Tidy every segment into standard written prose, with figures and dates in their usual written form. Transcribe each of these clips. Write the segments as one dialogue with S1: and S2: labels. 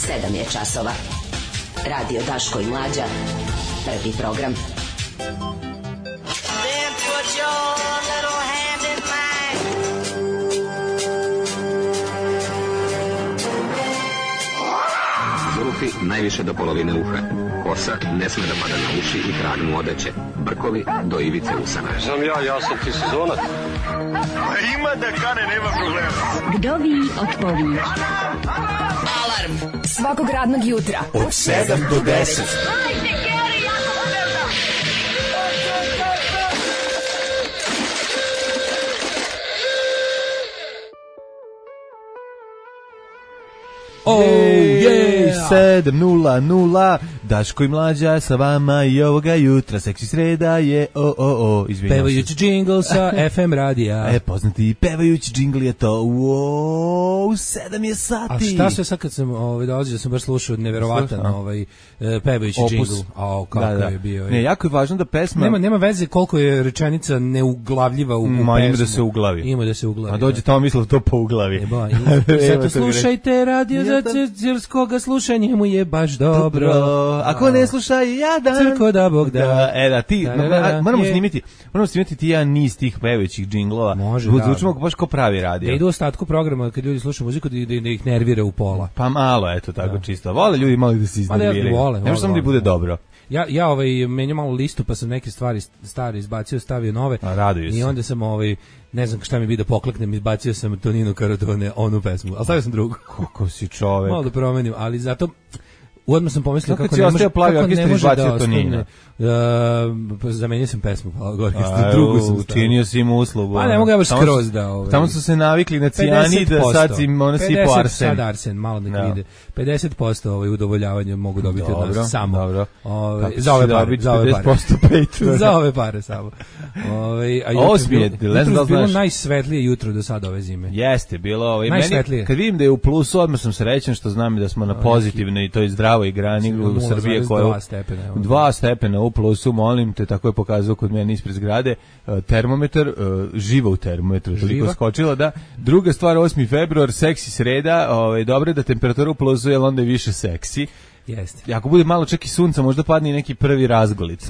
S1: 7 je časova. Radio Daško i Mlađa. Prvi program.
S2: Then put your little hand in mine.
S3: Zulufi najviše do polovine uha. Kosa ne sme da pada na uši i krag mu odeće. Brkovi do ivice usana.
S4: Sam ja sam ti sezonac.
S5: Ima da kane, nema problema.
S6: Vdovi od povih.
S1: Alarm svakog radnog jutra
S5: Od 7 do 10.
S7: Jej, 7:00, Daško i Mlađa sa vama i ovoga jutra, seksi sreda je, izvinjam se.
S8: Pevajući džingl sa FM radija.
S7: Poznati pevajući džingl je to, 7 je sati.
S8: A šta sve sad kad sam dolazio, sam baš slušao neverovatan pevajući džingl. Kako je bio.
S7: Ne, jako je važno da pesma...
S8: Nema veze koliko je rečenica neuglavljiva u pesmu.
S7: Ima da se uglavi.
S8: Ima da se uglavi.
S7: A dođe tamo mislio to po uglavi.
S8: Zato slušajte radio za crkoga, slušanje mu je baš dobro.
S7: Ako ne slušaj, jadan.
S8: Crko da Bog da.
S7: Moramo snimiti ti jedan niz tih pevajućih džinglova.
S8: Može,
S7: zvučimo baš kao pravi radio.
S8: Da idu u ostatku programa kad ljudi slušaju muziku da ih nervira u pola.
S7: Pa malo, eto, tako čisto. Vole ljudi malo da se iznerviraju. Ne može samo da bude dobro.
S8: Ja menjam malo listu, pa sam neke stvari stare izbacio, stavio nove.
S7: Raduju se.
S8: I onda sam ne znam šta mi bi da pokleknem, izbacio sam Tonino Karatone, onu pesmu, ali stavio sam drugu.
S7: Kako si čovek.
S8: Malo da promenim, ali zato odmah sam pomislio kako
S7: ne može da ostane.
S8: Zamenio sam pesmu, drugu sam stavio.
S7: Učinio si im uslugu.
S8: Pa ne mogu ja baš skroz da...
S7: Tamo su se navikli na cijanid, sad si ono sipo Arsen.
S8: Sad Arsen, malo nek vide. 50% udovoljavanja mogu dobiti od nas samo.
S7: Dobro.
S8: Za ove pare.
S7: 50% Patreon.
S8: Za ove pare samo. Jutro je bilo najsvetlije jutro do sada ove zime.
S7: Jeste, bilo
S8: najsvetlije.
S7: Kad vidim da je u plusu, odmah sam srećan što znam da smo na pozitivnoj i toj zdravoj grani u Srbije koja je 2 stepena u plusu, molim te, tako je pokazao kod mene ispred zgrade, termometar, živa u termometru, toliko skočila da. Druga stvar, 8. februar, seksi sreda, dobro je da temperatura u plusu, jer onda je više seksi.
S8: Jeste.
S7: Ako bude malo čak i sunca, možda padne i neki prvi razgolit.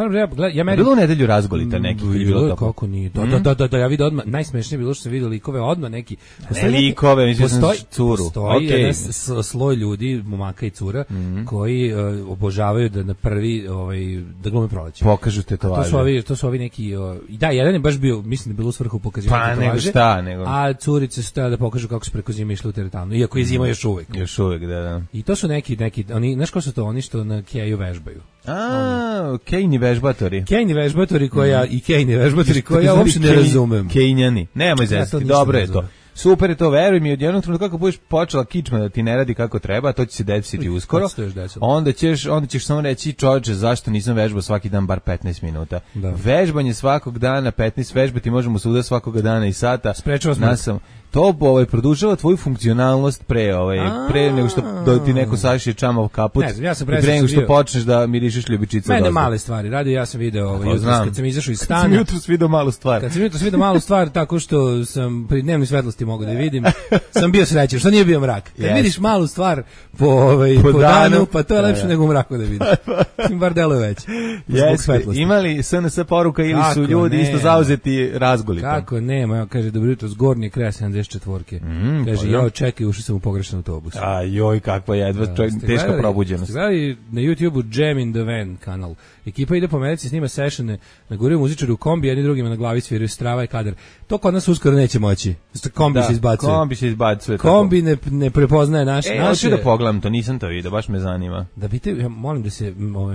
S7: Bilo u nedelju razgolita neki.
S8: Bilo kako nije. Da, ja vidim odmah, najsmešnije bilo što sam vidio likove odmah neki.
S7: Ne likove, mislim curu.
S8: Postoji jedan sloj ljudi, momaka i cura, koji obožavaju da na prvi, da glume proleće.
S7: Pokažu tetovaže.
S8: To su ovi neki, da, jedan je baš bio, mislim da bilo u svrhu pokazivanja tetovaže.
S7: Pa nego.
S8: A curice su tada da pokažu kako su preko zime išli u teretanu. Iako je zima još uvek.
S7: Još uvek, da.
S8: I to su neki, oni, znaš ko su to, oni što na keju vežbaju.
S7: Kejni vežbatori.
S8: Kejni vežbatori koja uopšte ne razumem.
S7: Kejnjani. Nemoj zezati, dobro je to. Super je to, veruj mi, od jednog trenutka kako budeš počela kičma da ti ne radi kako treba, to će se desiti uskoro. Onda ćeš samo reći, čovječe, zašto nisam vežbao svaki dan bar 15 minuta. Da. Vežbanje svakog dana, 15 vežbati možemo svuda svakoga dana i sata.
S8: Sprečava smo.
S7: To produžava tvoju funkcionalnost pre nego što ti neko sašije čamav kaput. Pre nego što počneš da mirišeš ljubičica.
S8: Mene male stvari. Radio ja sam video jutros kad sam izašao iz stana.
S7: Kad sam jutros video malu stvar.
S8: Kad sam jutros video malu stvar tako što sam pri dnevnoj svetlosti mogu da vidim. Sam bio srećan, što nije bio mrak. Kad vidiš malu stvar po danu, pa to je lepše nego u mraku da vidiš. Bar deluje već.
S7: Imali SNS poruka ili su ljudi isto zauzeti razgolitom?
S8: Kako nema, kaže dobro jutro, zgornji kraj 74-ke. Kaže, ja čekaj, ušao sam u pogrešan autobus.
S7: Joj, kakva jedva, teška probuđenost.
S8: Gledali na YouTube-u Jam in the Van kanal. Ekipa ide po Americi, snima sessione, naguraju muzičari u kombi, jedni drugima na glavi sviraju strava i kadar. To kod nas uskoro neće moći. Kombi se izbacuje. Kombi ne prepoznaje naše.
S7: Hoću da pogledam to, nisam to vidio, baš me zanima.
S8: Da vidite, ja molim da se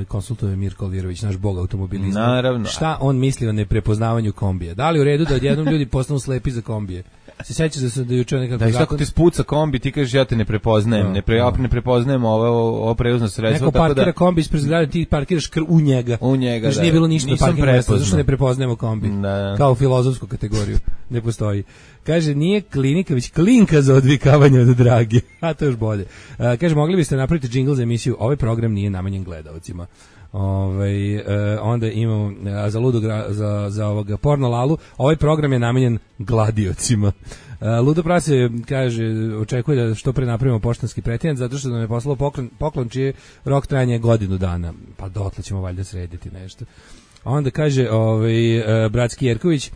S8: konsultuje Mirko Alvirović, naš bog automobilizma.
S7: Naravno.
S8: Šta on misli o neprepoznavanju kombija? Da li u redu da odjednom ljudi postanu slepi za kombije? Se sećaš da sam juče nekako...
S7: Da, tako ti spuca kombi, ti kažeš ja te ne prepoznajem, ne prepoznajem ovo prevozno sredstvo.
S8: Neko parkira kombi ispred zgrade, ti parkiraš u njega. Kaže, nije bilo ništa parkirno mjesto, zašto ne prepoznajemo kombi? Kao filozofsku kategoriju, ne postoji. Kaže, nije klinika, već klinka za odvikavanje od drage. A to još bolje. Kaže, mogli biste napraviti džingl za emisiju, ovaj program nije namenjen gledalcima. Onda imamo za ludu za ovoga porno lalu. Ovaj program je namenjen gladiocima. Ludo Prase kaže, očekuje da što pre napravimo poštanski pretinac zato što nam je poslao poklon čiji rok trajanja godinu dana. Pa dotle ćemo valjda srediti nešto. Onda kaže bratski Jerković,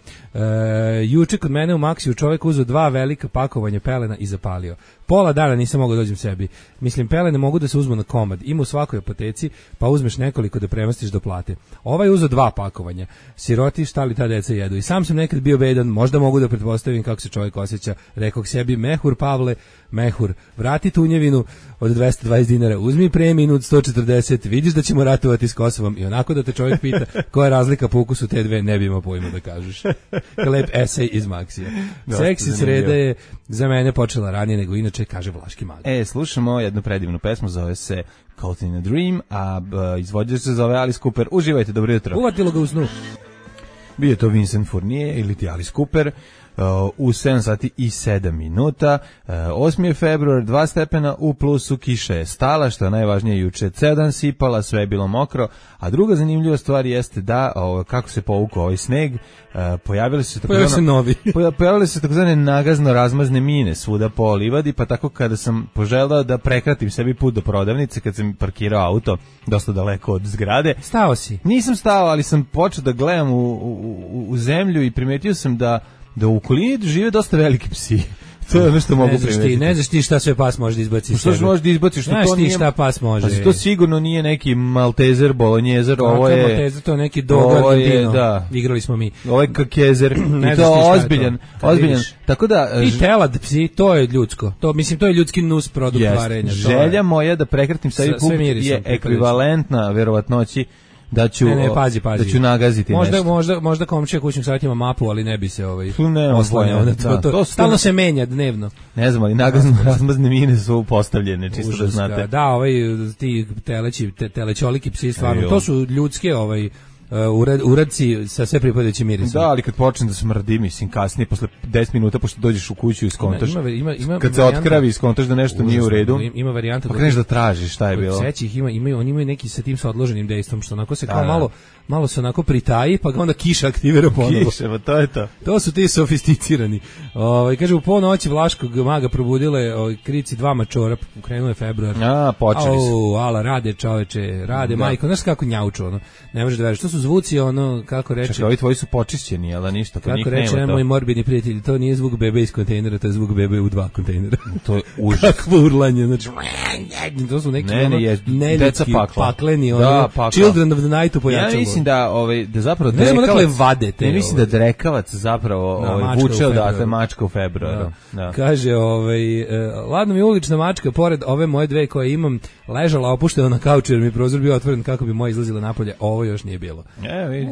S8: juče kod mene u Maksiju čovjek uzeo 2 velika pakovanja pelena i zapalio. Pola dana nisam mogao dođem sebi. Mislim, pelene mogu da se uzmu na komad. Ima u svakoj apoteci, pa uzmeš nekoliko da premastiš do plate. Ovaj uzeo 2 pakovanja. Siroti, šta li ta deca jedu? I sam sam nekad bio bedan, možda mogu da pretpostavim kako se čovjek osjeća. Rekao sebi, mehur Pavle, mehur, vrati tunjevinu od 220 dinara, uzmi preminu od 140, vidiš da ćemo ratovati s Kosovom i onako da te čovjek pita koja je razlika po ukusu te dve, ne bi imao pojma da kažeš. Lep esej iz Maksija. Seksi sreda je za mene počela ranije nego inače, kaže Vlaški Mali.
S7: Slušamo jednu predivnu pesmu, zove se Caught in a Dream, a izvođač se zove Alice Cooper. Uživajte, dobro jutro.
S8: Uvatilo ga u snu.
S7: Bio je to Vincent Fournier ili ti Alice Cooper. U 7 sati i 7 minuta. 8. je februar, 2 stepena u plusu, kiša je stala, što je najvažnije, juče ceo dan sipala, sve je bilo mokro, a druga zanimljiva stvar jeste da kako se povukao ovaj sneg, pojavile su se takozvane nagazno razmazne mine svuda po livadi, pa tako kada sam poželao da prekratim sebi put do prodavnice, kad sam parkirao auto dosta daleko od zgrade.
S8: Stao si?
S7: Nisam stao, ali sam počeo da gledam u zemlju i primetio sam da u okolini žive dosta veliki psi. To je ono što mogu primetiti.
S8: Ne znaš ti šta sve pas može da izbaci.
S7: Što može da izbaci?
S8: Znaš ti šta pas može.
S7: Pa to sigurno nije neki Maltezer, Bolonjezer, ovo je...
S8: Maltezer, to je neki Dogo Argentino. Da. Igrali smo mi.
S7: Ovo je Kakezer. I to ozbiljan. Tako da...
S8: I telad psi, to je ljudsko. To je ljudski nus produkt varenja.
S7: Želja moja da prekratim sebi put je ekvivalentna verovatnoći da ću da ću nagaziti
S8: možda komšija kućnog savjeta ima mapu, ali ne bi se oslanjao na to. Stalno se menja dnevno.
S7: Ne znam, ali razmazne mine su postavljene, čisto da znate.
S8: Da, ti telećoliki psi stvarno, to su ljudske uradci sa sve pripadajućim mirisom.
S7: Da, ali kad počne da smrdi, mislim, kasnije, posle 10 minuta, pošto dođeš u kuću i skontaš, kad se otkravi i skontaš da nešto nije u redu,
S8: ima varijanta
S7: pa kreneš da tražiš šta je bilo.
S8: Sećih, oni imaju neki sa tim sa odloženim dejstvom, što onako se kao malo se onako pritaji, pa ga onda kiša aktivira ponovo.
S7: Kiša, pa to je to.
S8: To su ti sofisticirani. Kaže, u ponoći Vlaškog maga probudile krici 2 mačora, krenuo je februar.
S7: Počeli su.
S8: Ala, rade čoveče, rade majko, znaš kako njauču, ne možeš da veriš, to su zvuci, kako reče...
S7: Čekaj, ovi tvoji su počišćeni, ali ništa, kod njih nema to.
S8: Kako reče moj morbidni prijatelj, to nije zvuk bebe iz kontejnera, to je zvuk bebe u 2 kontejnera.
S7: To je užas.
S8: Kakvo urlanje, znači... To su neki neljudski, pakleni, Children of the Night pojačalo.
S7: Ja mislim da zapravo
S8: ne znam dakle vade te.
S7: Ne mislim da drekavac zapravo vuče odatle mačka u februaru.
S8: Kaže, ladno mi ulična mačka, pored ove moje 2 koje imam, ležala opuštena na kauču jer mi prozor bio otvoren kako bi moja izlazila napolje. Ovo još nije bilo.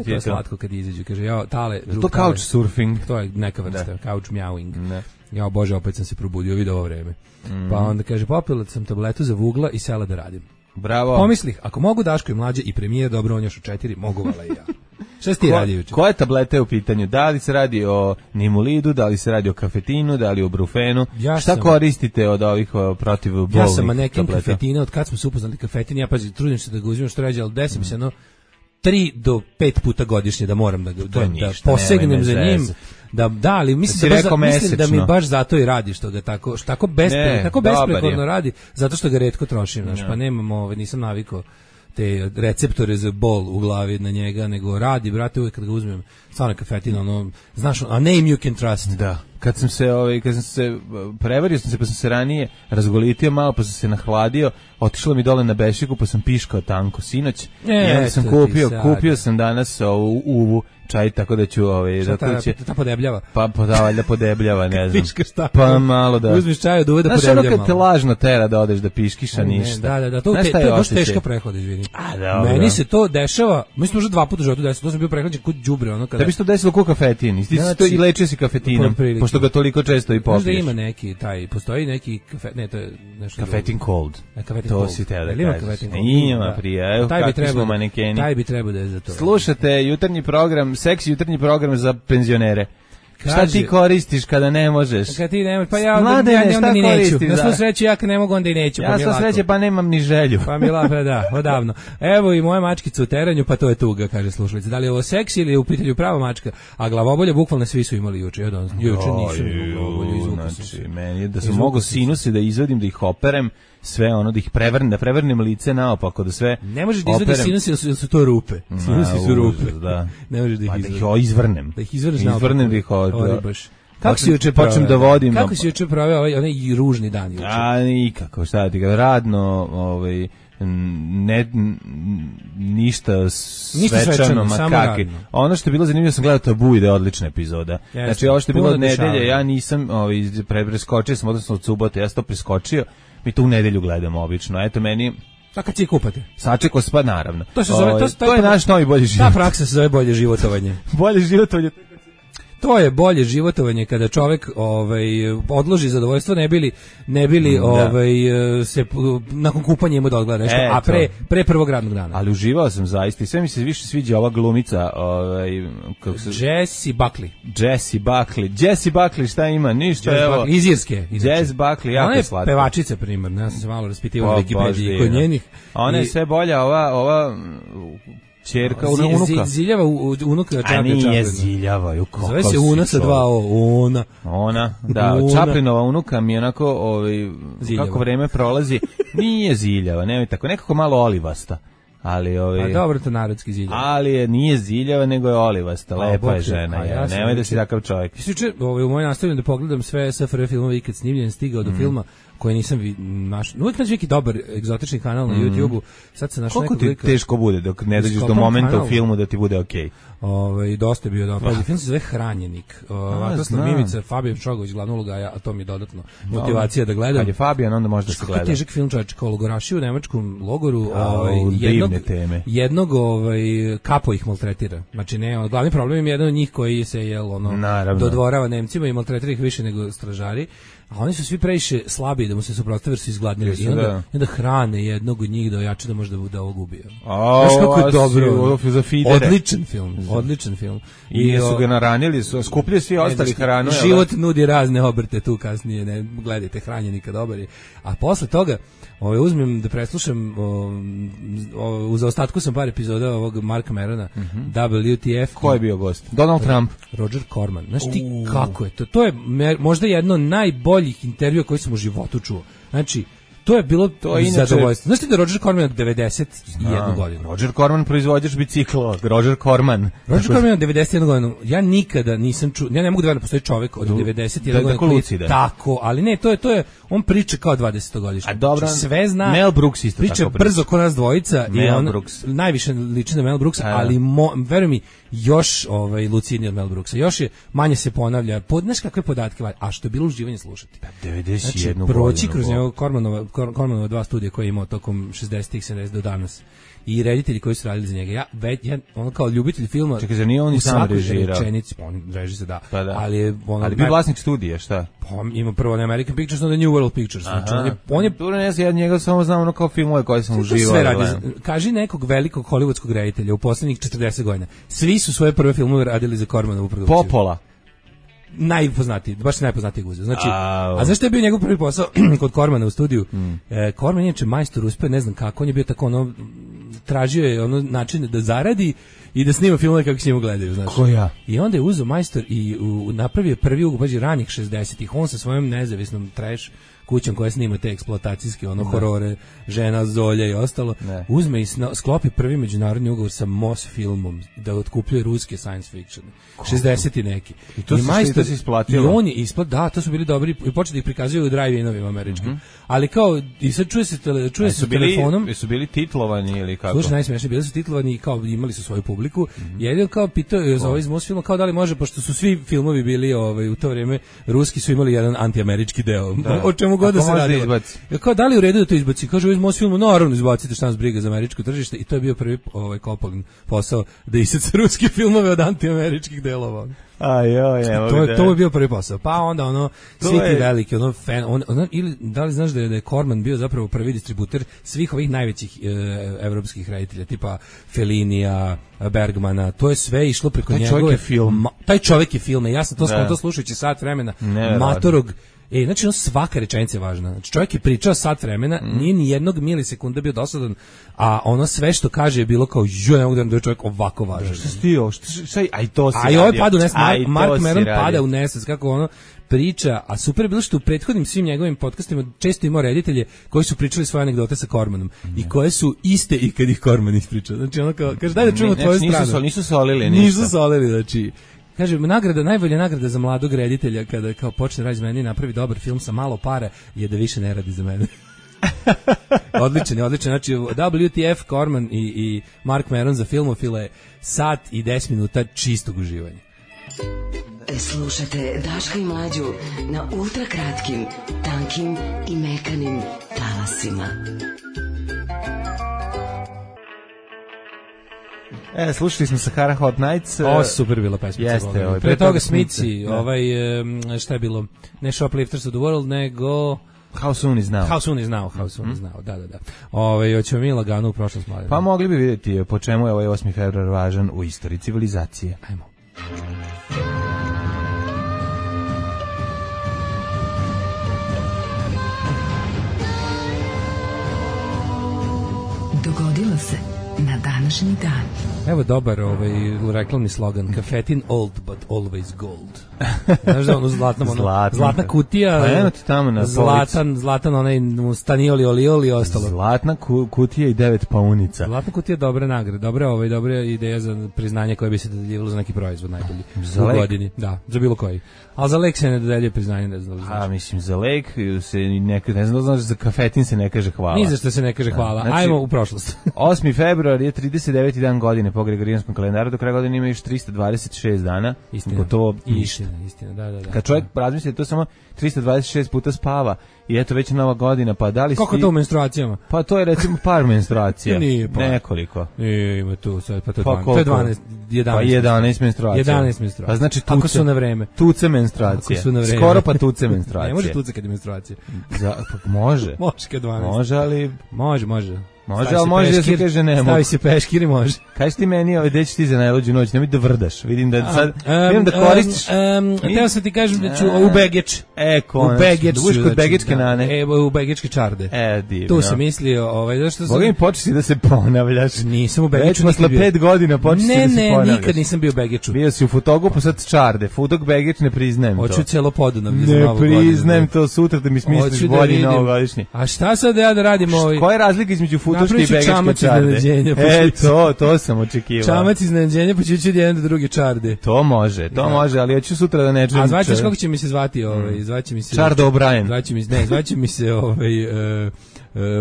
S8: To je slatko kad izađu. Kaže, tale...
S7: To couch surfing.
S8: To je neka vrsta, couch meowing. Bože, opet sam se probudio, vidio ovo vreme. Pa onda kaže, popila sam tabletu za vugla i sela da radim.
S7: Bravo.
S8: Pomislih, ako mogu Daško i Mlađe i premijer, dobro, on još u 4, mogu vala i ja. Šta si ti radi juče?
S7: Koje tablete u pitanju? Da li se radi o Nimulidu, da li se radi o kafetinu, da li o brufenu? Šta koristite od ovih protivbolnih tableta?
S8: Ja sam nekim kafetina, od kad smo se upoznali kafetin, ja trudim se da ga uzimam što ređe, ali desim se 3 do 5 puta godišnje da moram da posegnem za njim. Ali mislim da mi baš zato i radi što ga tako besprekorno radi, zato što ga retko trošim, pa nemam, nisam navikao te receptore za bol u glavi na njega, nego radi, brate, uvijek kad ga uzmem, stvarno kafetin, znaš, a name you can trust.
S7: Da. Kad sam se prevario sam se, pa sam se ranije razgolitio malo, pa sam se nahladio, otišlo mi dole na bešiku, pa sam piškao tanko sinoć. I onda sam kupio sam danas uvu čaj, tako da ću
S8: ta podebljava?
S7: Pa valjda podebljava, ne znam.
S8: Piškaš šta?
S7: Pa malo da.
S8: Uzmiš čaj od uve da podebljava malo.
S7: Znaš kad te lažno tera da odeš da piškiša ništa.
S8: Da, to je baš teško prehod, izvini. Meni se to dešava, mislim možda 2 puta u životu desilo, to sam bio prehlađen kod đubre, kada.
S7: Tebi se to desilo ko kafetin, ti i lečio si kafetinom, pošto ga toliko često i popiješ.
S8: Možda ima neki postoji neki to je nešto
S7: kafetin cold. To si teo da kažeš. Ima prije, kakvi smo manekeni.
S8: Taj bi trebao da je za to.
S7: Slušate jutarnji program, seksi jutarnji program za penzionere. Šta ti koristiš kada ne možeš?
S8: Kada ti ne možeš, pa ja onda ni neću. Na svu sreću ja kad ne mogu, onda i neću.
S7: Ja svu sreće, pa nemam ni želju.
S8: Pa mi lape, da, odavno. Evo i moja mačkica u teranju, pa to je tuga, kaže slušalica. Da li je ovo seks ili je u pitanju prava mačka? A glavobolje bukvalno svi su imali juče. Juče nisu glavobolje, izvukao sam se.
S7: Meni je da sam mogao sinuse da izvadim, da ih operem, sve ono, da ih prevrnem lice naopako, da sve
S8: ne možeš da izvadiš sinuse, jer su to rupe. Sinusi su rupe.
S7: Da.
S8: Ne možeš da ih
S7: izvrnem.
S8: Da ih izvrneš naopako.
S7: Izvrnem da ih
S8: Kako si juče
S7: počnem da vodim?
S8: Kako si juče proveo onaj ružni dan juče?
S7: A nikako, šta ti ga radno, ništa svečano, makaki. Ono što je bilo zanimljivo, sam gledao Tabu, ide odlična epizoda. Znači, ovo što je bilo od nedelje, ja nisam preskočio sam, odnosno od subote, ja sam to preskočio, mi to u nedelju gledamo obično. Eto, meni...
S8: A kad si je kupate?
S7: Sačekao se, pa naravno.
S8: To se zove,
S7: to je naš novi bolji život.
S8: Ta praksa se zove bolje životovanje.
S7: Bolje životovanje.
S8: To je bolje životovanje kada čovjek odloži zadovoljstvo, ne bili se nakon kupanja ima da odgleda nešto, a pre prvog radnog dana.
S7: Ali uživao sam zaista i sve mi se više sviđa ova glumica,
S8: Jessie
S7: Buckley, šta ima? Ništa, evo.
S8: Iz Irske.
S7: Jess Buckley, jako je slatka.
S8: Ona je pevačica primarno, ja sam se malo raspitivao u Wikipediji kod njenih.
S7: Ona je sve bolja, ova ćerka, unuka.
S8: Ziljava unuka Čaplina.
S7: A nije Ziljava,
S8: zove se Una sa 2 O.
S7: Ona, da, Čaplinova unuka mi je onako, kako vreme prolazi, nije Ziljava, nemoj tako, nekako malo olivasta. Ali
S8: a dobro, to narodski Ziljava.
S7: Ali nije Ziljava, nego je olivasta, lepa je žena, nemoj da si takav čovjek.
S8: Juče u mojoj nastavljanju da pogledam sve SFRJ filmove ikad snimljen, stigao do filma koje nisam našao. Uvijek nađe neki dobar egzotični kanal na YouTubeu. Sad se našao nekog
S7: lika. Koliko ti teško bude dok ne dođeš do momenta u filmu da ti bude okej?
S8: Dosta je bio dobar. Film se zove Hranjenik. Vatroslav Mimica, Fabijan Čogović, glavna uloga, a to mi je dodatno motivacija da gledam.
S7: Kad je Fabijan, onda možda se gleda.
S8: Kako težak film, čovječe, kao logoraši u nemačkom logoru. Jednog kapo ih maltretira. Znači, ne, glavni problem je jedan od njih koji se dodvorava Nemcima i maltretira ih više nego stražari. A oni su svi previše slabi da mu se suprotstave jer su izgladnili. I onda hrane jednog od njih da ojače da može da ovog ubije. Znaš kako je dobro. Odličan film.
S7: I su ga naranili, skupljaju svi ostali hranu.
S8: Život nudi razne obrte tu kasnije. Ne, gledajte, Hranjenika dobar je. A posle toga uzmem da preslušam, u zaostatku sam par epizoda ovog Marka Merona, WTF.
S7: Ko je bio gost? Donald Trump.
S8: Roger Corman. Znaš ti kako je to? To je možda jedno najboljih intervjua koji sam u životu čuo. Znači, to je bilo zadovoljstvo. Znaš ti da Roger Corman od 91 godinu?
S7: Roger Corman, proizvođač bicikla. Roger Corman od
S8: 91 godinu. Ja nikada nisam čuo, ja ne mogu da verujem postoji čovjek od 91 godinu. Tako, ali ne, to je, on priča kao 20-godišnji.
S7: A dobro,
S8: sve zna.
S7: Mel Brooks isto
S8: priča tako brzo ko nas dvojica. Mel Brooks. Najviše liči na Mel Brooksa, ali veruj mi, još lucidniji od Mel Brooksa. Još je, manje se ponavlja. Znaš kakve podatke, a što je bilo uživanje slušati.
S7: 91 godinu.
S8: Proći kroz njegov Cormanova 2 studija koje je imao tokom 60-ih, 70 do danas. I reditelji koji su radili za njega. Ja ono kao ljubitelj filma.
S7: Čekaj, za nije on i sam režirao.
S8: On reži se, da.
S7: Pa da.
S8: Ali
S7: bio vlasnik studija, šta?
S8: Ima prvo American Pictures, onda New World Pictures. Znači, on je
S7: tu ja njega samo znam ono kao filmove koje sam uživao.
S8: Sve radi. Kaži nekog velikog hollywoodskog reditelja u poslednjih 40 godina. Svi su svoje prve filmove radili za Cormanovu produkciju.
S7: Popola.
S8: Najpoznatiji, baš najpoznatiji guze. Znači, a zašto je bio njegov prvi posao kod Cormana u studiju? Corman je majstor, uspeo, ne znam kako, on je bio tako tražio je način da zaradi i da snima filmove kako se njemu gledaju, znači.
S7: Ko ja?
S8: I onda je uzeo majstor i napravio prvi ugobađi ranih 60-ih, on sa svojom nezavisnom trash kućom koja snima te eksploatacijske horore, žena, Zolja i ostalo, uzme i sklopi prvi međunarodni ugovor sa Moss filmom da otkupljuje ruske science fiction. 60 i neki.
S7: I to se isplatilo.
S8: I on je da, to su bili dobri i počeli da ih prikazuju u drive-inovima američkim. Ali kao, i sad čuje se telefonom.
S7: Su bili titlovani ili kako?
S8: Slušaj, najsmešnije, bili su titlovani i kao imali su svoju publiku. Jedino kao pitao za ovaj iz Moss filma, kao da li može, pošto su svi filmovi bili u to vrijeme, ruski su imali jedan antiamerički deo. O čemu god da se radilo. Kao da li u redu da to izbaci? Kaže, u mom filmu naravno izbacite, šta nas briga za američko tržište, i to je bio prvi Coppola posao da isjeca ruske filmove od antiameričkih delova. To je bio prvi posao. Pa onda svi ti veliki fan, ili da li znaš da je Corman bio zapravo prvi distributer svih ovih najvećih evropskih reditelja, tipa Fellinija, Bergmana, to je sve išlo preko njegove. Taj čovjek je film. Ja sam to skontao slušajući sat vremena matorog. Znači svaka rečenica je važna. Znači čovjek je pričao sat vremena, nije ni jednog milisekunda bio dosadan, a ono sve što kaže je bilo kao ne mogu da je čovjek ovako važan.
S7: Šta si ti ovo? Aj to si
S8: radio. A ovaj pada u nesvest, Mark Maron pada u nesvest, kako ono priča, a super je bilo što u prethodnim svim njegovim podcastima često imao reditelje koji su pričali svoje anegdote sa Cormanom i koje su iste i kad ih Corman ispriča. Znači ono kao, kaže daj da čujemo tvoju stranu.
S7: Nisu solili ništa.
S8: Nisu solili, znači... Kaže, najbolja nagrada za mladog reditelja kada kao počne raditi za mene i napravi dobar film sa malo para je da više ne radi za mene. Odličan. Znači, WTF, Corman i Mark Maron za filmofile, sat i 10 minuta čistog uživanja.
S1: Slušate Daška i Mlađu na ultrakratkim, tankim i mekanim talasima.
S7: Slušali smo Sahara Hot Nights.
S8: Super bila pesma.
S7: Jeste,
S8: pre toga Smici, šta je bilo? Ne Shoplifters of the World, nego...
S7: How Soon Is Now.
S8: Da. Hoćemo mi lagano u prošlost mladine.
S7: Pa mogli bi vidjeti po čemu je ovaj 8. februar važan u istoriji civilizacije.
S8: Ajmo.
S1: Dogodilo se na današnji dan.
S8: Evo dobar reklamni slogan, kafetin old but always gold. Znaš da ono zlatna kutija,
S7: pa eno ti tamo na
S8: zlatan onaj stanioli olioli i ostalo.
S7: Zlatna kutija i 9 paunica.
S8: Zlatna kutija dobra nagrada, dobra ideja za priznanje koje bi se dodeljivalo za neki proizvod najbolji u godini. Da, za bilo koji. Ali za lek se ne dodeljuje priznanje, ne znam.
S7: Mislim, za lek se ne znam da znaš, za kafetin se ne kaže hvala.
S8: Ni za što se ne kaže hvala. Znači, ajmo u prošlost.
S7: 8. februar je 39. dan godine po Gregorijanskom kalendaru, do kraja godine ima još 326 dana.
S8: Istina, da.
S7: Kad čovjek razmisli, to samo 326 puta spava i eto već nova godina, pa da li
S8: kako to u menstruacijama?
S7: Pa to je recimo par menstruacija.
S8: Nije par.
S7: Nekoliko.
S8: Ima tu sad, pa to je 12, 11.
S7: Pa 11 menstruacija.
S8: 11 menstruacija.
S7: Pa znači
S8: ako su na vreme.
S7: Tuce menstruacije. Skoro pa tuce menstruacije.
S8: Ne može tuce kad je menstruacija.
S7: Može.
S8: Može kad 12.
S7: Može, ali...
S8: Može.
S7: Može, ali može da se kaže ne mogu.
S8: Stavi se peškir i može.
S7: Kaži ti meni, gde ćeš ti za najluđu noć, nemoj da vrdaš. Vidim da sad, vidim da koristiš.
S8: Teo sam ti kažem da ću u Begeč.
S7: Konačno. Da budeš kod Begečke nane.
S8: U Begečke čarde.
S7: Divno.
S8: Tu sam mislio, zašto sam...
S7: Boga mi početi da se ponavljaš.
S8: Nisam u Begeču
S7: nikad bio. Već posle 5 godina početi da se ponavljaš.
S8: Ne, nikad nisam bio u Begeču.
S7: Bio si u Futogu, sad čarde. Futog Begeč, ne priznajem to.
S8: Hoću celo Podunavlje
S7: za novu godinu. Ne priznajem to, sutra da mi smisliš bolji novogodišnji.
S8: A šta sad ja da radim
S7: Koja je razlika između Futoške i Begečke? To sam očekivao.
S8: Čamac iznenađenja, pa ću ići od jedan do druge čarde.
S7: To može, ali ja ću sutra da ne čujem.
S8: A zvaćeš kako će mi se zvati? Zvaće mi se...
S7: Čardo O'Brien.
S8: Zvaće mi se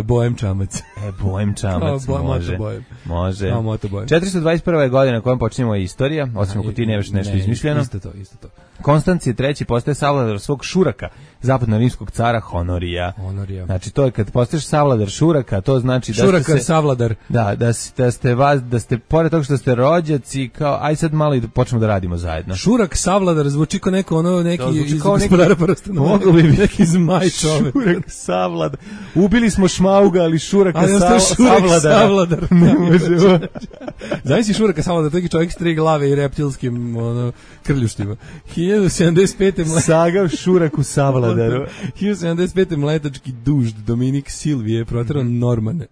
S8: Bojem Čamac.
S7: Bojem Čamac, može. Može. 421. godina kojom počinjemo je istorija, osim ako ti nemaš nešto izmišljeno.
S8: Isto to.
S7: Konstancije III postaje savladar svog šuraka, zapadno-rimskog cara Honorija. Znači to je kad postaješ savladar šuraka, to znači da
S8: šuraka ste savladar.
S7: Da ste pored toga što ste rođaci, kao aj sad malo i počnemo da radimo zajedno.
S8: Šurak savladar zvuči kao neki iz Gospodara prstenova.
S7: Mogu bi
S8: neki zmaj čovek.
S7: Šurak savladar. Ubili smo Šmauga, ali šuraka savladar.
S8: Ne može. Znaš si šuraka savladar, taki čovjek s 3 glave i reptilskim krljuštima. 1075.
S7: Saga Šuraku savladaru.
S8: 1075. mletački dužd Dominik Silvije proterao Normane.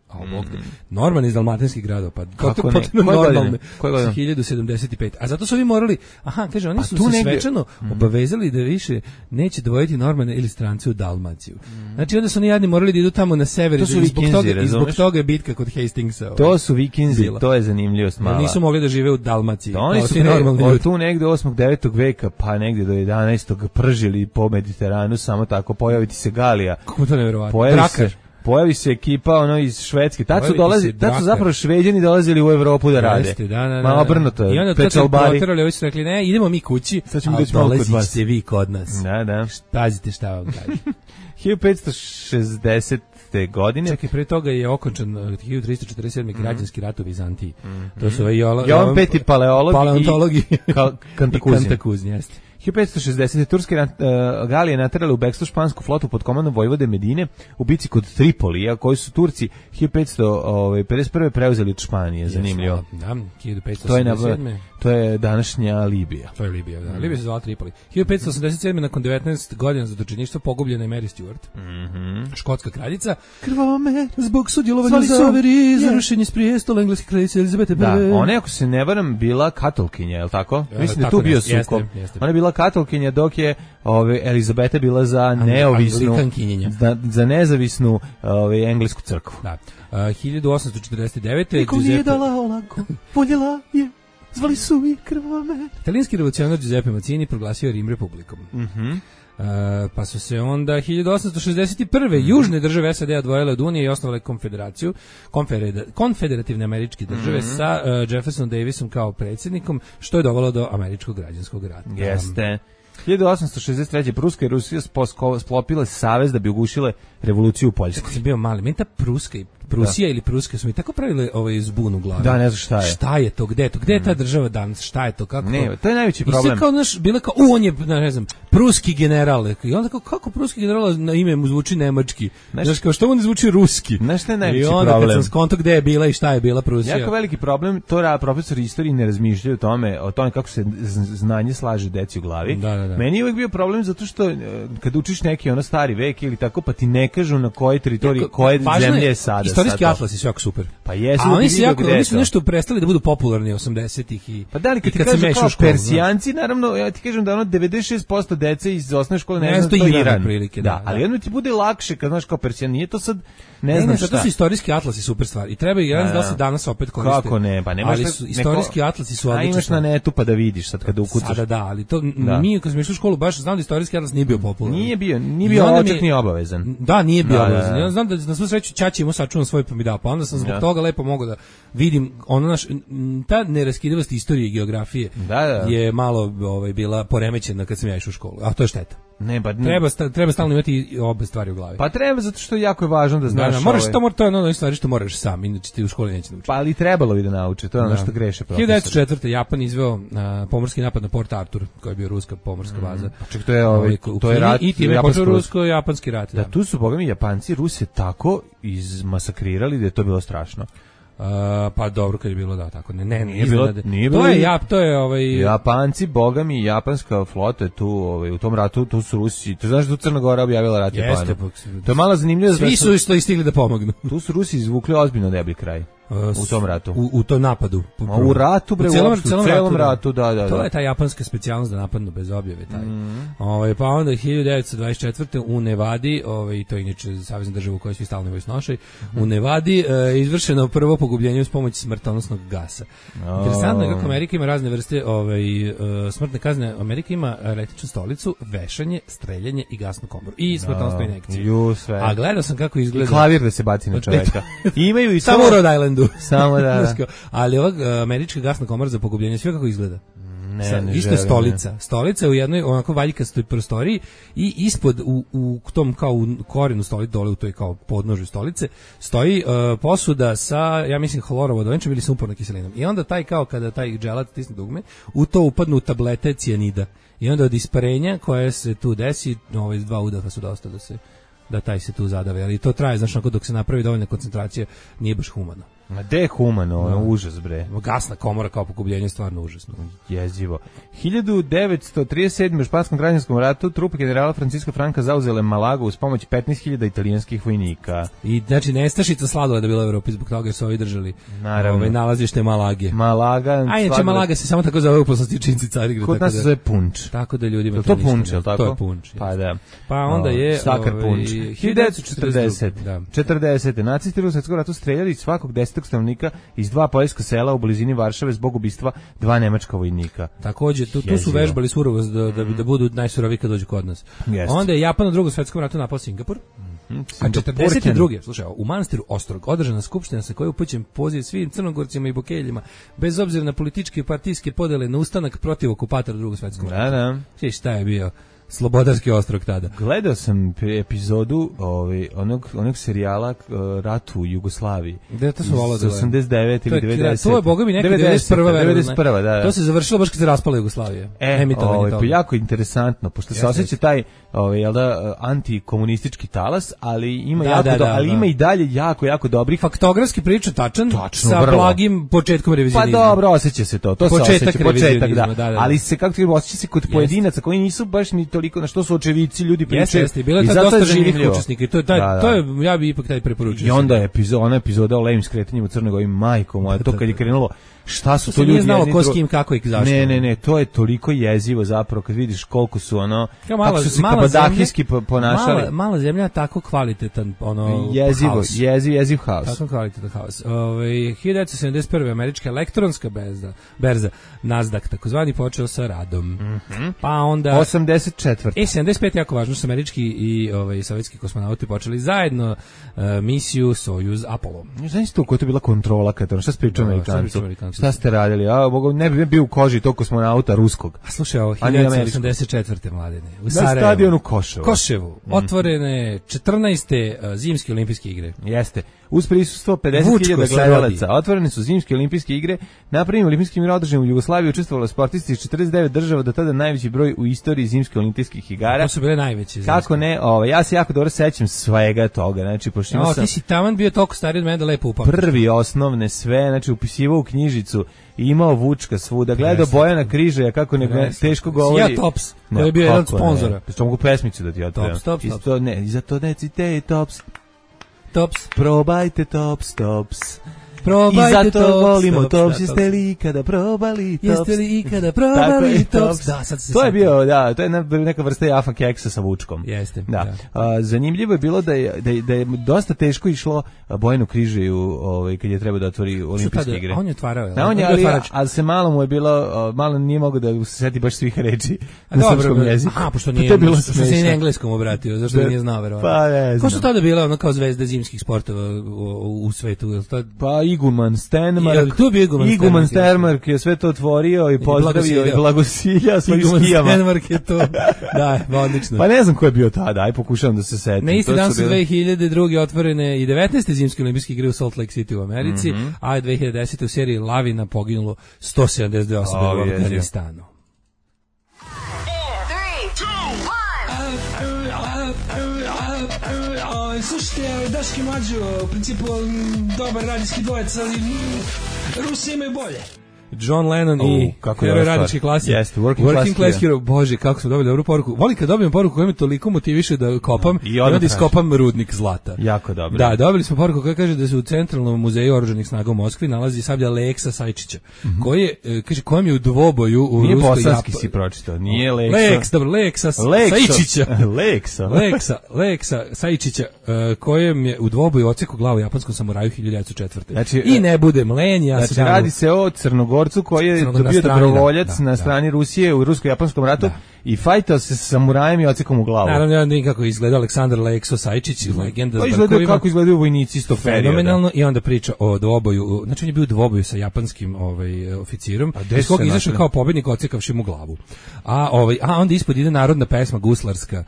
S8: Norman iz dalmatinskih gradova, pa
S7: kako
S8: ne?
S7: Normalne.
S8: 1075. A zato su ovi morali, kaže, oni su se svečano obavezali da više neće dovojiti Normane ili strance u Dalmaciju. Znači onda su oni jadni morali da idu tamo na sever i zbog toga je bitka kod Hastingsa.
S7: To su Vikinzi, to je zanimljivost mala.
S8: Nisu mogli da žive u Dalmaciji.
S7: Oni su od tu negde 8. 9. veka pa negde do 11. pržili po Mediteranu, samo tako pojaviti se Galija.
S8: Kako to nevjerovatno?
S7: pojavi se ekipa ono iz Švedske. Tad su zapravo Šveđani dolazili u Evropu da rade.
S8: Jeste, da.
S7: Ma obrnuto je.
S8: I onda
S7: Pečalbari.
S8: Ovi su rekli, ne, idemo mi kući, a dolazite vi kod nas.
S7: Da.
S8: Pazite šta vam kažem.
S7: 1560. godine.
S8: Čekaj, pre toga je okončan 1347. građanski rat u Vizantiji. To su
S7: Jovan Peti paleontolog i
S8: Kantakuzin, jeste.
S7: 1560. Turske Galije naterale u bekstvo špansku flotu pod komandom vojvode Medine u bici kod Tripolija, koji su Turci 1551. preuzeli od Španije. Zanimljivo.
S8: Da, 1587.
S7: To je današnja Libija.
S8: To je Libija, da. Libija se zvala Tripoli. 1587. nakon 19 godina zatočeništva pogubljena je Mary Stuart. Škotska kraljica.
S7: Krvava me
S8: zbog sudjelovanja u zaveri za rušenje s prijestola engleske kraljice Elizabete I.
S7: Da, ona je, ako se ne varam, bila katolkinja, je li tako? Mislim da tu bio sukob. Ona je bila katolkinja dok je Elizabeta bila za nezavisnu englesku crkvu.
S8: Da. 1849.
S7: Niko nije dala olako, voljela je. Zvali su i krvava me.
S8: Italijanski revolucionar Giuseppe Mazzini proglasio Rim republikom. Pa su se onda 1861. južne države SAD odvojile od Unije i osnovale konfederaciju, konfederativne američke države sa Jefferson Davisom kao predsjednikom, što je dovelo do američkog građanskog rata.
S7: Jeste. 1863. Pruska i Rusija sklopile savez da bi ugušile revoluciju u Poljskoj.
S8: Kad sam bio mali, meni ta Prusija ili Pruska su mi tako pravile zbun u glavi.
S7: Da, ne znam šta je.
S8: Šta je to, gde je to, gde je ta država danas, šta je to, kako?
S7: Ne, to je najveći problem.
S8: I sve kao, bila kao, on je, ne znam, pruski general. I onda kako pruski general na ime mu zvuči nemački? Znaš, kao što on zvuči ruski?
S7: Znaš šta je najveći
S8: problem?
S7: problem?
S8: I onda kad sam skonto gde je bila i šta je bila Prusija.
S7: Jako veliki problem, to profesori istorije ne razmišljaju o tome kako se znanje slaže deci u glavi.
S8: Da.
S7: Meni je uvijek bio problem zato što kad učiš neki stari vek ili tako, pa ti ne kažu na kojoj teritoriji, koje zemlje je sada.
S8: Istorijski atlas je jako super.
S7: Pa jesu,
S8: oni su nešto prestali da budu popularni 80-ih i
S7: pa da li kad ti kažu kao Persijanci, naravno, ja ti kažem da 96% dece iz osnovne škole ne zna to Iran.
S8: Prilike,
S7: da, ali jedno ti bude lakše kad znaš kao Persijan, nije to sad ne znam šta.
S8: To su istorijski atlasi super stvar i treba i da se danas opet koriste.
S7: Kako ne, pa nemaš
S8: istorijski atlasi su odlični.
S7: A imaš na netu pa da vidiš sad kada ukucaš.
S8: Da, ali to mi kad smo išli u školu baš znam da istorijski atlas nije bio popularan.
S7: Nije bio oček ni obavezan.
S8: Da, nije bio obavezan. Ja znam da na svu sreću ćaća ima sačuvan svoj pa mi da, pa onda sam zbog toga lepo mogao da vidim ta neraskidivost istorije i geografije je malo bila poremećena kad sam ja išao u školu, a to je šteta.
S7: Ne, pa
S8: treba stalno imati obe stvari u glavi.
S7: Pa treba, zato što jako je važno da znaš.
S8: To je ono stvari što moraš sam, inače ti u školi neće naučiti.
S7: Pa ali trebalo bi da nauči, to je ono što greše profesor.
S8: 1904. Japan izveo pomorski napad na Port Arthur, koji je bio ruska pomorska baza.
S7: Pa ček, to je rat,
S8: i time je počeo rusko-japanski rat.
S7: Da, tu su, bogami, Japanci Ruse tako izmasakrirali da je to bilo strašno.
S8: Pa dobro kad je bilo tako.
S7: Nije bilo.
S8: To je
S7: Japanci, bogami, japanska flota je tu, u tom ratu, tu su Rusi. Tu znaš da tu Crna Gora objavila rat Japanu. To je malo zanimljivo.
S8: Svi su isto stigli da pomognu.
S7: Tu su Rusi izvukli ozbiljno deblji kraj. U tom ratu.
S8: U tom napadu.
S7: U ratu, bre, u celom ratu, da.
S8: To je ta japanska specijalnost da napadnu bez objave. Pa onda 1924. u Nevadi, to je inače savezna država u kojoj svi stalno imaju snošaj, u Nevadi izvršeno prvo pogubljenje uz pomoć smrtonosnog gasa. Interesantno je kako Amerika ima razne vrste smrtne kazne. Amerika ima električnu stolicu, vešanje, streljanje i gasnu komoru. I smrtonosnu injekciju. A gledao sam kako izgleda.
S7: I klavir da se baci na čoveka. Imaju i
S8: samo u Rhode Islandu.
S7: Samo da.
S8: Ali američka gasna komora za pogubljenje, sve kako izgleda.
S7: Isto
S8: stolica u jednoj onako valjkastoj prostoriji i ispod u tom kao u korenu stolice, dole u toj kao podnožju stolice stoji posuda sa, ja mislim, hlorovodovenčom ili sumpornom kiselinom. I onda kada taj dželat stisne dugme, u to upadnu tablete cijanida. I onda od isparenja koje se tu desi, 2 udaha su dosta da taj se tu zadave, ali to traje, znaš, dok se napravi dovoljna koncentracija, nije baš humano.
S7: Ma gde je humano, užas, bre.
S8: Gasna komora kao pogubljenje je stvarno užasno.
S7: Jezivo. 1937. u španskom građanskom ratu trupe generala Francisca Franka zauzele Malagu uz pomoć 15.000 italijanskih vojnika.
S8: I znači nestašica sladoleda je bila u Evropi zbog toga jer su ovi držali nalazište Malage. Inače Malaga se samo tako zove u poslastičnici Carigrada.
S7: Kod nas se zove punč.
S8: Tako da ljudima
S7: to punč, je li tako?
S8: To je punč.
S7: Pa da.
S8: Pa onda je
S7: sakar punč. 1940. 40. Nacisti u Svjetskom ratu streljali svakog 10. stanovnika iz 2 poljska sela u blizini Varšave zbog ubistva 2 nemačka vojnika.
S8: Također, tu su vežbali surovost da budu najsuroviji kad dođu kod nas. Onda je Japan u Drugom svjetskom ratu napao Singapur. A 42. Slušaj, u manastiru Ostrog održana skupština sa kojoj upućen poziv svim Crnogorcima i Bokeljima, bez obzira na političke i partijske podele, na ustanak protiv okupatora Drugog svjetskog rata.
S7: Da.
S8: Šta je bio Slobodarski ostrog tada?
S7: Gledao sam epizodu onog serijala Rat u Jugoslaviji.
S8: Gde to su volao da
S7: 89 ili 90.
S8: To je, boga mi, neka 91.
S7: Da.
S8: To se završilo baš kad se raspala Jugoslavija.
S7: Pa jako interesantno, pošto se osjeća taj antikomunistički talas, ali ima ali ima i dalje jako dobrih.
S8: Faktografski priča tačan sa blagim početkom revizionizma.
S7: Pa dobro, osjeća se to. To se osjeća, početak, da. Ali se, kako ti osjeća se kod pojedinaca koji nisu baš ni toliko, na što su očevici, ljudi pričaju.
S8: Jeste, bilo je dosta živih učesnika i to je, ja bi ipak taj preporučio.
S7: I onda je epizoda o levim skretanjima u Crnoj Gori, majko moja, to kad je krenulo, šta su to ljudi?
S8: Nije znalo ko s kim, kako i zašto.
S7: Ne, to je toliko jezivo zapravo kad vidiš koliko su kako su se kabadahijski ponašali.
S8: Mala zemlja, tako kvalitetan
S7: jeziv haos.
S8: Tako kvalitetan haos. 1971. američka elektronska berza Nasdaq, takozvani, počeo sa radom. Pa onda
S7: 84.
S8: 75 jako važno, su američki i sovjetski kosmonauti počeli zajedno misiju Sojuz Apollo.
S7: Znaš to, koja je to bila kontrola kad šta se pričao Amerikancu? Šta ste radili? Ne bi bio u koži tog kosmonauta ruskog.
S8: A slušaj, 1984. mladene. U Sarajevu.
S7: Na stadionu
S8: Koševu. Otvorene 14. zimske olimpijske igre.
S7: Jeste. Uz prisustvo 50.000 gledalaca. Otvorene su zimske olimpijske igre. Na prvim olimpijskim igrama održanim u Jugoslaviji učestvovalo sportisti iz 49 država, do tada najveći broj u istoriji zimskih olimpijskih igara.
S8: To su bile najveće.
S7: Kako ne? Ja se jako dobro sećam svega toga. Znači, pošto
S8: ti si taman bio toliko stariji od mene da lepo upamtiš.
S7: Prvi osnovne sve, znači upisivao u knjižicu, imao Vučka svuda, gledao Bojana Križaja kako teško govori.
S8: Ja Tops, koji je bio jedan od sponzora.
S7: Što mogu pesmicu da ti otvorim.
S8: Tops.
S7: I za to necite Tops. Probajte Tops. I zato volimo Tops, jeste li ikada probali Tops?
S8: Da, sad se
S7: to je bio, to je neka vrsta jafa keksa sa Vučkom.
S8: Jeste.
S7: Da. Zanimljivo je bilo da je dosta teško išlo Bojanu Križaju kad je trebao da otvori olimpijske igre.
S8: On je otvarao.
S7: Ali se malo mu je bilo, malo nije mogao da se seti baš svih reči na srpskom jeziku.
S8: Pošto se i engleskom obratio, zašto nije znao verovatno.
S7: Pa ne znam.
S8: Ko su tada bila kao zvezde zimskih sportova u svetu?
S7: Pa Iguman Stenmark je sve to otvorio i pozdravio i blagosilja svojim skijama.
S8: Stenmark je to, da, odlično.
S7: Pa ne znam ko je bio tada, aj pokušavam da se setim.
S8: Na isti dan su 2002. otvorene i 19. zimske olimpijske igre u Salt Lake City u Americi, a 2010. u seriji Lavina poginulo 172 osobe u Afganistanu.
S6: Slušajte, Daški Mlađo, u principu dobar radijski dvojec, ali Rusi imaju bolje.
S8: John Lennon i heroj radničke klase.
S7: Jeste, working class hero.
S8: Bože, kako smo dobili dobru poruku. Volim kad dobijem poruku koja me toliko motiviše da kopam i onda iskopam rudnik zlata.
S7: Jako dobro.
S8: Da, dobili smo poruku koja kaže da se u Centralnom muzeju oružanih snaga u Moskvi nalazi sablja Leksa Sajčića, koji je, kaže, kojem je u dvoboju u
S7: Nije bosanski si pročitao, nije
S8: Leksa Sajčića. Leksa Sajčića, kojem je u dvoboju odsekao glavu japanskom samuraju 1904.
S7: Znači,
S8: i ne bude mlenja.
S7: Znači, radi se o Crnogorcu koji je bio dobrovoljac na strani Rusije u rusko-japanskom ratu i fajtao se sa samurajem i odsekom u glavu.
S8: Naravno, nikako izgleda Aleksandar Lekso Sajčić, legenda.
S7: Pa izgledaju kako izgledaju vojnici iz tog perioda.
S8: Fenomenalno, i onda priča o dvoboju, znači on je bio u dvoboju sa japanskim oficirom, iz koga izašao kao pobednik odsekavši mu glavu. A onda ispod ide narodna pesma guslarska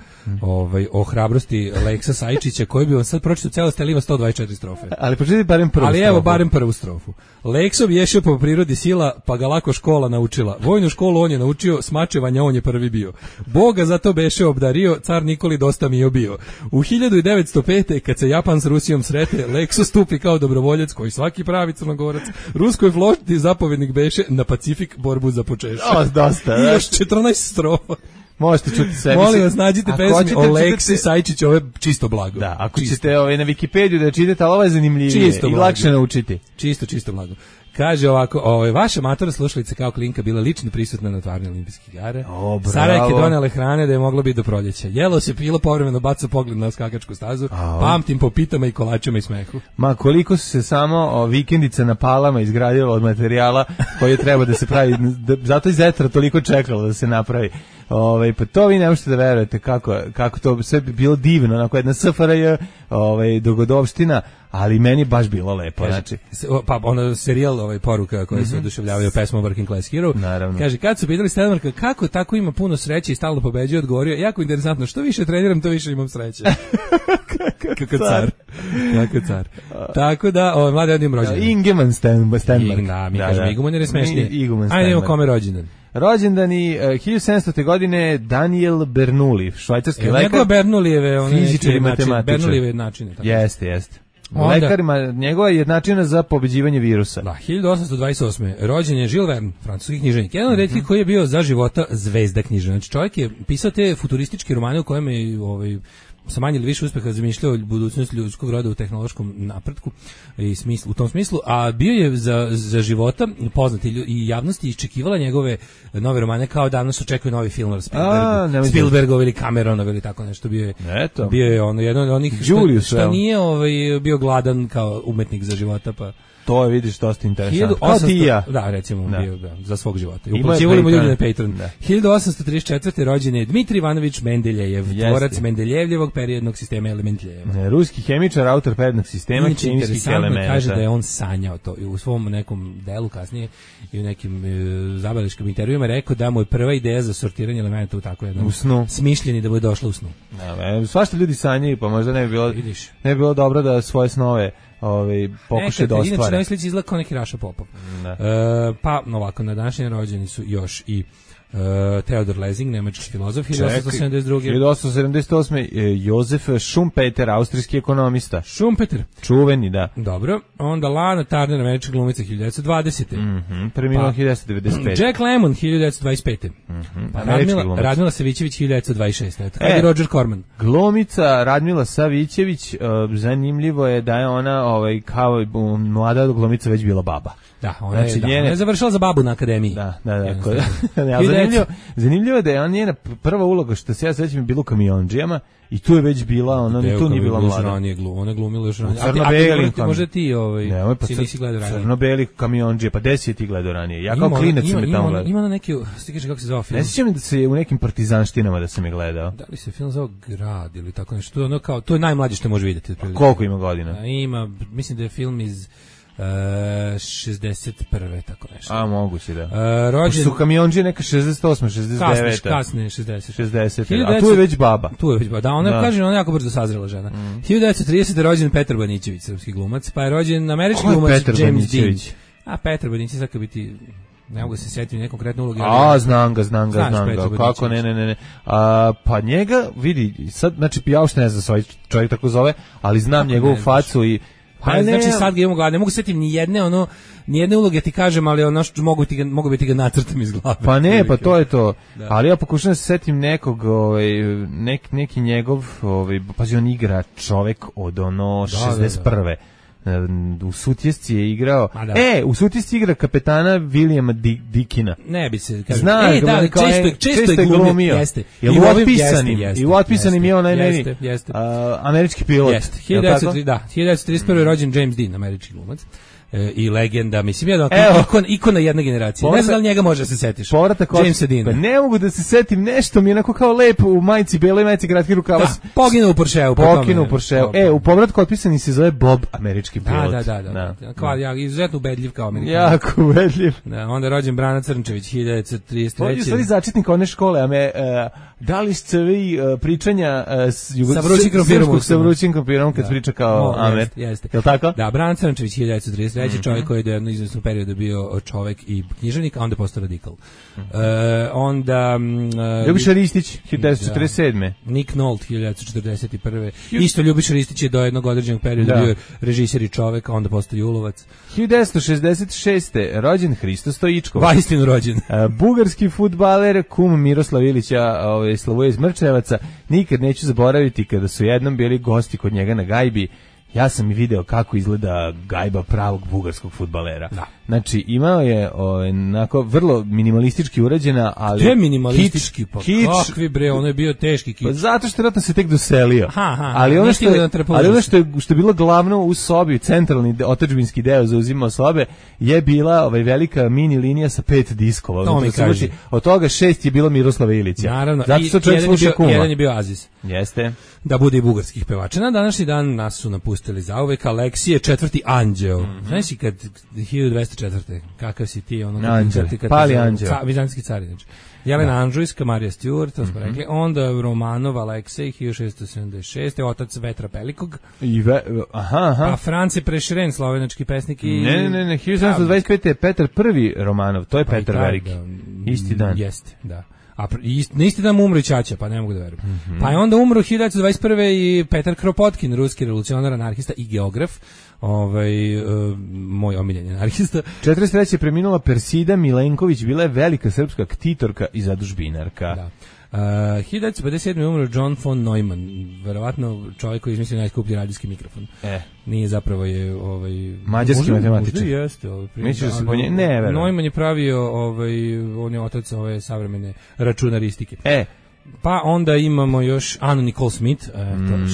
S8: o hrabrosti Leksa Sajčića, koji bi on sad pročitao celost, ali ima 124 strofe.
S7: Ali pročitati barem prvu strofu.
S8: Ali evo, barem prvu strofu. Lekso bješao po prirodi sila, pa ga lako škola naučila. Vojnu školu on je naučio, smačevanja on je prvi bio. Boga zato beše obdario, car Nikoli dosta mi je bio. U 1905. kad se Japan s Rusijom srete, Lekso stupi kao dobrovoljac, koji svaki pravi Crnogorac, ruskoj floti zapovjednik beše, na Pacifik borbu započeše.
S7: Dosta.
S8: I još 14 strofa.
S7: Možete čuti sebi.
S8: Molim vas, nađite pesmi o Leksi Sajčiću, ovo je čisto blago.
S7: Da, ako ćete na Wikipediju da čitate, ali ovo je zanimljivije i lakše naučiti.
S8: Čisto blago. Kaže ovako, vaša matora slušalica kao klinka bila lično prisutna na otvaranju olimpijskih igara. Sarajke donele hrane da je moglo biti do proljeća. Jelo se, pilo, povremeno baca pogled na skakačku stazu, pamtim po pitama i kolačima i smehu.
S7: Ma koliko su se samo vikendica na Palama izgradilo od materijala koji treba da se pravi, zato i Zetra toliko čekalo da se napravi. Pa to vi ne možete da verujete kako to sve bi bilo divno, onako jedna SFRJ dogodovština, ali meni baš bilo lepo. Znači.
S8: Pa ono serijal poruka koje se oduševljavaju pesmom Working Class Hero.
S7: Naravno.
S8: Kaže, kad su pitali Stenmarka kako tako ima puno sreće i stalno pobeđuje, odgovorio, jako interesantno, što više treniram, to više imam sreće. Kako car. Kako car. Tako da, mladi odim rođendan.
S7: Ingeman Stenmark.
S8: Da, mi kažemo Iguman jer je smešnije. Ajde, imamo kome rođendan.
S7: Rođendani 1700. godine Daniel Bernoulli, švajcarski lekar.
S8: Njegova Bernoullijeve,
S7: fizičar i matematičar.
S8: Bernoullijeve jednačine.
S7: Jeste. Lekarima njegova jednačina za pobeđivanje virusa.
S8: Da, 1828. Rođen je Jules Verne, francuski književnik. Jedan od retkih koji je bio za života zvezda književnika. Znači čovjek je pisao te futurističke romane u kojem je sa manje ili više uspeha zamišljao budućnost ljudskog roda u tehnološkom napretku i u tom smislu, a bio je za života poznat i javnosti iščekivala njegove nove romane kao danas očekuje novi film Spielbergov ili Cameronov ili tako nešto. Bio je ono jedan od onih što nije bio gladan kao umetnik za života, pa
S7: to je, vidiš, dosta interesantno. Kao ti i ja.
S8: Da, recimo, bio za svog života. Uplaćivali mu ljudi na Patreon. 1834. rođen je Dmitrij Ivanović Mendeljejev, tvorac Mendeljevljevog periodnog sistema elementljeja.
S7: Ruski hemičar, autor periodnog sistema hemijskih elemenata.
S8: Kaže da je on sanjao to i u svom nekom delu kasnije i u nekim zabavljačkim intervjuima rekao da mu je prva ideja za sortiranje elemenata u tako jednom smišljeni da mu je došla u snu.
S7: Svašta ljudi sanjaju, pa možda ne bi bilo dobro da svoje snove pokušaj da ostvari.
S8: Inače, sliči izgleda kao neki Raša Popov. Pa, ovako, na današnje rođeni su još i Theodor Lessing, nemački filozof, 1872.
S7: 1878. Josef Schumpeter, austrijski ekonomista.
S8: Schumpeter.
S7: Čuveni, da.
S8: Dobro. Onda Lana Turner, američka glumica, 1920.
S7: Preminuo 1995.
S8: Jack Lemmon, 1925. Radmila Savićević, 1926. Kada je Roger Corman.
S7: Glumica Radmila Savićević, zanimljivo je da je ona kao mlada glumica već bila baba.
S8: Da, ona je završila za babu na akademiji.
S7: Da. Zanimljivo je da je njena prva uloga, što se ja sećam, je bilo u Kamiondžijama i tu je već bila, ona ni tu nije bila mlada.
S8: Ona je glumila još ranije.
S7: Crno-beli.
S8: Možda ti si nisi gledao ranije.
S7: Crno-beli Kamiondžije, pa 10 ti gledao ranije. Ja kao klinac sam je tamo gledao.
S8: Ima na neki, ti kaže kako se zove film.
S7: Ne sjećam da se u nekim partizanštinama da sam je gledao.
S8: Da li se film zove Grad ili tako nešto? To je najmlađe što može vidjeti.
S7: Koliko ima godina?
S8: Ima, mislim da je film iz 61. tako nešto.
S7: A, moguće, da. Rođen su Kamiondžije neka 68, 69.
S8: Kasne 60.
S7: A tu je već baba.
S8: Da, ona kaže, ona jako brzo sazrela žena. 1930. rođen Petar Banićević, srpski glumac, pa je rođen američki glumac James Dean. A Petar Banićević sad kad biti, ne mogu se setiti neke konkretne uloge.
S7: Znam ga. Kako ne. Pa njega, vidi, sad, znači, ja uopšte ne znam svoj čovjek tako zove, ali znam njegovu facu i
S8: znači sad ga imamo gledati, ne mogu setiti ni jedne uloge ti kažem, ali ono što mogu biti ga nacrtam iz glave.
S7: Pa ne, pa to je to. Da. Ali ja pokušam da se setim nekog, neki njegov, pazi, on igra čovek od ono 61. U Sutjesci je igrao. U Sutjesci igra kapetana Williama Dickina.
S8: Ne bi se kaže.
S7: Zna, često je glumio.
S8: Jeste.
S7: I u Otpisanim je onaj američki pilot.
S8: Jeste. 1931. rođen James Dean, američki glumac. I legenda, mislim, jedan ikona jedne generacije. Ne znam da li njega može da se setiš. Jamesa Deana.
S7: Pa ne mogu da se setim, nešto mi je onako kao lepo u majici, beloj majici, kratki rukava.
S8: Da, poginuo u Porscheu.
S7: U povratku Otpisani se zove Bob, američki pilot.
S8: Da. Izuzetno ubedljiv kao Amerikan.
S7: Jako ubedljiv.
S8: Onda je rođen Brana Crnčević, 1933.
S7: On je stvari začetnik one škole, da li ste vi pričanja sa vrućim krompirom kad priča kao Amer?
S8: Jeste.
S7: Je li tako?
S8: Da, Brana Crnčević, 1933. Čovjek koji je do jednog izvesnog perioda bio čovjek i književnik, a onda postao radikal. Onda
S7: Ljubiša Ristić, 1947.
S8: Nick Nolte, 1941. Isto Ljubiša Ristić je do jednog određenog perioda bio režiser i čovjek, a onda postao julovac.
S7: 1966. rođen Hristo Stojičkov.
S8: Vaistinu rođen.
S7: Bugarski fudbaler, kum Miroslav Ilića, Slavuje iz Mrčevaca. Nikad neću zaboraviti kada su jednom bili gosti kod njega na gajbi. ja sam i video kako izgleda gajba pravog bugarskog fudbalera. Da. Znači, imao je onako vrlo minimalistički urađena, ali...
S8: Gde minimalistički? Kič, kakvi bre, ono je bio teški kič.
S7: Pa zato što vjerojatno se tek doselio. Ali ono što je bilo glavno u sobi, centralni otadžbinski deo zauzimao sobe, je bila velika mini linija sa 5 diskova.
S8: To mi kaže.
S7: Od toga 6 je bilo Miroslava Ilića.
S8: Naravno,
S7: zato što čovjek sluša Kuma.
S8: Jedan je bio Aziz.
S7: Jeste.
S8: Da bude i bugarskih pevača. Na današnji dan nas su napustili zauvek Aleksije, 4. anđeo. Znaš i kad 1204. Kakav si ti?
S7: Pali anđeo.
S8: Vizantijski car. Jelena Anžujska, Marija Stewart, to smo rekli. Onda Romanov Aleksej, 1676. Otac Vetra Pelikog. Pa Franci Prešeren, slovenački pesnik i...
S7: Ne, 1725. je Petar I Romanov, to je Petar Veliki. Isti dan.
S8: Jeste, da. A na isti dan umro i ćaća, pa ne mogu da verujem. Pa je onda umro 1921. i Petar Kropotkin, ruski revolucionar, anarhista i geograf, moj omiljeni anarhista.
S7: 43. je preminula Persida Milenković, bila je velika srpska ktitorka i zadužbinarka.
S8: Da. 1957. umro John von Neumann, verovatno čovjek koji izmislio najskuplji radijski mikrofon. Nije zapravo je
S7: mađarski matematičar.
S8: Jeste,
S7: misliš da se po njemu? Ne, verujem.
S8: Neumann je pravio on je otac ove savremene računaristike. Pa onda imamo još Annu Nicole Smith,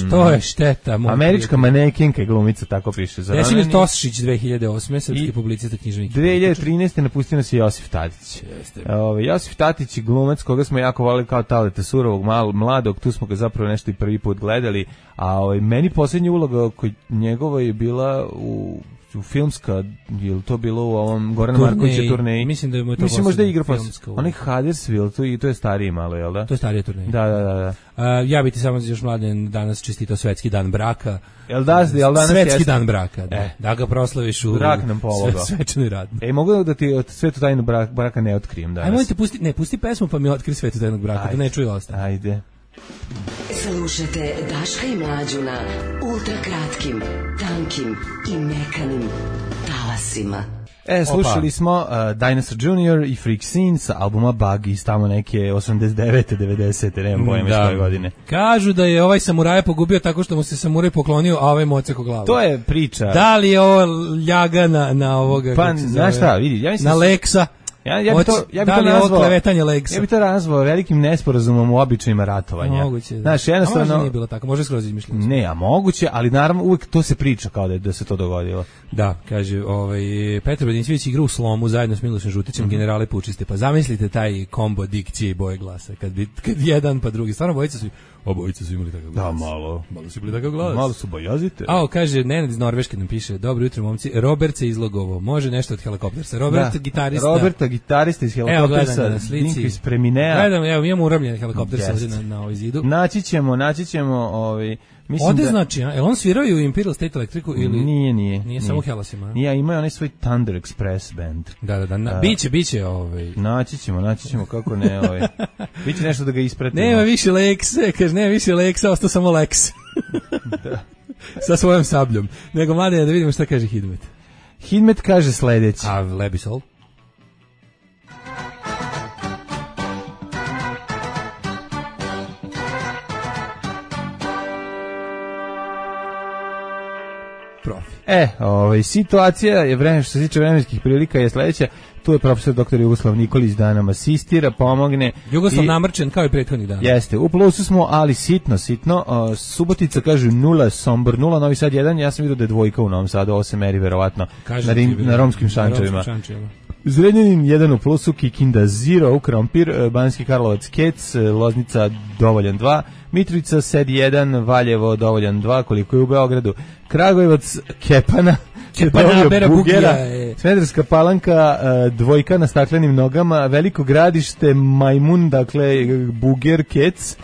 S8: što je šteta.
S7: Američka manekinka i glumica, tako piše.
S8: Desimir Tosšić, 2008. srpski publicista, književnik.
S7: 2013. napustio nas je Josif Tadić. Josif Tadić je glumac koga smo jako volili kao Taleta Surovog, mladog, tu smo ga zapravo nešto i prvi put gledali, a meni posljednja uloga kod njegova je bila u filmska, je to bilo u ovom Gorana Markovića turneji?
S8: Mislim da je mu to
S7: možda igra onaj Huddersfield, to je stariji malo, jel da?
S8: To je starija turneja.
S7: Da.
S8: Ja bi ti samo još mladen danas čestitao svetski dan braka.
S7: Jel danas
S8: svetski dan braka, da ga proslaviš u svečanoj radnji.
S7: Mogu da ti svetu tajnu braka ne otkrijem danas?
S8: Ajmo pusti pesmu pa mi otkri svetu tajnog braka, da ne čuju ostalo.
S7: Ajde.
S1: Slušajte Daška i Mlađu na ultrakratkim, tankim i mekanim talasima.
S7: Slušali smo Dinosaur Jr. i Freak Scene sa albuma Bug iz tamo neke 89. 90. Nemam pojma iz koje godine.
S8: Kažu da je ovaj samuraja pogubio tako što mu se samuraj poklonio, a ovaj moceko glavu.
S7: To je priča.
S8: Da li je ovo ljaga na ovoga?
S7: Pa, znaš šta, vidi.
S8: Na Leksa.
S7: Ja bi to nazvao velikim nesporazumom u običajima ratovanja.
S8: Moguće,
S7: znaš, jednostavno...
S8: A možda nije bilo tako, može skroz izmišljeno.
S7: Ne, a moguće, ali naravno uvijek to se priča kao da se to dogodilo.
S8: Da, kaže, Petar Badincević igra u Slomu zajedno s Milošem Žutićem, generale pučiste, pa zamislite taj kombo dikcije i boje glasa, kad jedan pa drugi, stvarno obojica su imali takav glas.
S7: Da, malo
S8: su bili takav glas.
S7: Malo su bojazite.
S8: Kaže, Nenad iz Norveške nam piše, dobro jutro momci, Robert se izlogovo, može nešto od Helikoptersa. Roberta,
S7: gitarista iz Helikoptersa, Dinko iz Preminea.
S8: Gledam, evo, imamo uramljene Helikoptersa ovdje na ovoj zidu.
S7: Naći ćemo
S8: Ode znači, je on svirao i u Imperial State Electricu ili...
S7: Nije
S8: samo u Hellasima.
S7: Nije, imao onaj svoj Thunder Express band.
S8: Da. Biće.
S7: Naći ćemo, kako ne, biće nešto da ga ispratimo.
S8: Nema više Lexe, kaže, nema više Lexa, ostao samo Lex.
S7: Da.
S8: Sa svojom sabljom. Nego, mlade, da vidimo šta kaže Hidmet.
S7: Hidmet kaže sledeći.
S8: A Lebisol?
S7: Situacija je što se tiče vremenskih prilika je sledeća. Tu je profesor dr. Jugoslav Nikolić da nam asistira, pomogne.
S8: Jugoslav namrčen kao i prethodnih dana.
S7: Jeste, u plusu smo, ali sitno. Subotica kaže 0, Sombor 0, Novi Sad 1, ja sam vidio da je dvojka u Novom Sadu, ovo se meri verovatno na romskim šančevima. Zrenjanin 1 u plusu, Kikinda 0, Krompir, Banjski Karlovac Kec, Loznica dovoljan 2, Mitrovica Sed 1, Valjevo dovoljan 2, koliko je u Beogradu, Kragujevac Kepana, Bugera, Smederska Palanka, dvojka na staklenim nogama, Veliko Gradište, Majmun, dakle Buger, Kec,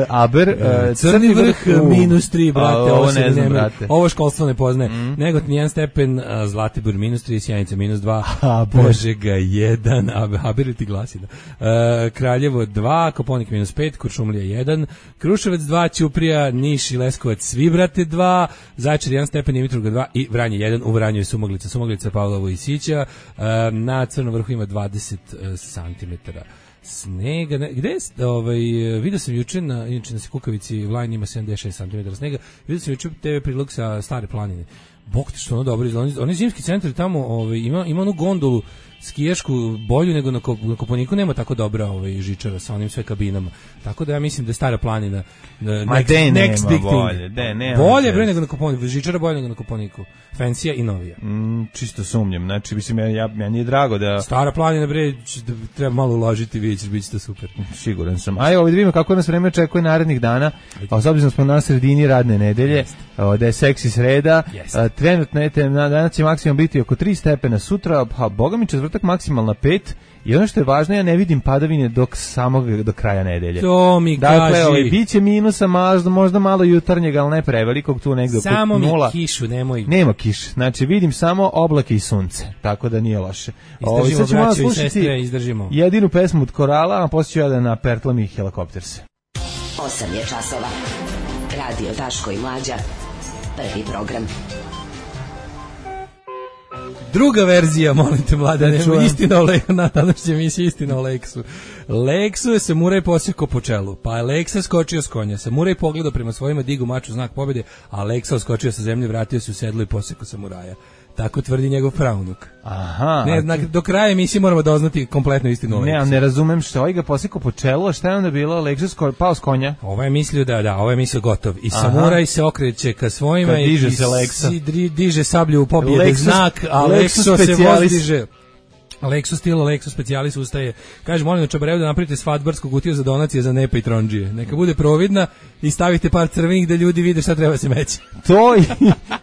S7: Aber,
S8: Crni vrh -3, brate,
S7: ovo ne znam, brate.
S8: Ovo školstvo ne poznaje. Negotin 1 stepen, Zlatibor -3, Sjenica -2, Požega 1, Aber ti glasi, da. Kraljevo 2, Koponik -5, Kuršumlija 1, Kruševac 2, Ćuprija, Niš i Leskovac, svi brate 2, Zaječar 1 stepen, Dimitrovgrad 2 i Vranje 1, u Vranju je Sumoglica Pavlovo i Sića, na Crnom vrhu ima 20 cm Snega, gde je, vidio sam juče, inače na Kukavici Vlajn ima 76 cm snega, vidio sam juče TV prilog sa Stare planine. Bog te što ono dobro izgleda. Oni zimski centri tamo ima onu gondolu skijašku bolju nego na Kopaoniku, nema tako dobra žičara sa onim sve kabinama. Tako da ja mislim da je Stara planina next big thing. Bolje bre nego na Kopaoniku, žičara bolje nego na Kopaoniku. Fancija i novija.
S7: Čisto sumnjam. Znači mislim meni je drago da
S8: Stara planina bre treba malo uložiti, vidite biće to super.
S7: Siguran sam. Ajde, vidimo kako nas vreme očekuje narednih dana. A s obzirom smo na sredini radne nedelje, da je seksi sreda. Trenutno danas će maksimum biti oko 3 stepena, sutra pa boga mi četvrtak maksimalna 5. I ono što je važno, ja ne vidim padavine do kraja nedelje.
S8: To mi
S7: dakle, biće minusa, možda malo jutarnjeg, ali ne prevelikog, tu negdje oko 0.
S8: Samo mi kišu, nemoj.
S7: Nema kiše, znači vidim samo oblake i sunce, tako da nije loše.
S8: Izdržimo, braćo i sestre, izdržimo.
S7: Jedinu pesmu od Korala, a poslije ću ja da na Pertlam i Helicopters.
S1: 8 je časova. Radio Daško i Mlađa. Prvi program.
S8: Druga verzija, molim te, Mladene, istina o Leksu, na današnjoj emisiji istina o Leksu. Leksu je samuraj posjekao po čelu, pa je Leksa skočio s konja. Samuraj pogledao prema svojima, digu maču znak pobjede, a Leksa skočio sa zemlje, vratio se u sedlo i posjekao samuraja. Tako tvrdi njegov praunuk.
S7: Aha.
S8: Ne, do kraja emisije moramo doznati kompletnu istinu o Leksu.
S7: Ne razumem što ovaj ga posjekao po čelu, a šta je onda bilo? Leksa pao s konja?
S8: Ovo je mislio ovo je mislio gotov. I samuraj se okreće ka svojima
S7: kad diže se Leksa.
S8: Diže sablju u pobjede znak, a Leksa se vozdiže. Lexus stilo, Lexus specialis ustaje. Kaže, molim na Čabarevu da napravite svadbarsku kutiju za donacije za nepa i trondžije. Neka bude providna i stavite par crvenih da ljudi vide šta treba se meći.
S7: To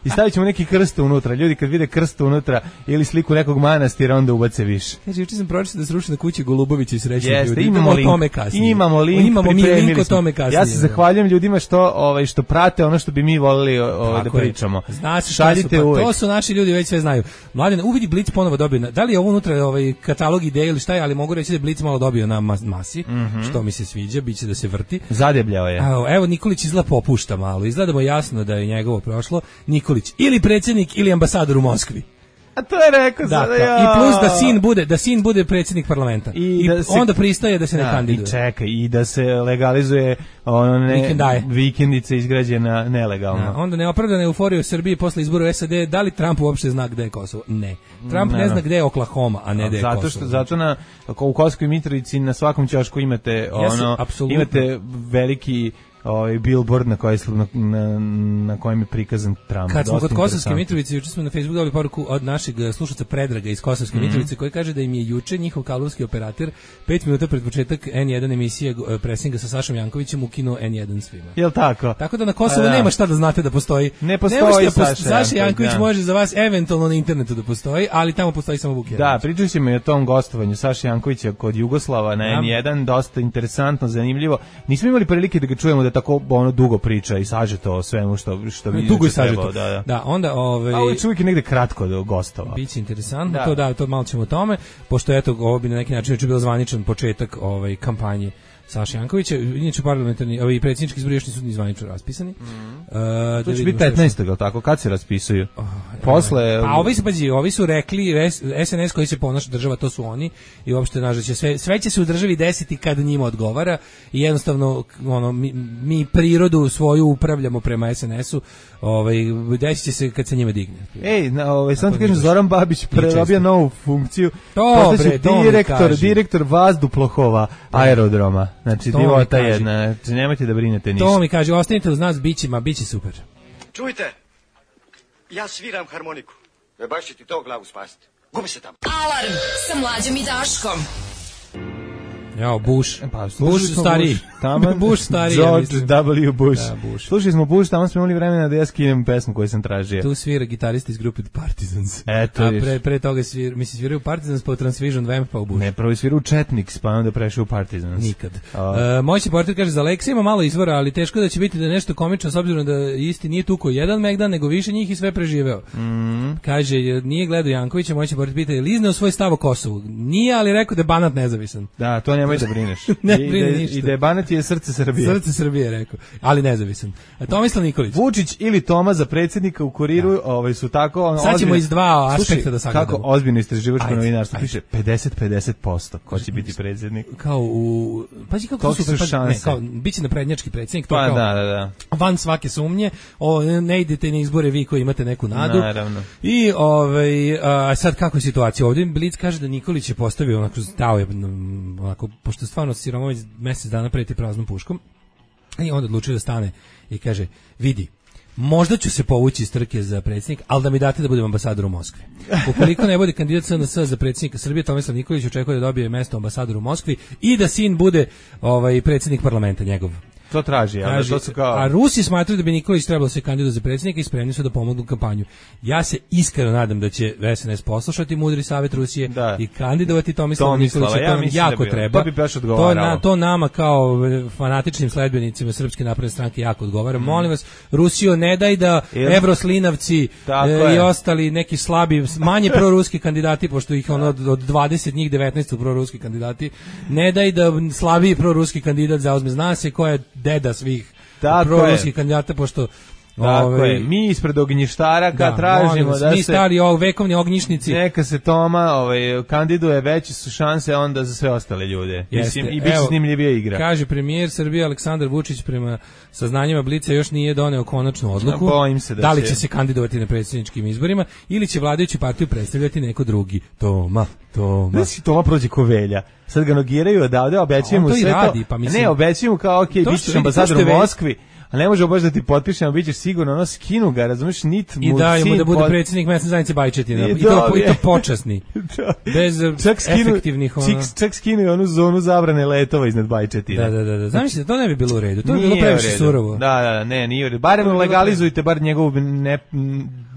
S7: i stavit ćemo neki krst unutra. Ljudi kad vide krst unutra ili sliku nekog manastira, onda ubace više.
S8: Kaže, juče sam pročitao da se ruši na kući Golubovića i srećnih ljudi.
S7: Imamo link,
S8: tome kasnije.
S7: Imamo link
S8: o tome kasnije.
S7: Ja se zahvaljujem ljudima što prate ono što bi mi volili da pričamo.
S8: Šaljite uvek. To su naši ljudi, već sve znaju. Mladen, uvidi Blic ponovo dobio. Da li je ovo unutra katalog ideje ili šta je, ali mogu reći da je Blic malo dobio na masi, što mi se sviđa, biće da se vrti.
S7: Zadebljao je.
S8: Evo Nikolić izgleda popušta malo, izgledamo jasno da je njegovo prošlo. Nikolić ili predsjednik ili ambasador u Moskvi.
S7: A to je rekao
S8: sada ja. I plus da sin bude predsjednik parlamenta. I onda pristaje da se ne kandiduje.
S7: I čekaj, i da se legalizuje vikendice izgrađena nelegalno.
S8: Onda neopravdana euforija u Srbiji posle izbora u SAD, da li Trump uopšte zna gde je Kosovo? Ne. Trump ne zna gde je Oklahoma, a ne gde je Kosovo.
S7: Zato u Kosovskoj Mitrovici na svakom ćošku imate imate veliki billboard na kojem je prikazan Trump.
S8: Kad smo kod Kosovske Mitrovice, juče smo na Facebooku dobili poruku od našeg slušaca Predraga iz Kosovske Mitrovice, koji kaže da im je juče njihov kablovski operator 5 minuta pred početak N1 emisije presinga sa Sašom Jankovićem ukinuo N1 svima.
S7: Jel tako?
S8: Tako da na Kosovu nema šta da znate da postoji.
S7: Ne postoji
S8: Saša Janković može za vas eventualno na internetu da postoji, ali tamo postoji samo Vuk Jeremić.
S7: Da, pričali smo i o tom gostovanju Saša Jankovića kod Jugoslava na N1, dosta interesantno, zanimljivo. Nismo imali prilike da ga čujemo da tako dugo priča i sažeto o svemu što bi
S8: dugo i sažeto. Da, onda
S7: ali čovjek je negde kratko do gostova.
S8: Biće interesantno, to malo ćemo o tome, pošto eto ovo bi na neki način bio zvaničan početak kampanje Saša Jankovića, inače parlamentarni, predsjednički izbori još nisu ni zvanično raspisani.
S7: To će biti 15. ili tako, kad se raspisuju? Posle...
S8: Pa ovi su rekli, SNS koji se ponaša država, to su oni, i uopšte sve će se u državi desiti kada njima odgovara, i jednostavno mi prirodu svoju upravljamo prema SNS-u, desit će se kad se njima digne.
S7: Sam ti kažem, Zoran Babić prerobio novu funkciju, direktor vazduplova aerodroma. Znači, divota jedna, znači nemojte da brinete ništa.
S8: To mi kaže, ostanite uz nas, bit će super.
S5: Čujte, ja sviram harmoniku. Baš će ti to glavu spasiti. Gubi se tamo.
S1: Alarm sa Mlađom i Daškom.
S8: Jao, Bush stariji. Bush stariji.
S7: George W. Bush. Slušali smo Bush, tamo smo imali vremena da ja skinem pesmu koju sam tražio.
S8: Tu svira gitarista iz grupe Partisans.
S7: Eto,
S8: pre toga sviraju Partisans, pa u Transvision Vamp, pa u Bush.
S7: Ne, prvo sviraju Chetniks, pa onda prešao u Partisans.
S8: Nikad. Moćni portir kaže, za Leksa ima malo izvora, ali teško da će biti da nešto komično, s obzirom da isti nije tuko jedan Megdan, nego više njih i sve preživeo. Kaže, nije gledao Jankovića, moćni portir pita, je li izneo svoj stav o Kosovu? Nije, ali rekao da je Banat nezavisan.
S7: Da, to nemoj da brineš. I da je Banat je srce Srbije.
S8: Srce Srbije, rekao. Ali nezavisan. Tomislav Nikolić.
S7: Vučić ili Toma za predsjednika u Kuriru, su tako...
S8: Sad ćemo iz dva aspekta da sagledamo.
S7: Kako ozbiljno istraživačko novinarstvo piše 50-50% ko će biti predsjednik.
S8: Kao u... Pazi kako su šanse. Kao, biće naprednjački predsjednik, to kao
S7: da.
S8: Van svake sumnje, ne idete na izbore vi koji imate neku nadu.
S7: Naravno.
S8: I sad kako je situacija ovdje? Blic kaže da Nikolić je postavio onako stao je onako, pošto stvarno Siromović mjesec dana preti praznom puškom i onda odlučio da stane i kaže, vidi, možda ću se povući iz trke za predsjednik, ali da mi date da budem ambasador u Moskvi. Ukoliko ne bude kandidat SNS za predsjednika Srbije, Tomislav Nikolić očekuje da dobije mjesto ambasadora u Moskvi i da sin bude predsjednik parlamenta njegov.
S7: To traži, ali to su kao...
S8: A Rusi smatraju da bi Nikolić trebalo se kandidovati za predsjednika i spremni su da pomognu kampanju. Ja se iskreno nadam da će SNS poslušati mudri savjet Rusije i kandidovati Tomislava Nikolića, to nam jako treba.
S7: To bi baš odgovaralo.
S8: To nama kao fanatičnim sledbenicima Srpske napredne stranke jako odgovara. Molim vas, Rusijo, ne daj da Evroslinavci i ostali neki slabi, manje proruski kandidati, pošto ih od 20 njih 19 su proruski kandidati, ne daj da slabiji proruski kandidat zauzme. Zna se ko je deda svih proruskih kandidata, pošto
S7: mi ispred ognjištara tražimo da
S8: mi stari vekovni ognjišnici,
S7: neka se Toma kandiduje, veće su šanse onda za sve ostale ljude. Mislim, i bit će snimljivija igra.
S8: Kaže premijer Srbije Aleksandar Vučić prema saznanjima Blica još nije doneo konačnu odluku da li će se kandidovati na predsjedničkim izborima ili će vladajuću partiju predstavljati neko drugi. Toma.
S7: Znači, Toma prođe ko Velja. Sad ga nogiraju odavde, obećujem mu sve to. Ne, obećujem mu kao, bit ćeš ambasador u Moskvi. A ne može baš da ti potpišem, bit ćeš sigurno, skinu ga, razumiješ, nit mu
S8: i daju mu da bude predsjednik mesne zajednice Bajčetina. I to počasni. Bez efektivnih...
S7: Čak skinu i onu zonu zabrane letova iznad Bajčetina.
S8: Da. Zamislite, to ne bi bilo u redu. To bi bilo previše surovo.
S7: Nije u redu. Barem legalizujte bar njegovu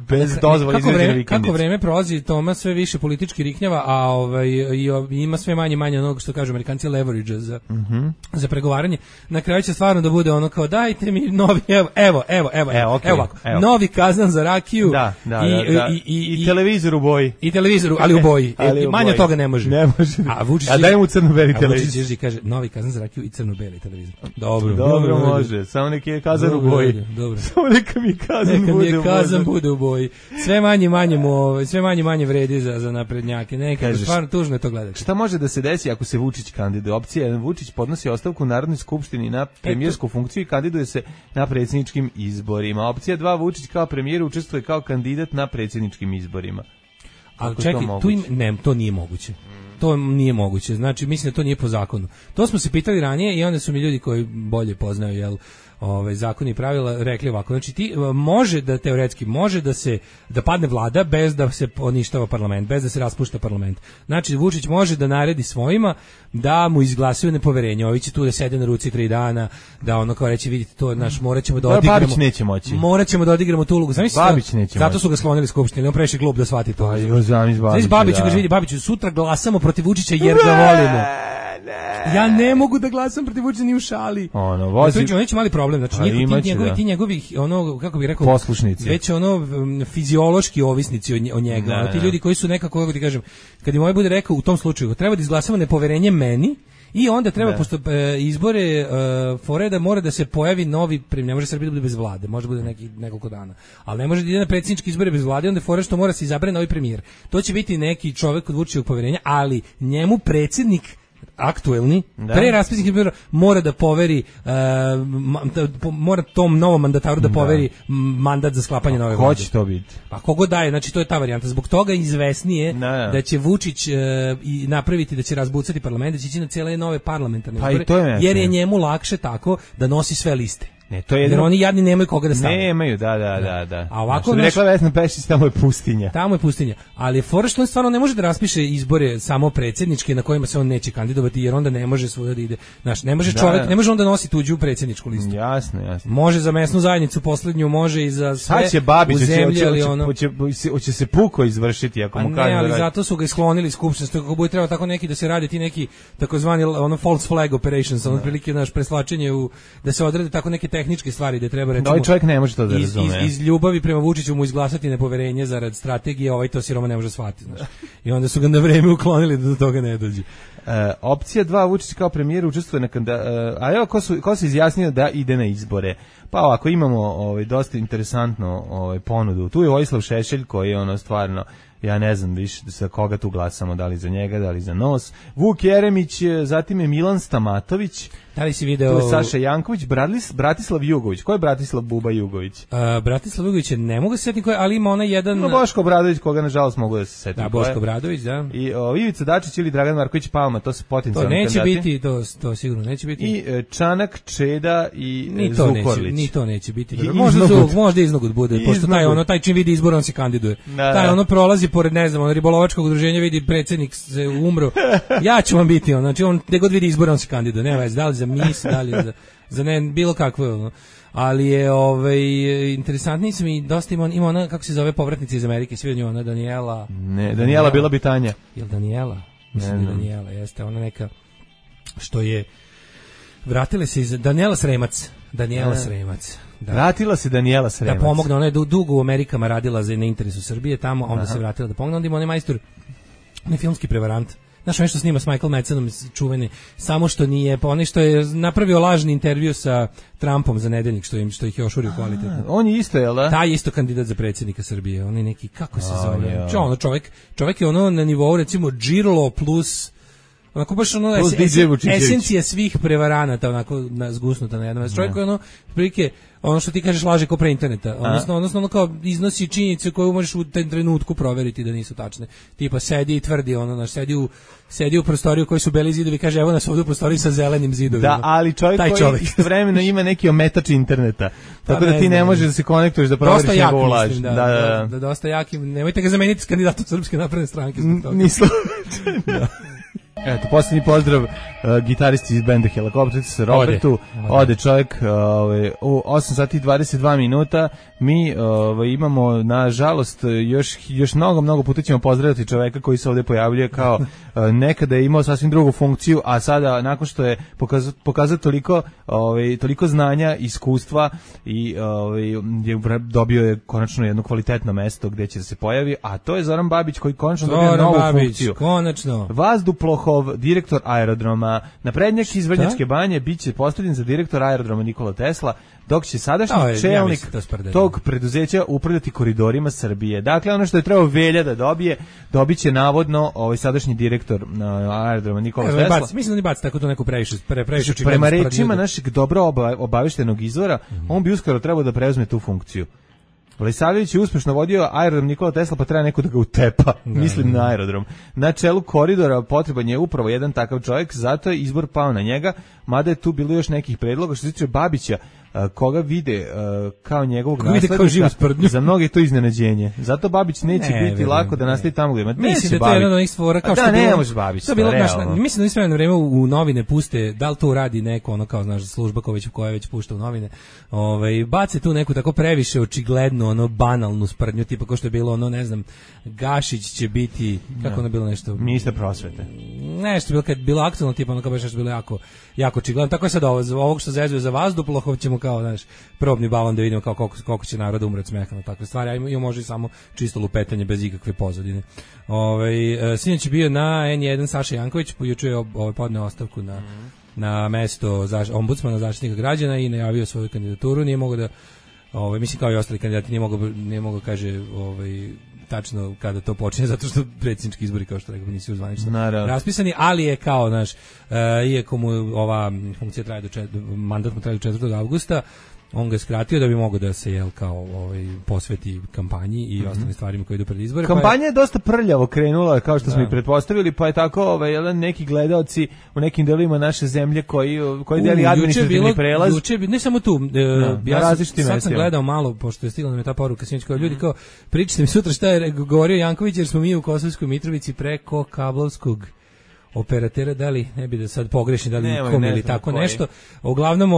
S7: bez dozvole izveđene vikendice.
S8: Kako vreme prolazi, Toma sve više politički riknjava, a ima sve manje onog što kažu Amerikanci leverage za pregovaranje. Na kraju će stvarno da bude ono kao dajte mi novi, evo ovako, novi kazan za rakiju
S7: i televizor u boji.
S8: I televizor, ali u boji. Manje toga ne može.
S7: A daj mu crno-beli televizor.
S8: Vučić kaže novi kazan za rakiju i crno-beli televizor.
S7: Dobro može. Samo neki je kazan u boji. Samo neka mi kazan bude u boji. Sve manje vredi za naprednjake. Nekako stvarno tužno je to gledati. Šta može da se desi ako se Vučić kandiduje? Opcija 1, Vučić podnosi ostavku u Narodnoj skupštini na premijersku funkciju i kandiduje se na predsjedničkim izborima. Opcija 2, Vučić kao premijer učestvuje kao kandidat na predsjedničkim izborima.
S8: Ali čekaj, to nije moguće. To nije moguće. Znači, mislim da to nije po zakonu. To smo se pitali ranije i onda su mi ljudi koji bolje poznaju, zakoni i pravila rekli ovako, znači teoretski može da padne vlada bez da se poništava parlament, bez da se raspušta parlament. Znači Vučić može da naredi svojima da mu izglasaju nepoverenje. Ovi će tu da sede na ruci 3 dana, da ono kao reći vidite to, moraćemo da odigramo.
S7: Babić neće moći.
S8: Moraćemo da odigramo tu ulogu.
S7: Babić neće
S8: zato su ga sklonili skupštini, on previše glup da shvati to.
S7: Babić
S8: kaže vidi Babiću, sutra glasamo protiv Vučića jer ga volimo. Ja ne mogu da glasam protiv Vučića ni u šali. Neće mali problem, znači ti njegovi kako bih rekao,
S7: poslušnici.
S8: Već fiziološki ovisnici o njega. Ti ljudi koji su nekako, kako ti kažem, kad im ovaj bude rekao u tom slučaju, treba da izglasamo nepoverenje meni i onda treba, pošto izbore fore da mora da se pojavi novi premijer, ne može Srbija da bude bez vlade, može bude nekoliko dana, ali ne može da ide na predsjedničke izbore bez vlade, onda fore što mora se izabrati novi premijer. To će biti neki čovjek od Vučićevog poverenja, ali njemu predsjednik aktuelni, pre raspisnih izbora mora da poveri, mora tom novom mandataru da poveri mandat za sklapanje nove vlade.
S7: Ko će to biti?
S8: Pa kogo daje, znači to je ta varijanta. Zbog toga izvesnije da će Vučić napraviti, da će razbucati parlament, da će ići na cijele nove parlamentarne izbore, jer je njemu lakše tako da nosi sve liste.
S7: Ne, to je
S8: jer oni jadni nemaju koga da stave.
S7: Nemaju, da.
S8: A ovako
S7: bi rekla Vesna Pešić, tamo je pustinja.
S8: Tamo je pustinja. Ali fora što on stvarno ne može da raspiše izbore samo predsjedničke na kojima se on neće kandidovati, jer onda ne može svuda da ide. Znaš, ne može čovjek, ne može onda nositi tuđu predsjedničku listu.
S7: Jasno.
S8: Može za mesnu zajednicu poslednju, može i za sve.
S7: Sad će Babić, hoće se puko izvršiti ako mu kaže.
S8: Ne, ali zato su ga isklonili iz skupštine, kako bude trebao tako neki da se radi ti neki takozvani false flag operations, otprilike naš preslačenje da se odrede tako neke tehničke stvari da treba recimo.
S7: Ovaj čovjek ne može to da razume.
S8: Iz ljubavi prema Vučiću mu izglasati nepoverenje zarad strategije, ovaj to siroma ne može shvatiti, znaš. I onda su ga na vreme uklonili da do toga ne dođe.
S7: Opcija 2, Vučić kao premijer učestvuje na a evo ko se izjasnio da ide na izbore. Pa ovako, imamo dosta interesantno ponudu. Tu je Vojislav Šešelj koji je stvarno, ja ne znam više sa koga tu glasamo, da li za njega, da li za nos. Vuk Jeremić, zatim je Milan Stamatović.
S8: Da li si video...
S7: Tu je Saša Janković, Bratislav Jugović. Ko je Bratislav Buba Jugović?
S8: Bratislav Jugović je, ne mogu se setiti ko je, ali ima ona jedan...
S7: No, Boško Obradović, koga nažalost mogu da se setim.
S8: Da, Boško Obradović, da.
S7: I Ivica Dačić ili Dragan Marković Palma, to su potencijalni kandidati.
S8: To neće biti, to sigurno neće biti.
S7: I Čanak, Čeda i Zukorlić.
S8: Ni to neće biti. Možda Iznogut bude, pošto taj čim vidi izbor, on se kandiduje. Taj prolazi pored, ne znam, ribolovačkog udruženja, vidi predsjednik se umro. Ja ću vam biti, znači on gde god vidi izbor, on se kandiduje. Nema veze, da li za mis, da li za ne, bilo kakvo, ali je interesantniji sam i dosta ima ona, kako se zove, povratnica iz Amerike, svi od nju, ona Daniela.
S7: Ne, Daniela bila bi Tanja.
S8: Jel Daniela? Mislim da Daniela, jeste, ona neka što je vratila se iz Daniela Sremac. Da.
S7: Vratila se Daniela Sremac.
S8: Da pomogne, ona je dugo u Amerikama radila na interesu Srbije tamo, onda se vratila da pomogne, onda ima onaj majstor, onaj filmski prevarant. Znaš, ono što snima s Michael Madsenom čuveni, samo što nije, pa onaj što je napravio lažni intervju sa Trumpom za nedeljnik, što ih je ošurio kvalitetno.
S7: On je isto, jel da?
S8: Taj je isto kandidat za predsjednika Srbije, on je neki, kako se zove? Čovjek je ono na nivou, recimo, Girlo plus... onako baš esencija svih prevaranata, onako zgusnuta na jednom. Čovjek je ono, prilike, ono što ti kažeš laže ko pre interneta, odnosno ono kao iznosi činjenice koje možeš u tem trenutku proveriti da nisu tačne. Tipa sedi i tvrdi, sedi u prostoriju koji su beli zidovi, kaže evo nas ovdje u prostoriji sa zelenim zidovima.
S7: Da, ali čovjek koji istovremeno ima neki ometač interneta, tako da ti ne možeš da se konektuješ da proveriš njegovu laž.
S8: Da, dosta jaki, nemojte ga zameniti s kandidatom Srpske napredne stranke.
S7: Nisam. Eto, posljednji pozdrav gitaristi iz benda Helikopterica Robertu. Ode čovjek u 8 sati i 22 minuta. Mi imamo, nažalost, još mnogo puta ćemo pozdraviti čovjeka koji se ovdje pojavljuje kao nekada je imao sasvim drugu funkciju, a sada nakon što je pokazao toliko znanja, iskustva i dobio je konačno jedno kvalitetno mesto gdje će se pojavi, a to je Zoran Babić koji konačno dobio novu funkciju. Vazduhplov, direktor aerodroma Naprednjak iz Vrnjačke Banje, bit će postavljen za direktor aerodroma Nikola Tesla, dok će sadašnji čelnik tog preduzeća upravljati koridorima Srbije. Dakle, ono što je trebao Velja da dobit će navodno sadašnji direktor aerodroma Nikola Tesla.
S8: Mislim da ne baci tako to neku previše
S7: prema rečima našeg dobro obaveštenog izvora, on bi uskoro trebao da preuzme tu funkciju. Vlisavljević je uspešno vodio aerodrom Nikola Tesla, pa treba neko da ga utepa, mislim na aerodrom. Na čelu koridora potreban je upravo jedan takav čovjek, zato je izbor pao na njega, mada je tu bilo još nekih predloga. Što se tiče Babića, koga vide kao njegovog naslednika, za mnoge to iznenađenje. Zato Babić neće biti lako da nastavi tamo gdje ima.
S8: Mislim da to je jedna od onih stvora kao što
S7: ne može Babić.
S8: Mislim da u sve vreme u novine puste, da li to radi neko, ono kao znaš, služba koja već pušta u novine, bace tu neku tako previše očigledno, ono banalnu sprdnju, tipa kao što je bilo, ono ne znam, Gašić će biti, kako ono bilo nešto,
S7: ministar prosvete.
S8: Nešto bilo kad bilo aktualno, tipa ono kao baš nešto bilo jako očigledno. Tako je sad ovog što zezuje za vazduplov, ćemo kao, znaš, probni balon da vidimo kao koliko će naroda umreti smeha na takve stvari, a ima može samo čisto lupetanje bez ikakve pozadine. Sinoć je bio na N1 Saša Janković, juče je podneo ostavku na mesto ombudsmana zaštitnika građana i najavio svoju kandidaturu. Nije mogao da, mislim kao i ostali kandidati, nije mogao kaže tačno kada to počinje, zato što predsjednički izbori, kao što rekao, nisu zvanično raspisani, ali je kao, znaš, iako mu ova funkcija traje mandat mu traje do 4. avgusta, on ga skratio da bi mogao da se posveti kampanji i ostalim stvarima koji idu pred izbore.
S7: Kampanja je dosta prljavo krenula, kao što smo i pretpostavili, pa je tako neki gledaoci u nekim delovima naše zemlje koji deli administrativni prelaz.
S8: Ne samo tu, ja sad sam gledao malo, pošto je stigla nam je ta poruka sinoć, kao ljudi kao, pričajte mi sutra šta je govorio Janković, jer smo mi u Kosovskoj Mitrovici preko kablovskog operatera, da li ne bi da sad pogrešim, da li kom ili tako nešto. Uglavnom,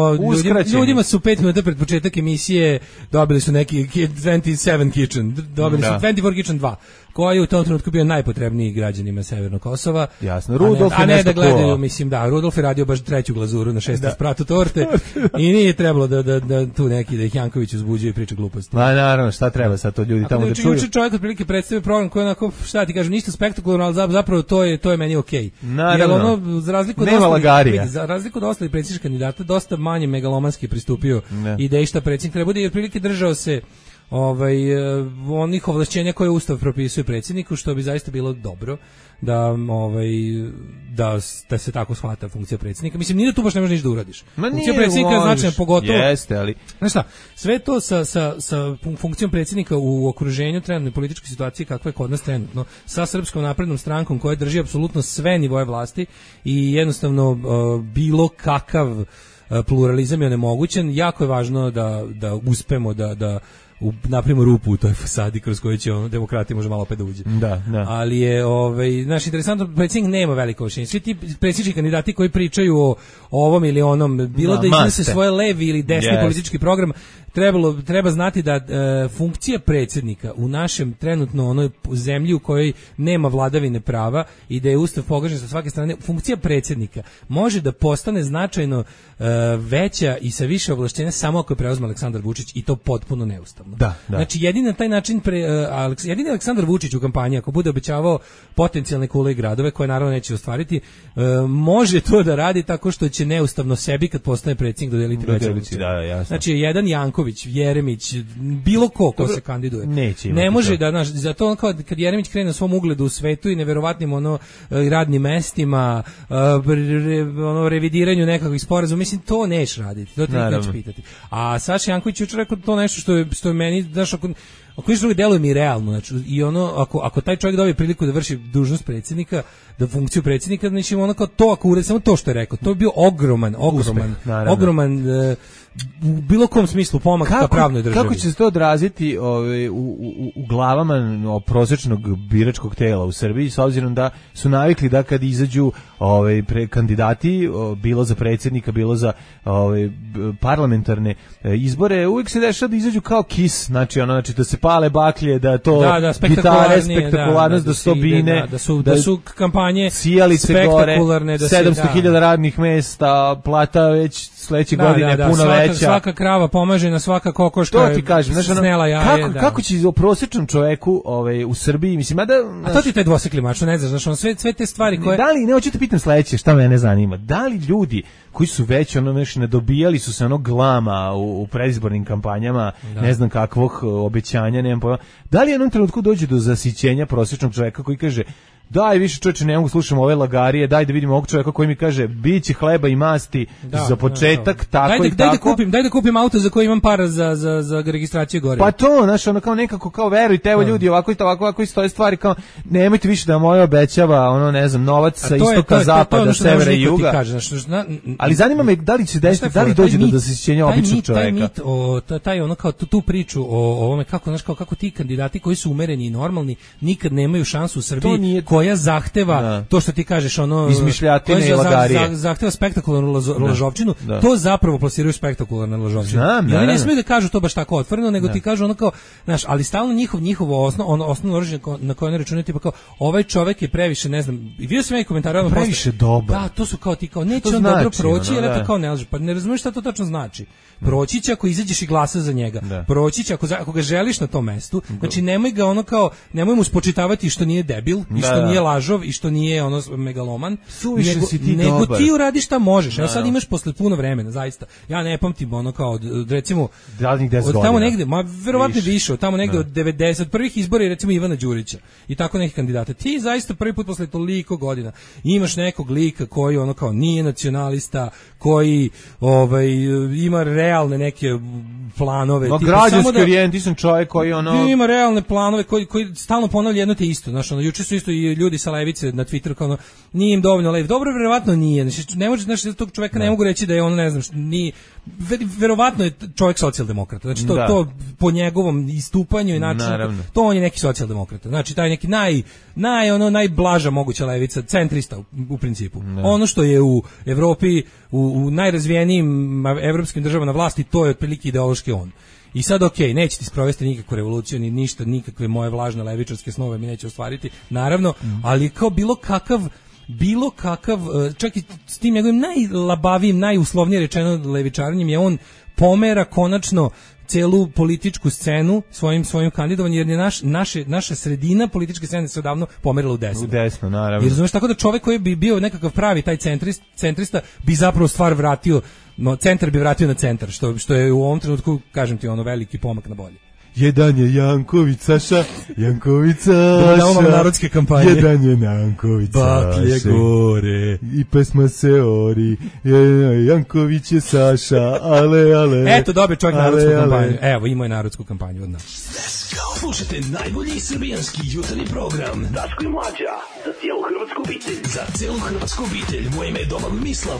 S8: ljudima su 5 minuta pred početak emisije dobili su neki 27 Kitchen, dobili su 24 Kitchen 2, koji je u tom trenutku bio najpotrebniji građanima Severnog Kosova.
S7: Jasno, Rudolf
S8: a ne da gledaju, mislim, da, Rudolf je radio baš treću glazuru na 6. spratu torte i nije trebalo da tu neki, da ih Janković uzbuđuje i priča gluposti.
S7: Ma naravno, šta treba sad to ljudi tamo da čuju?
S8: Juče čovjek otprilike predstavio program koji onako, šta ti kažem, ništa spektakularno, ali zapravo to je meni okej. Jer ono, za razliku od ostalih predsjedničkih kandidata, dosta manje megalomanski pristupio ideji šta predsjednik treba bude i otprilike držao se onih ovlašćenja koje Ustav propisuje predsjedniku, što bi zaista bilo dobro da se tako shvata funkcija predsjednika. Mislim, nije da tu baš ne možeš ništa da uradiš. Funkcija predsjednika je značajna, pogotovo.
S7: Jeste, ali
S8: znaš šta, sve to sa funkcijom predsjednika u okruženju trenutne političke situacije kakva je kod nas trenutno, sa Srpskom naprednom strankom koja drži apsolutno sve nivoje vlasti i jednostavno bilo kakav pluralizam je onemogućen. Jako je važno da uspemo da napravimo rupu u toj fasadi kroz koju će demokratija može malo opet da uđe.
S7: Da.
S8: Ali je, znaš, interesantno, predsjednik nema veliko ovlašćenje. Svi ti predsjednički kandidati koji pričaju o ovom ili onom, bilo da iznose svoje levi ili desni politički program, treba znati da funkcija predsjednika u našem trenutno onoj zemlji u kojoj nema vladavine prava i da je Ustav pogažen sa svake strane, funkcija predsjednika može da postane značajno veća i sa više ovlašćenja samo ako je preuzme Aleksandar Vučić, i to potpuno neustavno.
S7: Da.
S8: Znači jedini na taj način jedini Aleksandar Vučić u kampanji, ako bude obećavao potencijalne kule i gradove koje naravno neće ostvariti, može to da radi tako što će neustavno sebi kad postane predsjednik dodeliti veće. Znači jedan Janković, Jeremić, bilo ko se kandiduje. Ne može da, znaš, zato kad Jeremić krene na svom ugledu u svetu i neverovatnim radnim mestima, revidiranju nekakvih sporazuma, mislim, to neš raditi, to treba neće pitati. A Saša Janković jučer rekao to nešto što je meni, znaš, ako ništa drugo deluje mi realno, znači, i ako taj čovjek dobije priliku da vrši dužnost predsjednika, da funkciju predsjednika, znači kao to, ako uredi samo to što je rekao, to bi bio ogroman u bilo kom smislu pomak ka pravnoj državi.
S7: Kako će se to odraziti u glavama prosječnog biračkog tela u Srbiji, s obzirom da su navikli da kad izađu kandidati, bilo za predsjednika, bilo za parlamentarne izbore, uvijek se dešava da izađu kao KIS, znači da se pale baklje, da to gitare, spektakularnost, da su to bine,
S8: da su kampanje
S7: spektakularne, 700.000 radnih mesta, plata već sledeće godine puno veća.
S8: Svaka krava pomažena, svaka kokoška
S7: to ti kažem, snela jaje. Kako će o prosječnom čoveku u Srbiji, mislim,
S8: a to ti taj dvosekli mač, ne znaš, sve te stvari koje...
S7: Da li, ne, hoću te pitam sledeće, šta mene zanima, da li ljudi koji su već ne dobijali su se glama u predizbornim kampanjama, ne znam kakvog obećanja, nemam pojma, da li jednom trenutku dođe do zasićenja prosječnog čoveka koji kaže daj više čoveče, ne mogu slušam ove lagarije, daj da vidimo ovog čovjeka koji mi kaže biće hleba i masti za početak, tako i tako.
S8: Daj da kupim auto za koji imam para za registraciju gore.
S7: Pa to, znaš, kao nekako, kao verujte, evo ljudi, ovako stoje stvari, kao nemojte više da moje obećava, ne znam, novac sa istoka, zapada, severa i juga. Ali zanima me da li će desiti, da li dođe do zasićenja običnog čovjeka.
S8: Taj kao tu priču o ovome, kako ti kandidati koji su umereni i normalni nikad nemaju šansu u Srbiji, koja zahteva to što ti kažeš,
S7: izmišljatine i lagarije,
S8: zahteva spektakularnu lažovčinu, to zapravo plasiraju spektakularne lažovčine. I oni ne smiju da kažu to baš tako otvoreno, nego ti kažu kao, znaš, ali stalno njihovo osnovno oružje na koje ne računaju, tipa kao, ovaj čovjek je previše, ne znam, i vidio sam ja i komentare,
S7: previše dobar.
S8: Da, to su kao ti kao, neće on dobro proći, jer eto kao ne laže, pa ne razumiješ šta to tačno znači. Proći će ako izađeš i glasa za njega. Proći će ako ga želiš na tom mestu. Znači nemoj ga nemoj mu spočitavati što nije debil, i što nije lažov, i što nije megaloman, nego ti uradiš šta možeš. Evo sad imaš posle puno vremena, zaista. Ja ne pamtim kao, recimo, od tamo negde, verovatno više, od tamo negde od 90 prvih izbora, recimo Ivana Đurića i tako nekih kandidata. Ti zaista prvi put posle toliko godina imaš nekog lika koji kao nije nacionalista, koji ima realne neke planove.
S7: Građanski orijentisan čovjek koji
S8: ima realne planove koji stalno ponavlja jedno te isto. Znaš, juče su isto i ljudi sa levice na Twitteru kao nije im dovoljno lev. Dobro, verovatno nije. Znači, ne može, znači, tog čovjeka ne mogu reći da je ne znam, ni verovatno je čovjek socijaldemokrata. Znači to po njegovom istupanju i načinu, to on je neki socijaldemokrata. Znači taj neki najblaža moguća levica, centrista u principu. Ono što je u Evropi u najrazvijenijim evropskim državama na vlasti, to je otprilike ideološki on. I sad neće ti sprovesti nikakvu revoluciju, ni ništa, nikakve moje vlažne levičarske snove mi neće ostvariti, naravno, ali kao bilo kakav, čak i s tim njegovim najlabavijim, najuslovnije rečeno levičarenjem, je on pomera konačno celu političku scenu svojim kandidovanjem, jer je naša sredina političke scene se odavno pomerila u desno.
S7: U desno, naravno.
S8: Jer znaš, tako da čovjek koji bi bio nekakav pravi taj centrista bi zapravo stvar vratio, centar bi vratio na centar, što je u ovom trenutku, kažem ti, ono veliki pomak na bolje.
S7: Jedan je Janković Saša, Janković Saša.
S8: Da imamo narodske kampanje.
S7: Jedan je Janković Saša.
S8: Baklje gore.
S7: I pesma se ori. Janković je Saša, ale.
S8: Eto, dobio čovjek narodsku kampanju. Evo, imao je narodsku kampanju od nas.
S6: Slušajte najbolji srbijanski jutarnji program Daško i Mlađa, za cijelu hrvatsku obitelj. Za cijelu hrvatsku obitelj, moje ime je Domagoj Mislav.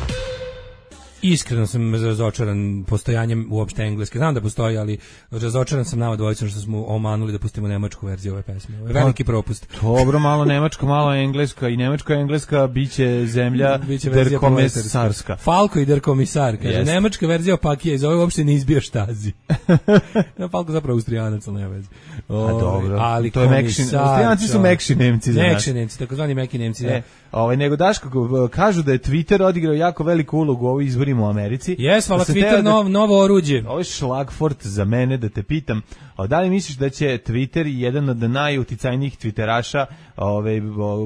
S8: Iskreno sam razočaran postojanjem uopšte engleske. Znam da postoji, ali razočaran sam nama dvojicom što smo omanuli da pustimo nemačku verziju ove pesme. Ovo je veliki propust.
S7: Dobro, malo nemačka, malo engleska i nemačka biće zemlja der komisarska.
S8: Falko i der komisar, kaže. Yes. Nemačka verzija opakija, iz ove uopšte ne izbija štazi. Falko zapravo Austrijanac, ali nema veze.
S7: Dobro,
S8: ali
S7: to je mekši. Austrijanci su mekši Nemci za nas.
S8: Mekši Nemci, takozvani meki Nemci.
S7: Nego Daško, kažu da je Twitter odigrao jako veliku ulogu u ovim izborima u Americi.
S8: Hvala Twitter, novo oruđe.
S7: Ovo je šlagfort za mene da te pitam, da li misliš da će Twitter, jedan od najuticajnijih Twitteraša,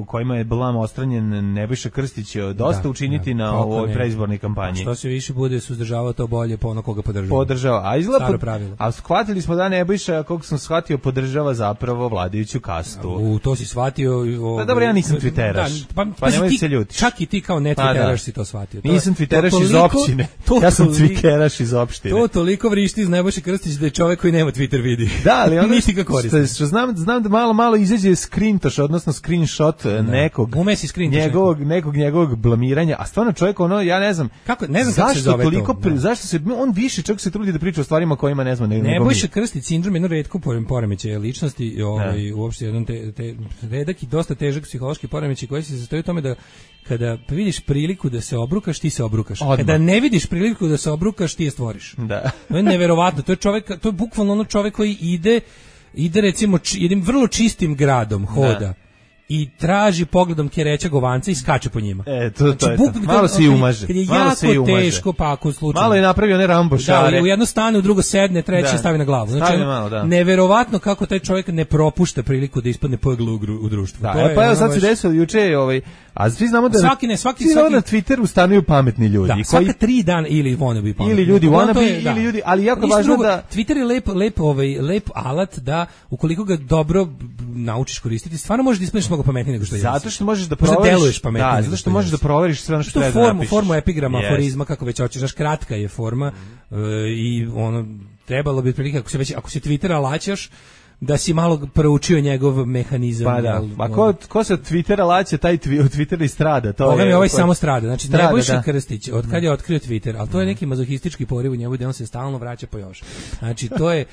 S7: u kojima je blam ostranjen Nebojša Krstić, dosta učiniti na ovoj preizbornoj kampanji?
S8: Što se više bude suzdržavao, to bolje po ono koga
S7: podržava. A shvatili smo da Nebojša, koliko sam shvatio, podržava zapravo vladajuću kastu.
S8: To si shvatio.
S7: Dobro, ja nisam Twitteraš. Pa nemoj se ljuti.
S8: Čak i ti kao ne Twitteraš si to shvatio.
S7: Nisam Twitteraš iz općine. Ja sam Cvikeraš iz opštine.
S8: To toliko vrišti iz Nebojše Krstić da je čovjek koji nema Twitter vidi.
S7: Da, ali ono
S8: nisi ga koristi.
S7: Što znam da malo izađe screenshot nekog njegovog blamiranja, a stvarno čovjek ja ne znam
S8: zašto se zove
S7: toliko, zašto se on više čak se trudi da priča o stvarima kojima ne znam nego
S8: Nebojša Krstić sindrom jedno retko poremećaj ličnosti, uopšte jedan redak i dosta težak psihološki poremećaj koji se sastoji u tome da kada vidiš priliku da se obrukaš, ti se obrukaš. Kada ne vidiš priliku da se obrukaš, ti je stvoriš.
S7: Da.
S8: To je neverovatno. To je bukvalno ono čovjek koji ide recimo jednim vrlo čistim gradom, hoda. I traži pogledom kereća govanca i skače po njima.
S7: To je malo se i umaže.
S8: Kad je jako teško, pa ako slučajno.
S7: Malo je napravio one Rambo šare.
S8: Da, u jedno stane, u drugo sedne, treće stavi na glavu. Znači, neverovatno kako taj čovjek ne propušta priliku da ispadne pogl u društvu.
S7: Da, pa evo sad se desilo juče, a svi znamo da
S8: svaki
S7: na Twitteru stanuju pametni ljudi.
S8: Da, svaka 3 dana ili wannabe pametni.
S7: Ili ljudi wannabe, ili ljudi, ali jako važno da...
S8: Twitter je lep alat da, ukoliko ga dobro naučiš koristiti, stvarno možeš da ispadneš mnogo pametniji nego što je.
S7: Zato što možeš da proveriš, zato što možeš da proveriš sve ono što treba da napišeš.
S8: Formu epigrama, aforizma, kako već hoćeš, kratka je forma i trebalo bi otprilike ako se Twittera laćaš, da si malo proučio njegov mehanizam.
S7: Pa da, ko se od Twittera laće, taj Twitter i strada.
S8: Ovaj samo strada, znači Nebojša Krstić, od kad je otkrio Twitter, ali to je neki mazohistički poriv u njemu, da on se stalno vraća po još. Znači, to je,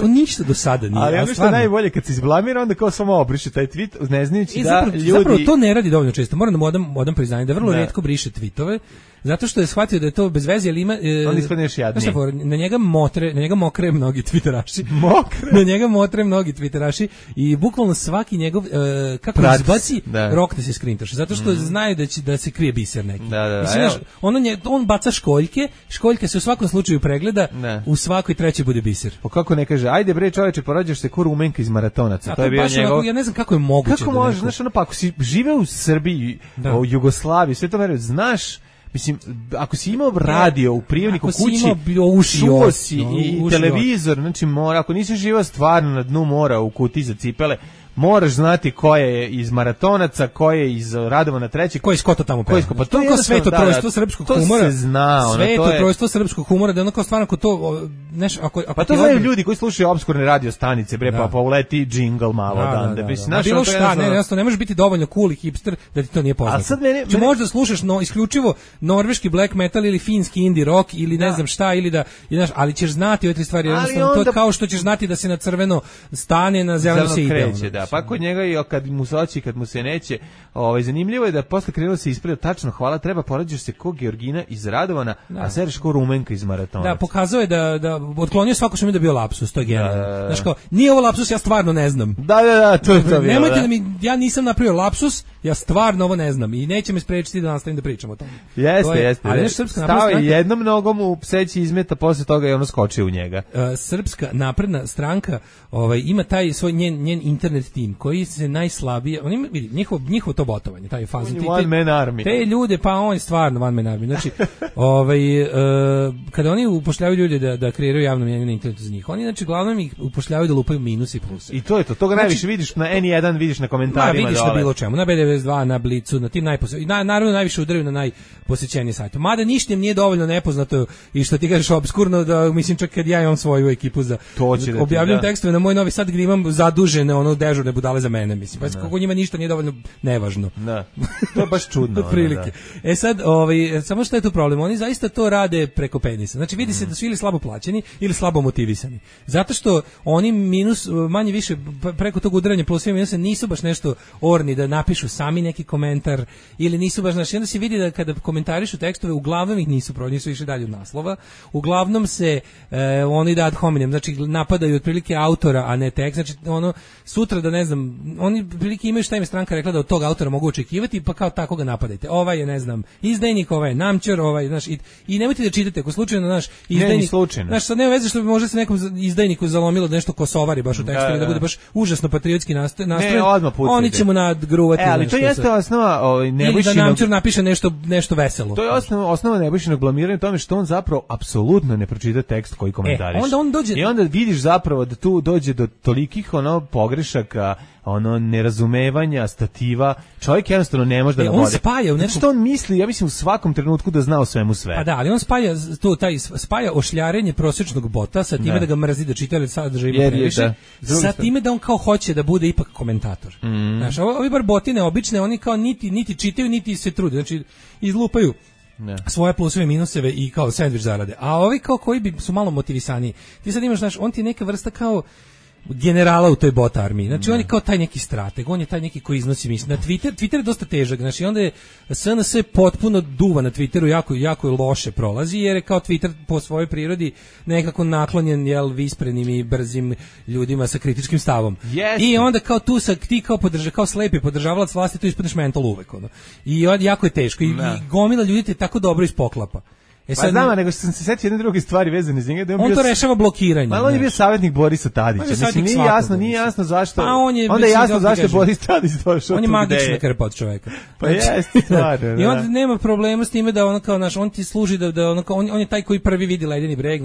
S8: ništa do sada nije.
S7: Ali ono što je najbolje, kad se izblamira, onda kao samo obriše taj tweet, ne znajući da ljudi...
S8: Zapravo to ne radi dovoljno često, moram da mu odam priznanje, da vrlo retko briše tweetove, zato što je shvatio da je to bez veze, ali ima...
S7: On ispadne još jadnije.
S8: Na njega mokre mnogi twitteraši. Na njega motre mnogi twitteraši i bukvalno svaki njegov, kako izbaci, rokne se skrintaš. Zato što znaju da se krije biser neki. On baca školjke se u svakom slučaju pregleda, u svakoj trećoj bude biser.
S7: Pa kako ne kaže, ajde bre čoveče, porađaš se ko Rumenka iz maratonaca. To je bio njegov...
S8: Ja ne znam kako je moguće.
S7: Kako može, znaš, pa ako si živeo u Srbiji, u Jugoslaviji, sve to verujem, znaš, mislim, ako si imao radio u prijemniku kući, čuo si i televizor, znači mora, ako nisi živao stvarno na dnu mora u kutiji za cipele, moraš znati ko je iz maratonaca, ko je iz Radovana III,
S8: ko je iz Kota tamo peva.
S7: Pa to je sveto trojstvo srpskog humora. To se zna.
S8: Sveto trojstvo srpskog humora, da ono kao stvarno ako to...
S7: Pa to znaju ljudi koji slušaju opskurne radio stanice, bre, pa uleti džingl malo odande.
S8: Bilo šta, ne može biti dovoljno cool i hipster da ti to nije poznato. Če možda slušaš isključivo norveški black metal ili finski indie rock ili ne znam šta, ili da, ali ćeš znati ove tri stvari, jednostavno to je kao što ćeš znati da se na crveno stane, na zeleno se ide.
S7: da. Pa kod njega i kad mu se hoće, kad mu se neće. Zanimljivo je da posle krenulo se ispravio tačno, hvala, treba poređaš se ko Georgina iz Radovana, a seriš ko Rumenka iz Maratona.
S8: Da, pokazao je da otklonio svako što mi da bio lapsus, to je genijalno. Znaš kao, nije ovo lapsus, ja stvarno ne znam.
S7: Da, to je to bilo.
S8: Nemojte da mi, ja nisam napravio lapsus, ja stvarno ovo ne znam i neće me sprečiti da nastavim da pričam o tome.
S7: Jeste.
S8: Ali Srpska napredna
S7: stranka
S8: stranka
S7: jednom nogom u pseći izmeta, posle toga je ono skočio u njega.
S8: Srpska napredna stranka ima taj svoj njen internet tim koji se najslabije, oni vidi njihovo to botovanje, taj fazon te ljude, pa on je stvarno one man army. Znači, kada oni upošljavaju ljude da kreiraju javno mnjenje na internetu za njih, oni znači glavnom ih upošljavaju da lupaju minus i plus.
S7: I to je to. Toga najviše vidiš na N1, vidiš na komentarima.
S8: Vidiš na bilo čemu, na B92, na Blicu, na tim naravno najviše udaraju na najposećenije sajte. Mada ništa im nije dovoljno nepoznato i što ti kažeš obskurno, da mislim čak kad ja imam svoju ekipu za objavljam tekstove na Moj Novi Sad gdje imam zadužene dežurne budale za mene, mislim. Pa kako njima ništa nije dovoljno nevažno.
S7: Da. To je baš čudno.
S8: Otprilike. Sad, samo što je tu problem, oni zaista to rade preko penisa. Znači vidi se da su ili slabo plaćeni ili slabo motivisani. Zato što oni manje više preko tog udaranja plus i minusa nisu baš nešto orni da napišu sami neki komentar ili nisu baš, znači onda se vidi da kada komentarišu tekstove uglavnom ih nisu išli dalje od naslova. Uglavnom se oni da ad hominem, znači napadaju otprilike autora, a ne tekst. Znači sutra da ne znam, oni otprilike imaju šta im je stranka rekla da od tog autora mogu očekivati, pa kao tako ga napadajte. Ovaj je, ne znam, izdajnik, ovaj je namćer, ovaj, znaš, i nemojte da čitate, ako slučajno, znaš, izdajnik, znaš, sad nema veze što bi možda se nekom izdajniku zalomilo nešto Kosovari baš u tekstu, da bude baš užasno patriotski nastrojen, oni će mu nadgruvati.
S7: Ali to jeste osnova Nebojšinog...
S8: Ili da namćer napiše nešto veselo.
S7: To je osnova Nebojšinog blamiranja tome što on zapravo apsolutno ne pročita tekst koji komentariš.
S8: Onda on dođe...
S7: I onda vidiš zapravo da tu dođe do tolikih pogrešaka, nerazumevanja, stativa, čovjek jednostavno ne može da nabode.
S8: On spaja u nekom...
S7: Što on misli, ja mislim u svakom trenutku da zna o svemu sve.
S8: Pa da, ali on spaja ošljarenje prosječnog bota sa time da ga mrzi da čita ili sadržaj ima previše, sa time da on kao hoće da bude ipak komentator. Znaš, ovi bar botine obične, oni kao niti čitaju, niti se trude, znači izlupaju svoje pluseve i minuseve i kao sendvič zarade. A ovi kao koji su malo motivisaniji. Ti sad imaš, znaš, on ti je neka vrsta kao generala u toj bot armiji. Znači on je kao taj neki strateg, on je taj neki koji iznosi misli. Na Twitter je dosta težak, znači onda je SNS potpuno duva na Twitteru, jako je loše prolazi, jer je kao Twitter po svojoj prirodi nekako naklonjen visprednim i brzim ljudima sa kritičkim stavom. I onda kao tu ti kao slepi podržavalac vlasti, tu ispadneš mental uvek. I jako je teško. I gomila ljudi te tako dobro ispoklapa.
S7: Pa znam, nego sam se setio jedne druge stvari vezane za njega.
S8: On to rešava blokiranjem.
S7: Ali on je bio savjetnik Borisa Tadića. Mislim, nije jasno zašto. Onda je jasno zašto je Boris Tadić došao.
S8: On je magična krpa od čoveka.
S7: Pa jeste, stvarno.
S8: I onda nema problema s time da on ti služi on je taj koji prvi vidi ledeni breg,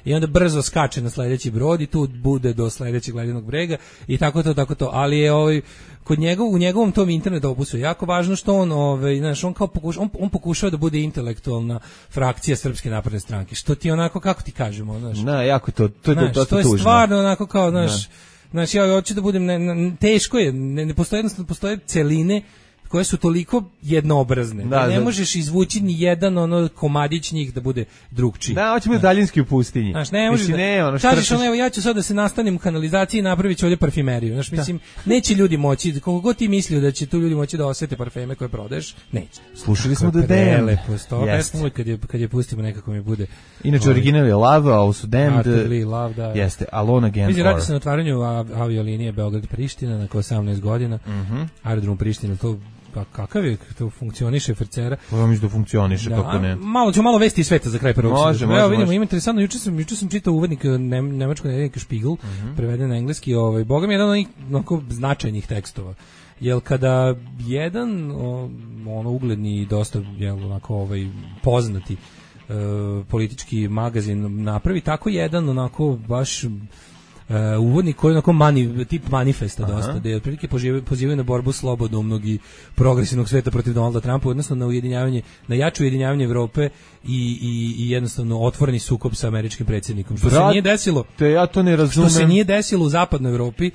S8: i onda brzo skače na sledeći brod i tu bude do sledećeg ledenog brega i tako to. Ali je u njegovom tom internet opusu jako važno što on pokušava da bude intelektualna frakcija Srpske napredne stranke, što ti onako, kako ti kažemo,
S7: jako to je dosta tužno.
S8: To je stvarno onako kao, znači ja hoću da budem, teško je, ne postoje celine koje su toliko jednoobrazne. Ne možeš izvući ni jedan komadić njih da bude drugčiji.
S7: Da, hoće biti daljinski u pustinji.
S8: Znaš, ne možeš kažeš evo ja ću sad da se nastanem u kanalizaciji i napravit ću ovdje parfimeriju. Znaš, mislim, neće ljudi moći, koliko god ti mislio da će tu ljudi moći da osete parfeme koje prodaješ, neće.
S7: Slušali smo The Damned.
S8: Lepo, sto pesmu uvijek kad je pustimo nekako mi bude.
S7: Inače, original je Love, a ovo su Damned.
S8: Love, da.
S7: Jeste, Alone Again.
S8: Mislim, radi se na otvaranju aviolinije Beograd-Priština nakon 18 godina. Aerodrom Priština, to pa kakav je, to funkcioniše Frcera?
S7: Pa mislim da funkcioniše, kako ne.
S8: Malo vesti iz sveta za kraj prvog.
S7: Može.
S8: Evo vidimo, ima interesantno, juče sam čitao uvodnik nemačkog nedeljnika Spiegel, preveden na engleski, boga mi jedan od onih značajnih tekstova. Jel kada jedan ugledni i dosta poznati politički magazin napravi tako jedan baš uvodnik koji je tip manifesta dosta, da je otprilike pozivaju na borbu slobodumnog i progresivnog sveta protiv Donalda Trumpa, odnosno na jače ujedinjavanje Evrope i jednostavno otvoreni sukob sa američkim predsjednikom. Što se nije desilo.
S7: Ja to ne razumem.
S8: Što se nije desilo u zapadnoj Evropi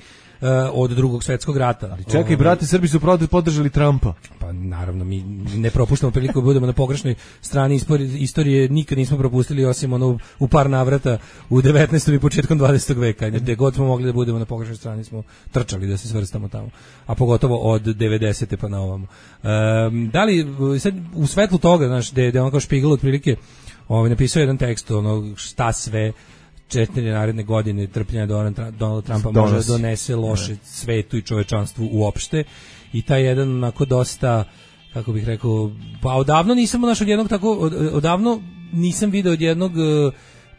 S8: od Drugog svjetskog rata.
S7: Čekaj, brate, Srbi su podržali Trumpa.
S8: Pa naravno mi ne propuštamo priliku da budemo na pogrešnoj strani istorije, nikad nismo propustili osim ono u par navrata u 19. i početkom 20. veka. Gde god smo mogli da budemo na pogrešnoj strani smo trčali da se svrstamo tamo. A pogotovo od 90. pa na ovamo. Da li sad u svetlu toga, znaš, da on kao Špigel otprilike napisao jedan tekst šta sve 4 naredne godine trpljenja Donalda Trumpa može da donese loše svetu i čovečanstvu uopšte, i taj jedan onako dosta, kako bih rekao, pa odavno nisam odavno nisam video od jednog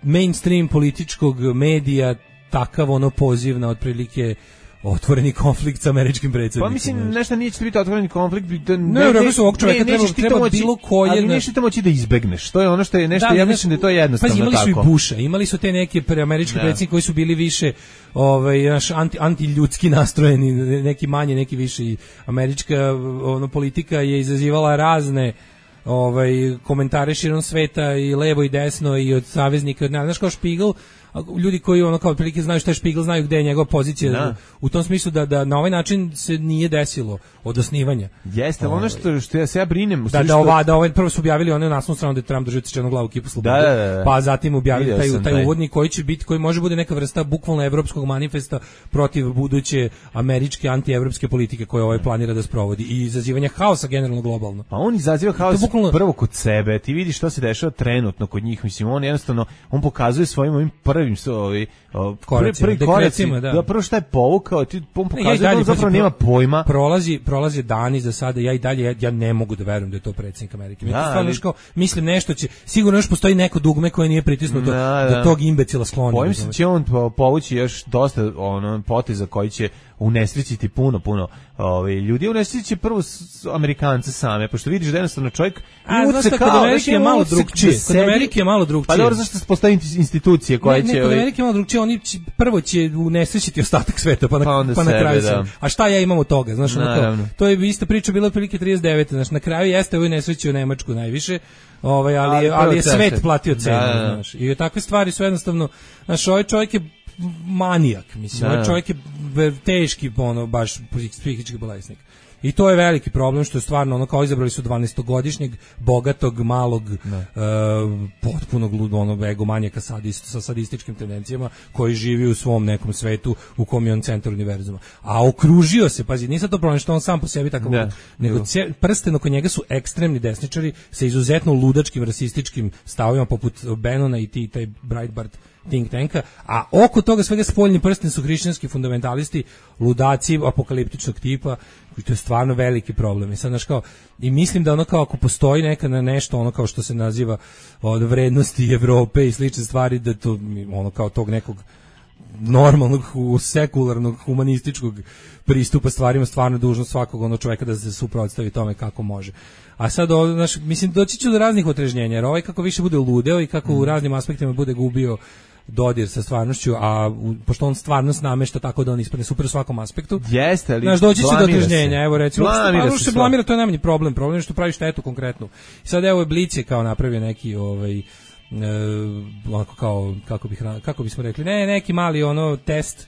S8: mainstream političkog medija takav poziv na otprilike otvoreni konflikt sa američkim predsjednikom.
S7: Pa mislim, nešto nije će biti otvoreni konflikt.
S8: Treba bilo koje...
S7: Ali nešto moći da izbegneš. To je ono što je nešto, ja mislim da je to jednostavno tako.
S8: Imali su i Busha, imali su te neke američki predsjednici koji su bili više antiljudski nastrojeni, neki manje, neki više. I američka politika je izazivala razne komentare širom sveta i levo i desno i od saveznika. Znaš, kao Špigel, ljudi koji kao otprilike znaju šta je Špigel, znaju gde je njegova pozicija u tom smislu da na ovaj način se nije desilo od osnivanja.
S7: Jeste, ono što ja brinem,
S8: prvo su objavili one naslovnu stranu da Trump drži odsečenu glavu kipu slobode, pa zatim objavili taj uvodnik koji može bude neka vrsta bukvalno evropskog manifesta protiv buduće američke antievropske politike koje planira da sprovodi i izazivanja haosa generalno globalno.
S7: Pa on izaziva haos prvo kod sebe, ti vidiš što se dešava trenutno kod njih, mislim, on jednostavno pokazuje svojim ovim prvim prvi koracima, da prvo šta je povukao, on pokazuje da on zapravo nema pojma.
S8: Prolazi dani za sada, ja ne mogu da verujem da je to predsjednik Amerike. Mislim nešto će, sigurno još postoji neko dugme koje nije pritisnuto da tog imbecila skloni.
S7: Bojim se će on povući još dosta poteza koji će unesrećiti puno ljudi, unesrećiti prvo Amerikance same, pošto vidiš da jednostavno čovjek
S8: kod Amerike je malo drugčije.
S7: Pa dobro, zašto se postoji institucije koje će...
S8: Kod Amerike je malo drugčije, oni prvo će unesrećiti ostatak sveta, pa na kraju se. A šta ja imam od toga, znaš, to je ista priča bila otprilike 39. Znaš, na kraju jeste ovo nesrećio Nemačku najviše, ali je svet platio cenu, znaš. I takve stvari su jednostavno, znaš, ovaj čovjek je manijak, mislim, ovaj čovjek je teški, baš psihički bolesnik. I to je veliki problem, što je stvarno kao izabrali su 12-godišnjeg, bogatog, malog, potpunog egomanijaka sa sadističkim tendencijama, koji živi u svom nekom svetu u kom je on centar univerzuma. A okružio se, pazi, nije sad to problem što on sam po sebi takav, nego prsten oko njega su ekstremni desničari sa izuzetno ludačkim, rasističkim stavovima poput Bannona i taj Breitbart think tanka, a oko toga svega spoljni prsten su hrišćanski fundamentalisti, ludaci apokaliptičnog tipa, i to je stvarno veliki problem. I mislim da ako postoji neka nešto kao što se naziva od vrednosti Evrope i slične stvari, da to kao tog nekog normalnog, sekularnog, humanističkog pristupa stvarima stvarno dužnost svakog čovjeka da se suprotstavi tome kako može. A sad, mislim, doći ću do raznih otrežnjenja, jer kako više bude ludeo i kako u raznim aspektima bude gubio dodir sa stvarnošću, a pošto on stvarnost namešta tako da on ispadne super u svakom aspektu.
S7: Jeste, ali
S8: doći će do otrežnjenja, evo recimo, se blamira, to je najmanji problem je što pravi štetu konkretnu. I sad evo Blic je kao napravio neki kako bismo rekli, neki mali test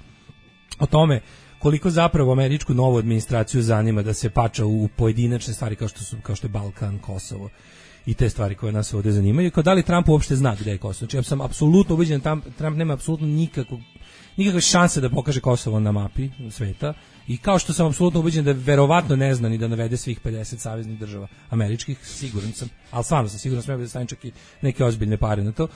S8: o tome koliko zapravo američku novu administraciju zanima da se pača u pojedinačne stvari kao što je Balkan, Kosovo i te stvari koje nas ovdje zanimaju. Kao da li Trump uopšte zna gde je Kosovo? Znači ja sam apsolutno ubeđen da Trump nema apsolutno nikakve šanse da pokaže Kosovo na mapi sveta, i kao što sam apsolutno ubeđen da verovatno ne zna ni da navede svih 50 saveznih država američkih, siguran sam, ali stvarno sam siguran, smeo da stavim čak i neke ozbiljne pare na to.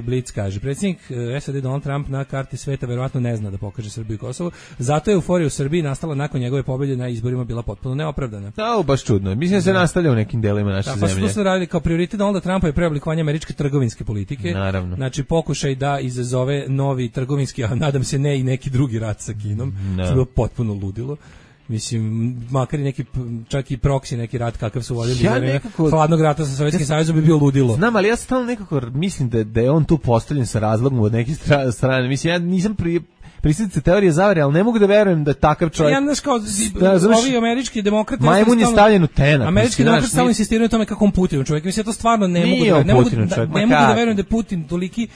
S8: Blic kaže, predsjednik SAD Donald Trump na karti sveta verovatno ne zna da pokaže Srbiju i Kosovo, zato je euforija u Srbiji nastala nakon njegove pobjede na izborima bila potpuno neopravdana.
S7: Da, baš čudno. Mislim da se nastavlja u nekim delima naše zemlje.
S8: Pa što su radili kao prioritet Donalda Trumpa je preoblikovanje američke trgovinske politike.
S7: Naravno.
S8: Znači pokušaj da izazove novi trgovinski, a nadam se ne i neki drugi rat sa Kinom. Što je potpuno ludilo. Mislim, makar i neki, čak i proksi neki rat kakav su vodili za vreme hladnog rata sa Sovjetskim savezom bi bio ludilo.
S7: Znam, ali ja stalno nekako mislim da je on tu postavljen sa razlogom od neke strane. Mislim, ja nisam pristalica teorije zavere, ali ne mogu da verujem da takav čovjek.
S8: Ja znaš kao ovi američki demokrate
S7: majmun je stavljen u tenak.
S8: Američki demokrate stalno insistiraju na tome kako on Putin čovjek. Mislim to stvarno ne mogu da ne mogu da verujem da je Putin toliki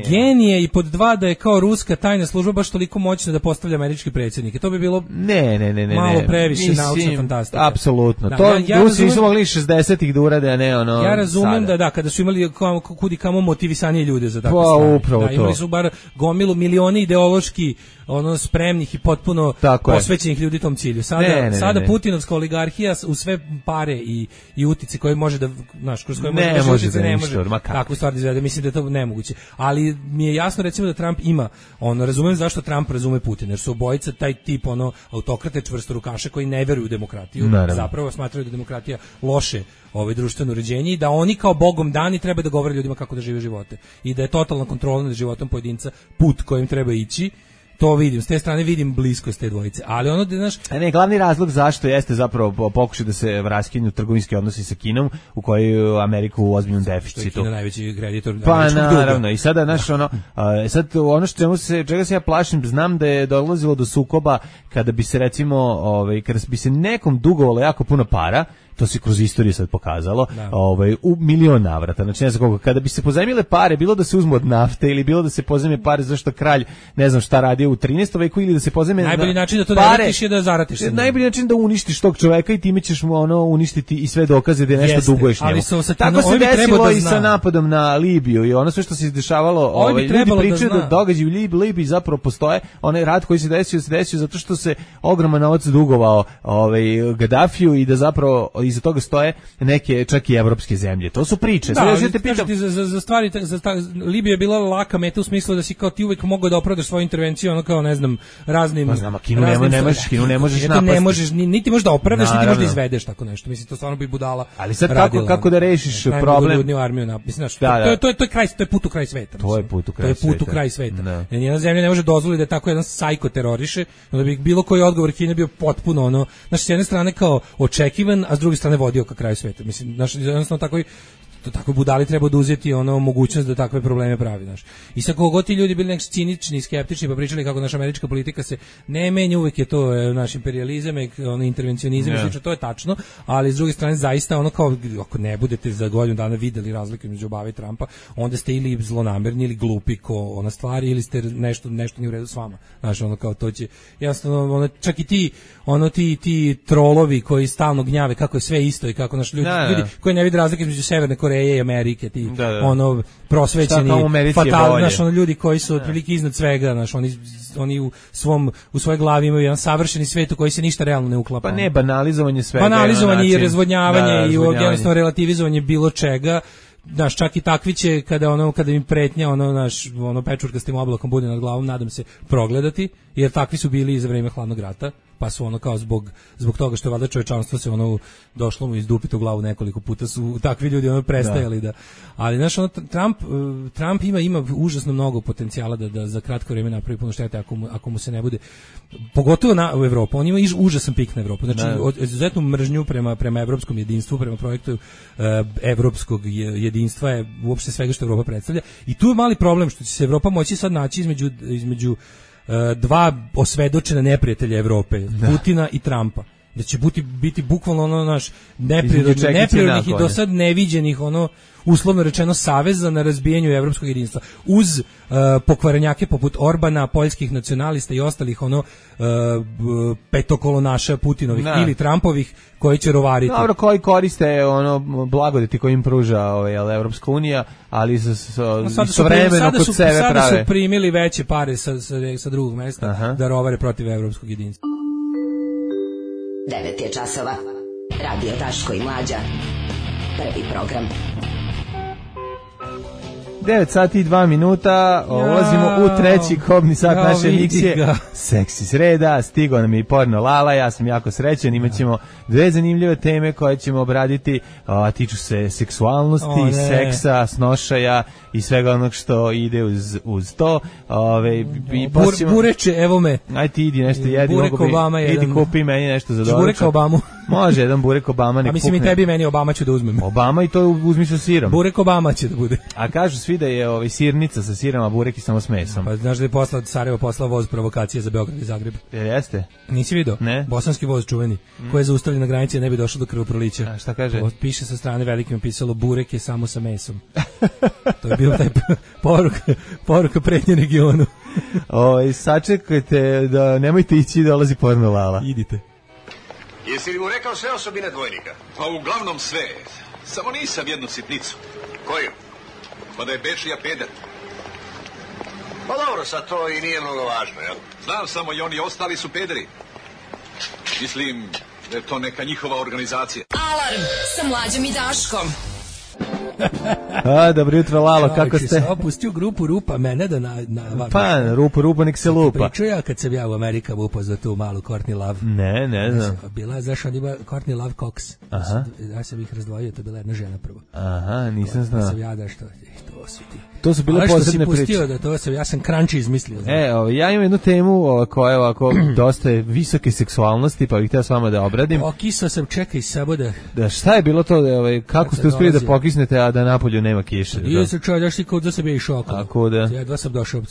S8: genije i pod dva da je kao ruska tajna služba baš toliko moćna da postavlja američke predsjednike. To bi bilo malo previše naučna fantastika.
S7: Apsolutno. To Rusi nisu mogli 60-ih da urade, a ne ono.
S8: Ja razumem da kada su imali kudi kamo motivisanije ljude za takve
S7: stvari.
S8: Imali su bar gomilu milioni ideološki spremnih i potpuno posvećenih ljudi tom cilju. Sada Putinovska oligarhija u sve pare i utice koje može da, znaš, kroz koje može da ne može takvu stvar da izvede. Mislim da je to nemoguće. Ali mi je jasno recimo da Trump ima, razumem zašto Trump razume Putina, jer su obojica taj tip autokrate čvrstorukaše koji ne veruju u demokratiju. Zapravo smatraju da je demokratija loše društveno uređenje i da oni kao bogom dani treba da govore ljudima kako da žive živote. I da je totalna kontrola nad životom pojedinca put kojim treba ići. To vidim, s te strane vidim bliskost te dvojice, ali
S7: glavni razlog zašto jeste zapravo pokušaj da se raskinu trgovinski odnosi sa Kinom, u kojoj Amerika u ozbiljnom deficitu.
S8: Što je Kina najveći kreditor
S7: američkog duga. Pa naravno, i sada čega se ja plašim, znam da je dolazilo do sukoba kada bi se recimo, kada bi se nekom dugovalo jako puno para, to se kroz istoriju sad pokazalo, u milion navrata. Znači, ne znam koliko, kada bi se pozajmile pare, bilo da se uzmu od nafte ili bilo da se pozajme pare zašto kralj ne znam šta radio u 13. veku ili da se pozajme
S8: najbolji način da to
S7: pare,
S8: ne ratiš je da zaratiš.
S7: Najbolji način da uništiš tog čoveka i time ćeš mu uništiti i sve dokaze da je nešto duguješ njemu. Tako se desilo i sa napadom na Libiju i ono sve što se izdešavalo, ljudi pričaju da događaji u Libiji zapravo postoje, onaj rat koji se desio zato što se ogroman novac dugovao Gadafiju i da zapravo iza toga stoje neke čak i evropske zemlje. To su priče.
S8: Za stvari, Libija je bila laka meta u smislu da si kao ti uvijek mogao da opravdaš svoju intervenciju, kao ne znam, raznim...
S7: Kinu ne možeš napasti.
S8: Niti možeš da opravdaš, niti možeš da izvedeš tako nešto. Mislim, to stvarno bi budala.
S7: Ali sad kako da rešiš problem?
S8: To je put u kraj sveta.
S7: To je put u kraj sveta.
S8: Nijedna zemlja ne može dozvoliti da tako jedan sajko teroriše, da bi bilo koji odgovor Kine bio potpuno s jedne strane kao očekivan, a s druge strane vodio ka kraju sveta. Mislim, jednostavno tako budali treba oduzeti mogućnost da takve probleme pravi, znaš. I sa kogo ti ljudi bili neki cinični, skeptični, pa pričali kako naša američka politika se ne menja, uvek je to naš imperijalizam, intervencionizam, slično, to je tačno, ali s druge strane zaista kao ako ne budete za godinu dana videli razliku između Obame i Trumpa, onda ste ili zlonamerni ili glupi ko ona stvari ili ste nešto nije u redu s vama. Znaš, kao to će jasno čak i ti trolovi koji stalno gnjave kako je sve isto i kako naš ljudi koji ne vide razlike između Severne Koreje i Amerike, ti prosvećeni fatal, ljudi koji su otprilike iznad svega, oni u svojoj glavi imaju jedan savršeni svet u koji se ništa realno ne uklapa.
S7: Pa ne, banalizovanje svega.
S8: Banalizovanje i razvodnjavanje i jednostavno relativizovanje bilo čega. Znaš, čak i takvi će kada im pretnja pečurkastim oblakom bude nad glavom, nadam se progledati, jer takvi su bili i za vreme hladnog rata, pa su kao zbog toga što je valjda čovečanstvo se došlo mu izdupiti u glavu nekoliko puta, su takvi ljudi prestajali da. Ali znaš, Trump ima užasno mnogo potencijala da za kratko vrijeme napravi puno štete ako mu se ne bude, pogotovo u Evropu. On ima užasan pik na Evropu. Znači, izuzetnu mržnju prema evropskom jedinstvu, prema projektu evropskog jedinstva je uopšte svega što Evropa predstavlja. I tu je mali problem što će se Evropa moći sad naći između dva osvedočena neprijatelja Evrope, Putina i Trumpa. Da će biti bukvalno neprirodnih i do sad neviđenih uslovno rečeno saveza na razbijanju evropskog jedinstva. Uz pokvarenjake poput Orbana, poljskih nacionalista i ostalih petokolonaša Putinovih ili Trumpovih koji će rovariti.
S7: Dobro, koji koriste blagodeti koji im pruža Evropska unija, ali istovremeno kod sebe prave.
S8: Sada su primili veće pare sa drugog mesta da rovare protiv evropskog jedinstva.
S1: 9 je časova. Radio Daško i Mlađa. Prvi program.
S7: 9 sati i 2 minuta, ulazimo u treći kobni sat naše emisije. Seksi sreda, stigao nam je i porno Lala, ja sam jako srećan, imat ćemo dve zanimljive teme koje ćemo obraditi, tiču se seksualnosti, seksa, snošaja i svega onog što ide uz to.
S8: Bureče, evo me.
S7: Aj ti idi nešto jedi, idi kupi meni nešto za doručak.
S8: Bureka Obamu.
S7: Može, jedan burek Obama nek
S8: pukne. A mislim i tebi meni Obama ću da uzmem.
S7: Obama i to uzmi sa sirom.
S8: Burek Obama će da bude.
S7: A kažu svi da je sirnica sa sirom, a burek i samo s mesom.
S8: Pa znaš da je Sarajevo poslao voz provokacije za Beograd i Zagreb.
S7: Jeste?
S8: Nisi vidio?
S7: Ne.
S8: Bosanski voz čuveni, koji je zaustavljen na granici, ne bi došlo do krvoprolića.
S7: A šta kaže?
S8: Piše sa strane velikim pisalo burek je samo sa mesom. To je bio taj poruka pretnje regionu.
S7: Sačekajte da nemojte ići, dolazi porno Lala.
S8: Idite.
S9: Jesi li mu rekao sve osobine dvojnika?
S10: Pa uglavnom sve. Samo nisam jednu sitnicu.
S9: Koju?
S10: Pa da je Bečija peder.
S9: Pa dobro, sad to i nije mnogo važno, jel?
S10: Znam samo i oni ostali su pederi. Mislim da je to neka njihova organizacija.
S11: Alarm sa Mlađom i Daškom.
S7: Dobro jutro, Lalo, kako ste?
S8: Opustio grupu Rupa mene da
S7: Pa, Rupa nek se lupa.
S8: Pričao ja kad sam ja u Amerika upoznao tu malu Courtney Love.
S7: Ne znam.
S8: Bila, znaš, on ima Courtney Love Cox.
S7: Aha.
S8: Ja sam ih razdvojio, to je bila jedna žena prvo.
S7: Aha, nisam znao.
S8: Ja sam ja da što, to svi ti.
S7: To su bile posebne priče.
S8: Pustio da to sam, ja sam crunchy izmislio.
S7: Ja imam jednu temu koja je ovako dosta visoke seksualnosti, pa bih htio s vama da obradim.
S8: Okisao sam, čekaj samo
S7: da. Šta je bilo to, kako ste uspjeli da pokisnete, a da napolju nema kiše?
S8: Nije se čovjek, daš ti kao da sam je išao okolo.
S7: Tako da.
S8: Jedva sam došao,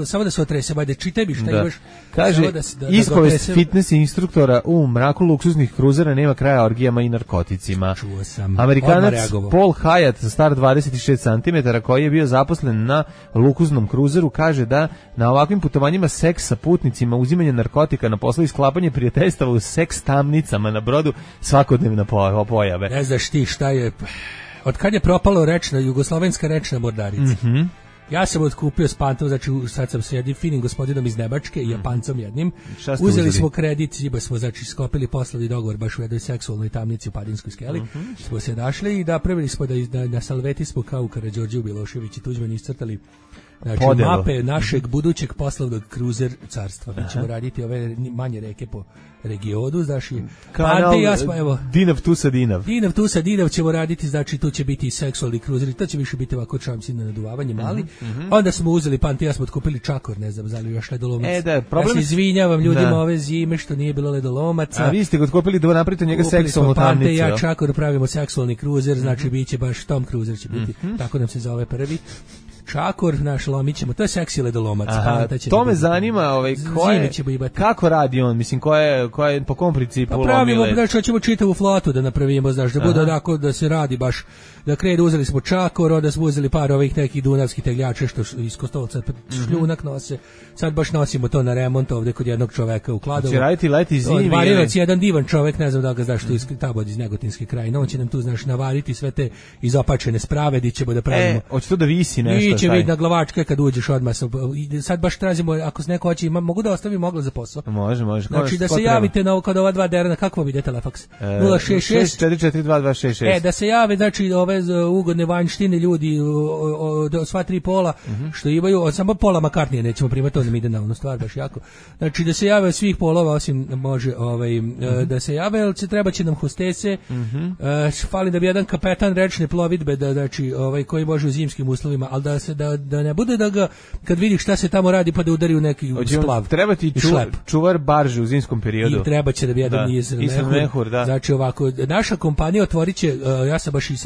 S8: samo da se otresem, ajde čitaj mi šta imaš.
S7: Kaže, ispovest fitness instruktora u mraku luksuznih kruzera nema kraja orgijama i narkoticima.
S8: Čuo sam.
S7: Amerikanac Paul Hyatt, star 26 cm, koji je bio zaposlen na luksuznom kruzeru, kaže da na ovakvim putovanjima seks sa putnicima, uzimanje narkotika na poslu i sklapanje prijateljstava u seks tamnicama na brodu svakodnevna pojave.
S8: Ne znaš ti šta je... Od kad je propalo jugoslovenska rečna mornarica? Ja sam otkupio s pantom, znači sad sam s jednim finim gospodinom iz Nemačke i Japancom jednim. Uzeli smo kredit, smo znači skopili poslovni dogovor baš u jednoj seksualnoj tamnici u Padinskoj skeli. Smo se našli i napravili smo da na salveti smo kao u Karađorđevu Milošević i Tuđman iscrtali znači mape našeg budućeg poslovnog kruzer carstva. Mi ćemo raditi ove manje reke po regionu, znači
S7: kanal Dinav tu sa
S8: Dinav ćemo raditi, znači tu će biti i seksualni kruzeri, to će više biti ovako čamsi na naduvavanje mali. Onda smo uzeli Pante, ja smo otkupili Čakor, ne znam, zali još ledolomac. Ja se izvinjavam ljudima ove zime što nije bilo ledolomaca.
S7: A vi ste ga otkupili da napravite njega seksualnu tamnicu.
S8: Pante, ja Čakor pravimo seksualni kruzer, znači biće baš Tom Cruiser će biti, tako nam se zove prvi. Čakor, naš lomićemo, to je seksi ledolomac.
S7: To me zanima, kako radi on, mislim, po kom principu lomile?
S8: Pravimo, znači, ćemo čitavu flotu da napravimo, znaš, da bude onako, da se radi baš, da krenu, uzeli smo Čakor, onda smo uzeli par ovih nekih dunavskih tegljača što iz Kostolca šljunak nose, sad baš nosimo to na remont ovde kod jednog čoveka u Kladovu.
S7: Će raditi leti zimi?
S8: Varirac, jedan divan čovek, ne znam da ga znaš, tu iz Tabod iz Negotinske krajine, on će nam tu, znaš, navariti sve te izopačene spravedi, ćemo da pravimo.
S7: Hoće to da visi nešto?
S8: Će biti na glavačke kad uđeš odmah. Sad baš tražimo, ako se neko hoće, mogu da ostavim oglas za posao?
S7: Može.
S8: Znači da se javite kod ova dva derana, kako vam ide telefaks?
S7: 066-442-266.
S8: Da se jave, znači ove ugodne vanjštine ljudi, sva tri pola, što imaju, samo pola McCartney nećemo primati, to nam ide na onu stvar baš jako. Znači da se jave svih polova, osim može da se jave, ali treba će nam hostese, fali da bi jedan kapetan rečne plovidbe, znači koji može u zimskim uslovima, ali da ne bude da ga, kad vidi šta se tamo radi, pa da udari u neki splav.
S7: Treba ti čuvar barže u zimskom periodu.
S8: I treba će da bi jedan
S7: mehur, da.
S8: Znači ovako, naša kompanija otvorit će, ja sam baš i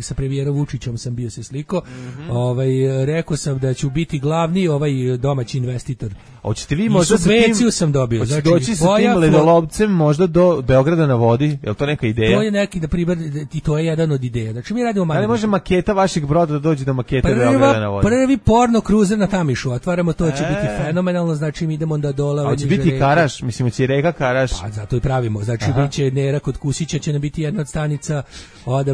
S8: sa premijerom Vučićem sam bio se sliko, rekao sam da ću biti glavni domaći investitor.
S7: Hoćete vi možda
S8: subvenciju sam dobio.
S7: Znači, doći sa tim ledolovcem možda do Beograda na vodi, je li to neka ideja?
S8: To je neki, da primer, i to je jedan od ideja. Znači mi radimo manje.
S7: Ali može maketa vašeg broda da dođe do makete Beograda na vodi?
S8: Prvi porno kruzer na Tamišu, otvaramo, to će biti fenomenalno, znači mi idemo da dole.
S7: Hoće biti Karaš, mislim, će reka Karaš.
S8: Pa zato i pravimo, znači biće Nera kod Kusića, će nam biti jedna od stanica,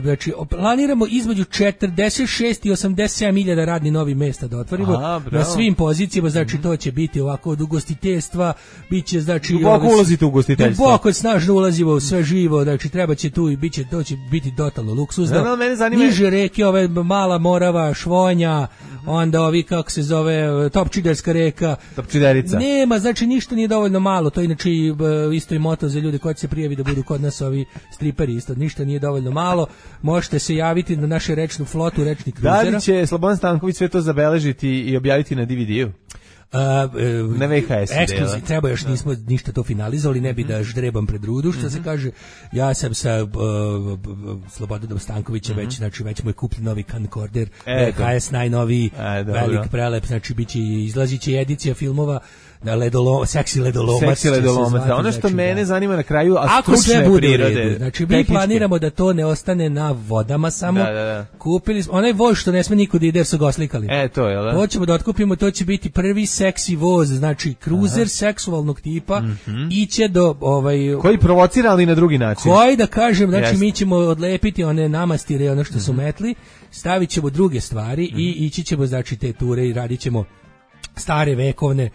S8: znači planiramo između 46 i 87.000 radnih novih mesta da otvorimo na svim pozicijama, znači to će biti ovako od ugostiteljstva, biće znači
S7: duboko ulazite u ugostiteljstvo.
S8: Duboko snažno ulazimo u sve živo, znači treba će tu i biće, to će biti totalno luksuzno. Niže reke, ove Mala Morava, Švonja, onda ovi kako se zove Topčiderska reka.
S7: Topčiderica.
S8: Nema, znači ništa nije dovoljno malo, to je inače isto i moto za ljude koji se prijavi da budu kod nas ovi striperi isto, ništa nije dovoljno malo. Možete se javiti na našu rečnu flotu, rečni kruzera.
S7: Da li će Slobodan Stanković sve to zabeležiti i objaviti na DVD-u? Na VHS
S8: ekskluzivno, treba još nismo ništa to finalizovali, ne bi da ždrebam pred rudu, što se kaže. Ja sam sa Slobodanom Stankovićem već mu je kupljen novi camcorder, VHS najnoviji, velik prelep, znači izlazit će edicija filmova na seksi ledolomac.
S7: Ono što mene zanima na kraju,
S8: ako sve bude prirode. Znači mi planiramo da to ne ostane na vodama samo. Kupili smo onaj voz što ne sme niko da ide jer su ga oslikali.
S7: To je, da.
S8: Hoćemo da otkupimo, to će biti prvi seksi voz, znači kruzer seksualnog tipa, iće do
S7: koji provocira, ali na drugi način.
S8: Koji da kažem, znači mi ćemo odlepiti one namastire, ono što su metli, stavit ćemo druge stvari i ići ćemo, znači, te ture i radit ćemo stare vekovne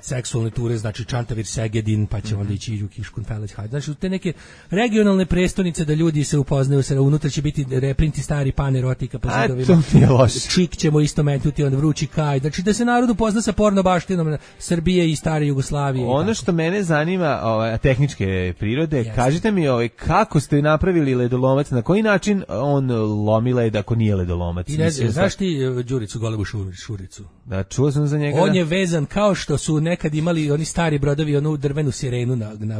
S8: seksualne ture, znači Čantavir, Segedin, pa će onda ići u Kiškun, Feleć, Hajde. Znači, te neke regionalne prestonice da ljudi se upoznaju, unutra će biti reprinti stari pan erotika po zidovima. Čik ćemo isto metnuti, onda Vrući kaj. Znači, da se narod upozna sa porno baštinom Srbije i stare Jugoslavije.
S7: Ono što mene zanima, tehničke prirode, kažite mi kako ste napravili ledolomac, na koji način on lomi led ako nije ledolomac?
S8: Znaš ti Đuricu Golebu Šuricu?
S7: Da, čuo sam za njega.
S8: On je vezan kao što su nekad imali oni stari brodovi, onu drvenu sirenu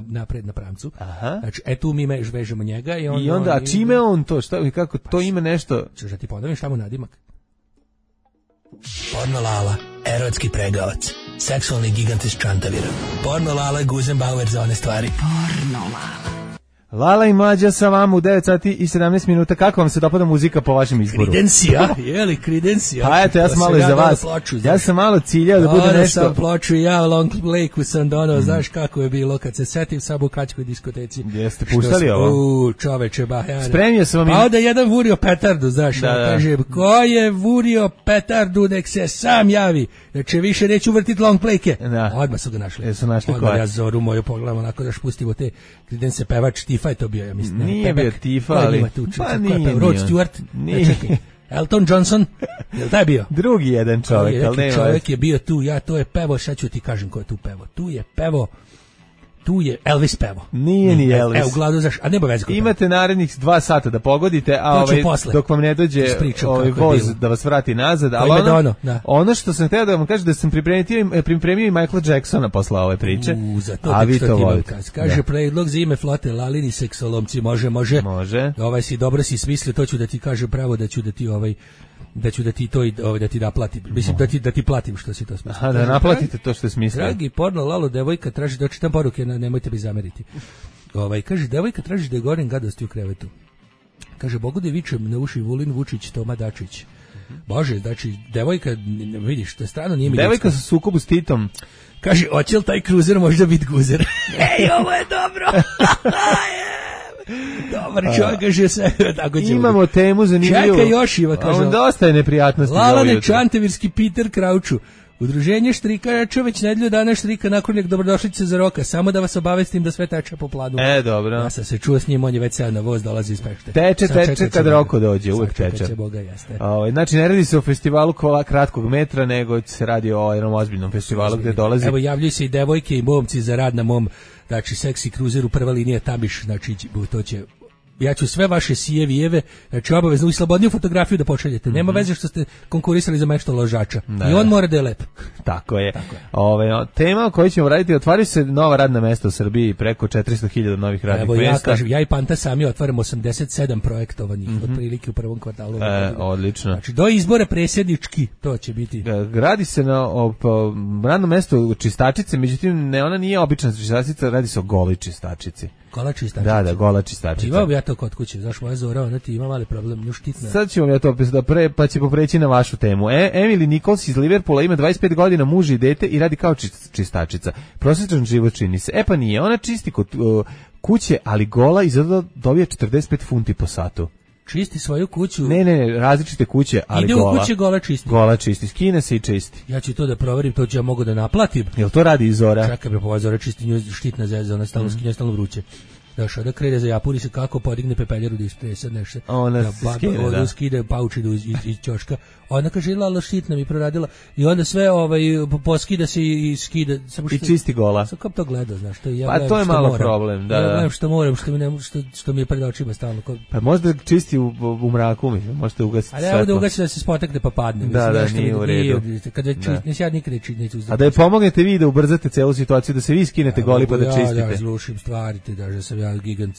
S8: napred na pramcu. Znači, tu mi vežemo njega.
S7: I onda, a čime on to? Kako to ima nešto?
S8: Češ da ti ponovim šta mu nadimak?
S6: Porno Lala, erotski pregavac, seksualni gigant iz Čantavira. Porno Lala, Guzenbauer za one stvari.
S1: Porno Lala.
S7: Lala i Mlađa sa vama u 9 sati i 17 minuta. Kako vam se dopada muzika po vašem izboru?
S8: Kridencija, Kridencija.
S7: Pa eto, ja sam malo i za vas. Ja sam malo ciljao da bude nešto.
S8: Sam ploču, ja Long Lake-u sam donao, znaš kako je bilo kad se setim sad u Kačkoj diskoteci.
S7: Jeste puštali ovo?
S8: Čoveče,
S7: spremio sam vam.
S8: Pa onda jedan vurio petardu, znaš, kaže, ko je vurio petardu, nek se sam javi. Znači, više neću vrtiti Long Lake-e. Odmah su ga našli.
S7: Jesu našli
S8: koja? Odmah ja Zoru moju pogledam, onako da špustimo te Kridense pevač Tifa je to bio, ja mislim.
S7: Nije bio Tifa, ali...
S8: Pa nije. Rod Stewart? Čekaj. Elton Johnson? Je li taj bio?
S7: Drugi jedan čovjek, ali nema.
S8: Čovjek je bio tu, to je pevo, šta ću ti kažem ko je tu pevo? Tu je Elvis pevo.
S7: Nije ni Elvis.
S8: U gladu zaš, a nema veze.
S7: Imate narednih 2 sata da pogodite, a dok vam ne dođe voz da vas vrati nazad. Ali ono što sam htio da vam kažem, da sam pripremio i Michaela Jacksona posle ove priče. A vi to volite.
S8: Kaže predlog za ime flote Lalini seksolomci, može. Dobro si smislio, to ću da ti kažem pravo, da ću da ti to da ti naplatim. Mislim da ti platim što si to smislio.
S7: Da naplatite to što je smislio.
S8: Dragi Porno Lalo, devojka traži da čitam poruke, nemojte mi zameriti. Kaže, devojka traži da je gorim gadosti u krevetu. Kaže, Bogu da vičem na uši Vulin Vučić, Toma Dačić. Bože, znači, devojka, vidiš, to je strano, nije mi
S7: devojka sa sukobu s Titom.
S8: Kaže, hoće li taj kruzer možda biti guzer? Ej, ovo je dobro! Dobar čovjek, kaže se.
S7: Imamo temu zanimljivu.
S8: Čekaj još, Iva, kaže.
S7: On dosta je neprijatnosti.
S8: Lalane Čantavirski Peter Krauču. Udruženje štrikača već nedelju dana štrika naklonik dobrodošlice za Roka. Samo da vas obavestim da sve teče po planu.
S7: Dobro.
S8: Ja sam se čuo s njim, on je već sad na voz, dolazi iz Pešte.
S7: Teče kad Roko dođe, uvek teče. Znači, ne radi se o festivalu kratkog metra, nego se radi o jednom ozbiljnom festivalu gde dolazi.
S8: Evo, javljaju se i devojke i momci za rad na mom, znači, seksi kruzeru, prva linija Tabiš, znači, to će... Ja ću sve vaše sijevijeve, znači obavezno i slobodniju fotografiju da pošaljete. Nema veze što ste konkurisali za mešto ložača. I on mora da je lep.
S7: Tako je. Tema o kojoj ćemo raditi, otvaraju se nova radna mesta u Srbiji, preko 400.000 novih radnih mesta.
S8: Ja kažem, ja i Panta sami otvaramo 87 projektovanih, otprilike u prvom kvartalu.
S7: Odlično.
S8: Znači, do izbora presjednički, to će biti.
S7: Radi se na radnom mestu čistačice, međutim, ona nije obična čistačica, radi se o goli čistačici.
S8: Gola čistačica.
S7: Da, gola čistačica.
S8: Imao bi ja to kod kuće, znaš, moja Zora, ona ti ima mali problem, nju štitna.
S7: Sad ćemo ja to pa će popreći na vašu temu. Emily Nichols iz Liverpoola ima 25 godina, muž i dete i radi kao čistačica. Prosječan život čini se. Pa nije, ona čisti kod kuće, ali gola i zato dobija 45 funti po satu.
S8: Čisti svoju kuću.
S7: Ne, različite kuće, ali
S8: ide
S7: gola.
S8: Ide u kuće gola čisti.
S7: Gola čisti, skine se i čisti.
S8: Ja ću to da proverim, to ću ja mogu da naplatim.
S7: Jel to radi i Zora?
S8: Čekaj bre, pa Zora čisti, nju štitna zeza, ona stalno skinja, stalno vruće. Znaš, da krene za Japuri se kako podigne pepeljaru da istresa nešto.
S7: Ona
S8: skida paučinu iz ćoška. Ona kaže, lala šitna mi proradila. I onda sve poskida se i skida. Samo
S7: i čisti gola.
S8: Sam kao to gleda, znaš. To ja
S7: pa to je malo problem.
S8: Ja gledam što moram, što mi je pred očima stalno.
S7: Pa možda čisti u mraku, mislim, možete ugasiti
S8: svetlo. Ali evo da ugasi da se spotekne pa padne.
S7: Da, nije u redu.
S8: Kad već neće ja nikad neću uzdati.
S7: A da je pomognete vi da ubrzate celu situaciju, da se vi skinete goli pa da čistite.
S8: Ja zlušim stvari, da sam ja gigant.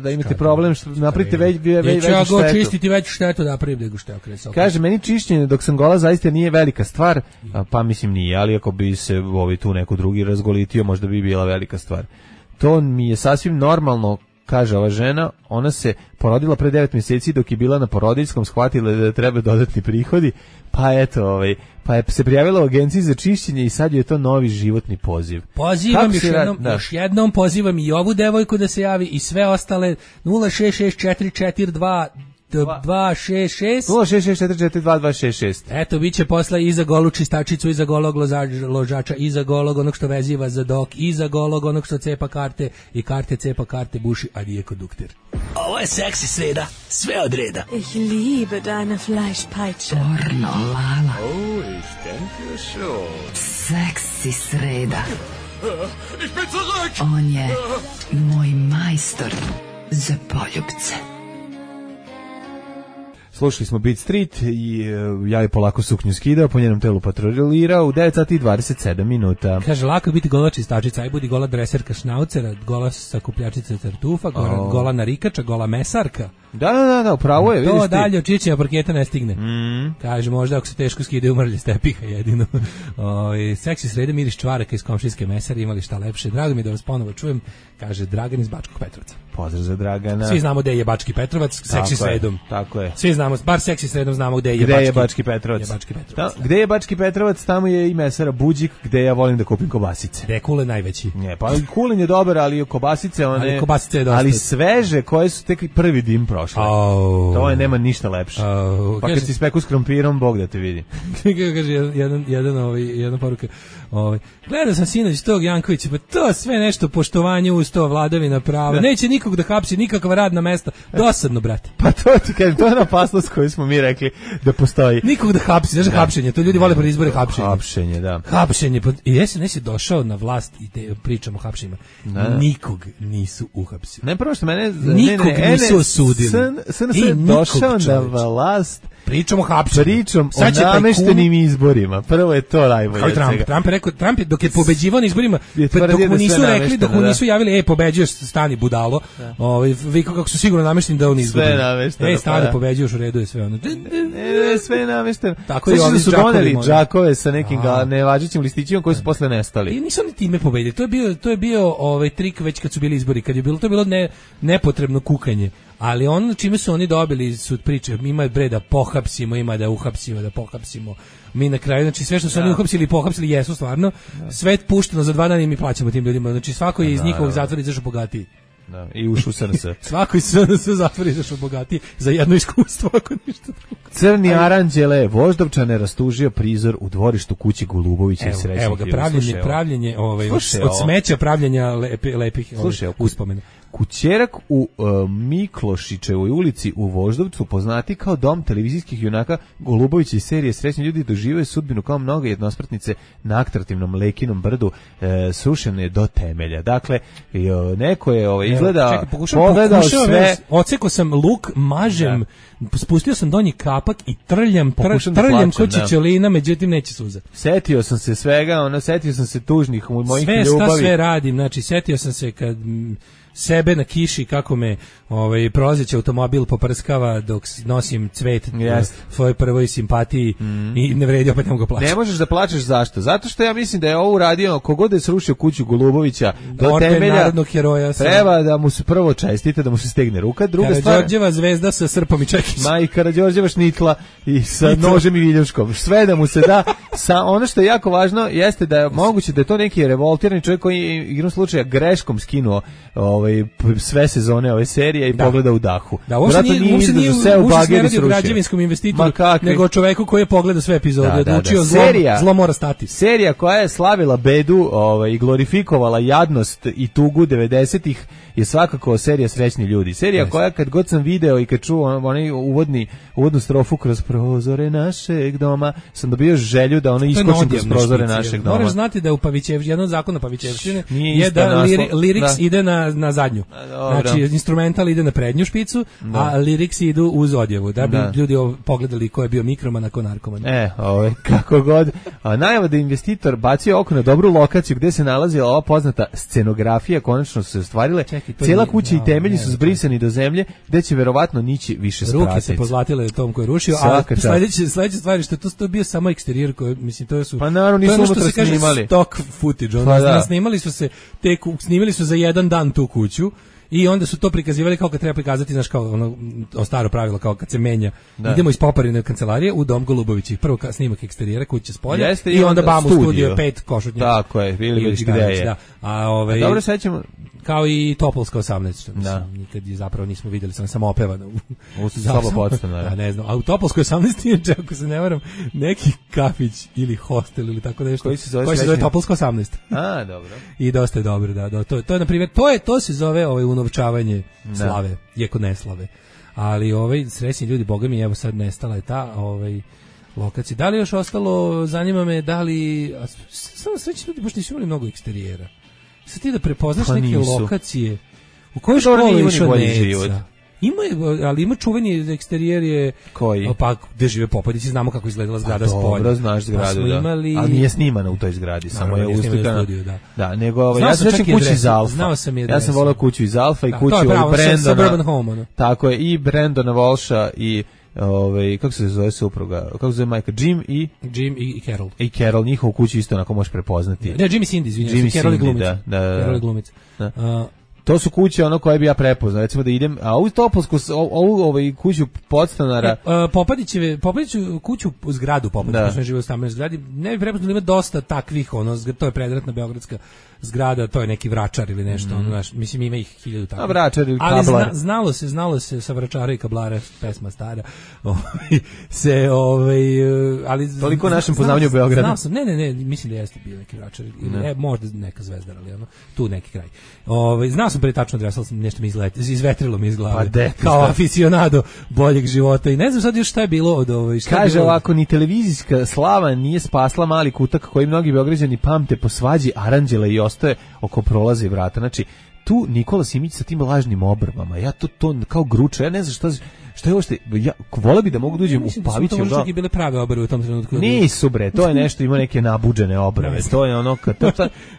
S7: Da imate problem što napravite veću štetu.
S8: Ja go čistiti veću štetu da napravim nego što ja krenuo.
S7: Kaže, meni čišćenje dok sam gola zaista nije velika stvar, pa mislim nije, ali ako bi se tu neko drugi razgolitio, možda bi bila velika stvar. To mi je sasvim normalno, kaže ova žena, ona se porodila pre 9 mjeseci dok je bila na porodiljskom, shvatila da treba dodatni prihodi, pa eto, pa je se prijavila u agenciji za čišćenje i sad je to novi životni poziv.
S8: Pozivam još jednom pozivam i ovu devojku da se javi i sve ostale 0664422 266
S7: 066442266.
S8: Eto, bit će posle iza golu čistačicu, iza golog ložača, iza golog onog što veziva za dok, iza golog onog što cepa karte i karte cepa karte buši, a nije kondukter.
S6: Ovo je seksi sreda, sve od reda.
S12: Ich liebe deine Fleischpeitsche.
S1: Pornolala.
S9: Oh, ich denke schon.
S1: Seksi sreda.
S9: Ich bin zurück!
S1: On je moj majstor za poljubce.
S7: Slušali smo Beat Street i ja je polako suknju skidao, po njenom telu patrolirao u 9 sati i 27 minuta.
S8: Kaže, lako je biti gola čistačica, aj budi gola dreserka šnaucera, gola sakupljačica tartufa, gola narikača, gola mesarka.
S7: Da, upravo je, vidiš ti.
S8: To dalje od čičenja parketa ne stigne. Kaže, možda ako se teško skidaju mrlje stepiha jedino. Seksi srede miris čvaraka iz komšijske mesare, imali šta lepše. Drago mi je da vas ponovo čujem, kaže Dragan iz Bačkog Petrovca.
S7: Pozdrav za Dragana.
S8: Svi znamo gde je Bački Petrovac, seksi sredom.
S7: Tako je.
S8: Svi znamo, bar seksi sredom znamo gde
S7: je Bački Petrovac. Gde je Bački Petrovac, tamo je i mesara Buđik, gde ja volim da kupim kobasice.
S8: Gde je kulen najveći.
S7: Ne, pa kulen je dobar, ali kobasice one.
S8: Ali kobasice je dosta.
S7: Ali sveže, koje su tek prvi dim prošle. To je nema ništa lepše. Pa kad si speku s krompirom, Bog da te vidi.
S8: Kaže jedna poruka. Gledao sam sinoć tog Jankovića, pa to sve nešto poštovanje uz to, vladavina prava. Neće nikog da hapsi, nikakva radna mesta. Dosadno, brate.
S7: Pa to ti kažem, to je na opasnost koju smo mi rekli da postoji.
S8: Nikog da hapsi, znaš hapšenje, to ljudi vole pred izbore hapšenje.
S7: Hapšenje, da.
S8: Hapšenje, i nesi došao na vlast i pričamo o hapšenjima. Nikog nisu uhapsili.
S7: Ne, prvo što mene...
S8: Nikog nisu osudili.
S7: SNS je došao na vlast.
S8: Pričom o hapšenju.
S7: Pričom o nameštenim izborima. Prvo je to najbolje od svega.
S8: Trump je rekao, Trump je dok je pobeđivao na izborima, dok mu nisu rekli, dok mu nisu javili, pobeđuješ, stani budalo. Vi kako su sigurno namešteni da on izgubi.
S7: Sve namešteno.
S8: Stani, pobeđuješ, u redu je sve ono.
S7: Sve je namešteno.
S8: Tako je,
S7: su doneli džakove sa nekim nevažećim listićima koji su posle nestali.
S8: I nisu ni time pobedili. To je bio trik već kad su bili izbori, kad je bilo to bilo nepotrebno kukanje. Ali ono čime su oni dobili su priče, ima da pohapsimo, ima da uhapsimo, da pohapsimo. Mi na kraju, znači sve što su oni uhapsili i pohapsili jesu stvarno, sve pušteno za 2 dana i mi plaćamo tim ljudima. Znači svako je iz njihovog zatvora izašao bogatiji.
S7: Da, i ušao u SNS.
S8: Svako iz SNS zatvora izašao bogatiji za jedno iskustvo, ako ništa drugo.
S7: Crni aranđele, Voždovčane rastužio prizor u dvorištu kući Golubovića i srećnih.
S8: Evo ga, pravljenje od smeća pravljenja lepih uspomena.
S7: Kućerak u Miklošićevoj ulici u Voždovcu, poznati kao dom televizijskih junaka Golubovića iz serije Srećni ljudi, doživaju sudbinu kao mnoge jednosmrtnice na atraktivnom Lekinom brdu, srušene do temelja. Dakle, neko je izgleda pogledao sve.
S8: Oceko sam luk, mažem, spustio sam donji kapak i trljam ko čičelina, međutim neće suza.
S7: Setio sam se svega, setio sam se tužnih mojih ljubavi.
S8: Sve radim, znači setio sam se kad sebe na kiši kako me prolazeći automobil poprskava dok nosim cvet svojoj prvoj simpatiji i ne vredi, opet ne mogu plaćati.
S7: Ne možeš da plačeš, zašto? Zato što ja mislim da je ovo uradio kogod je srušio kuću Golubovića do temelja,
S8: narodnog heroja
S7: treba da mu se prvo čestite, da mu se stegne ruka. Druga stvar,
S8: Karađorđeva zvezda sa srpom i čekićem.
S7: Ma i Karađorđeva šnitla i sa nožem i viljuškom. Sve da mu se da. Ono što je jako važno jeste da je moguće da je to neki revoltirani čovjek koji igrom slučaja greškom skinuo sve sezone ove serije i pogleda u dahu.
S8: Da, uopšte nije radi o građevinskom investitoru, nego o čoveku koji je pogledao sve epizode, odlučio zlo mora stati.
S7: Serija koja je slavila bedu i glorifikovala jadnost i tugu 90-ih je svakako serija Srećni ljudi. Serija koja kad god sam video i kad čuo onaj uvodnu strofu kroz prozore našeg doma, sam dobio želju da ono iskočim kroz prozore našeg doma.
S8: Moraš znati da u jedan od zakona Pavićevštine je da lyrics ide na zadnju. Znači, instrumental ide na prednju špicu, a lyrics idu uz odjevu, da bi ljudi pogledali ko je bio mikroman, a ko narkoman.
S7: Kako god. Najava da investitor bacio oko na dobru lokaciju gde se nalazila ova poznata scenografija, konačno su se ostvarile. Cijela kuća i temelji su zbrisani do zemlje, gde će verovatno nići više spratica.
S8: Ruke se pozlatile tom koji je rušio, a sledeća stvar je što to bio samo eksterijer koji, mislim, to su...
S7: Pa naravno nisu unutra snimali.
S8: Stock footage, snimali su za jedan dan tu kuću, i onda su to prikazivali kao kad treba prikazati, znaš, kao ono staro pravilo, kao kad se menja. Idemo iz Poparine kancelarije u dom Golubovićih. Prvo snimak eksterijera, kuće s polja, i onda bam u studio 5 košutnjaka.
S7: Tako je, ili gde je.
S8: Da. A
S7: dobro, sećamo
S8: kao i Topolska 18, što nikad je zapravo nismo vidjeli, sam opevana
S7: u soba podstanara.
S8: Da, ne znam. A u Topolskoj 18 je, ako se ne varam, neki kafić ili hostel ili tako nešto.
S7: Koji se zove
S8: Topolska 18.
S7: A, dobro.
S8: I dosta je dobro, da. To je na primjer, to se zove unovčavanje slave, iako ne slave. Ali srećni ljudi, boga mi, evo sad nestala je ta lokacija. Da li još ostalo, zanima me, da li samo srećni ljudi baš nisu imali mnogo eksterijera. Sad ti da prepoznaš neke lokacije u kojoj školi išao Neca. Ali ima čuveni eksterijer je...
S7: Koji?
S8: Pa gde žive Popadići, znamo kako izgledala zgrada s polja.
S7: Dobro, znaš zgradu, da. Ali nije snimana u toj zgradi, samo je uslikana. Da, nego ja sam sećam kući iz Alfa. Ja sam voleo kuću iz Alfa i kuću Brendona. Tako je, i Brendona Walsha i kako se zove supruga, kako se zove majka, Jim i
S8: Carol.
S7: I Carol, njihovu kuću isto onako možeš prepoznati.
S8: Ne, Jim i Cindy, izvinjam se, Carol je glumica. Carol je glumica.
S7: To su kuće ono koje bi ja prepoznao, recimo da idem, a ovu Topolsku, ovu kuću podstanara...
S8: Popadiću kuću u zgradu Popadiću, što ne žive u stambenoj zgradi, ne bi prepoznao, ima dosta takvih, to je predratna beogradska zgrada, to je neki Vračar ili nešto, mislim ima ih 1000 takvih.
S7: A Vračar ili Kablar.
S8: Ali znalo se sa Vračara i Kablara, pesma stara, ali...
S7: Toliko o našem poznavanju Beograda.
S8: Znao sam, ne, mislim da jeste bio neki Vračar, ili možda neka Zvezdar, ali tu neki kraj. Znao sam pre tačno adresu, sam nešto mi izvetrilo mi iz glave. Kao aficionado boljeg života i ne znam sad još šta je bilo od
S7: Kaže ovako, ni televizijska slava nije spasla mali kutak koji mnogi Beograđani pamte po svađi aranđela i ostaje oko prolaza i vrata. Znači, tu Nikola Simić sa tim lažnim obrvama, ja to kao gruča, ja ne znam šta je ovo što... Voleo bi da mogu da uđem u Pavićev.
S8: Mislim da su to možda bile prave obrve u tom trenutku.
S7: Nisu bre, to je nešto, ima neke nabuđene obrve. To je ono...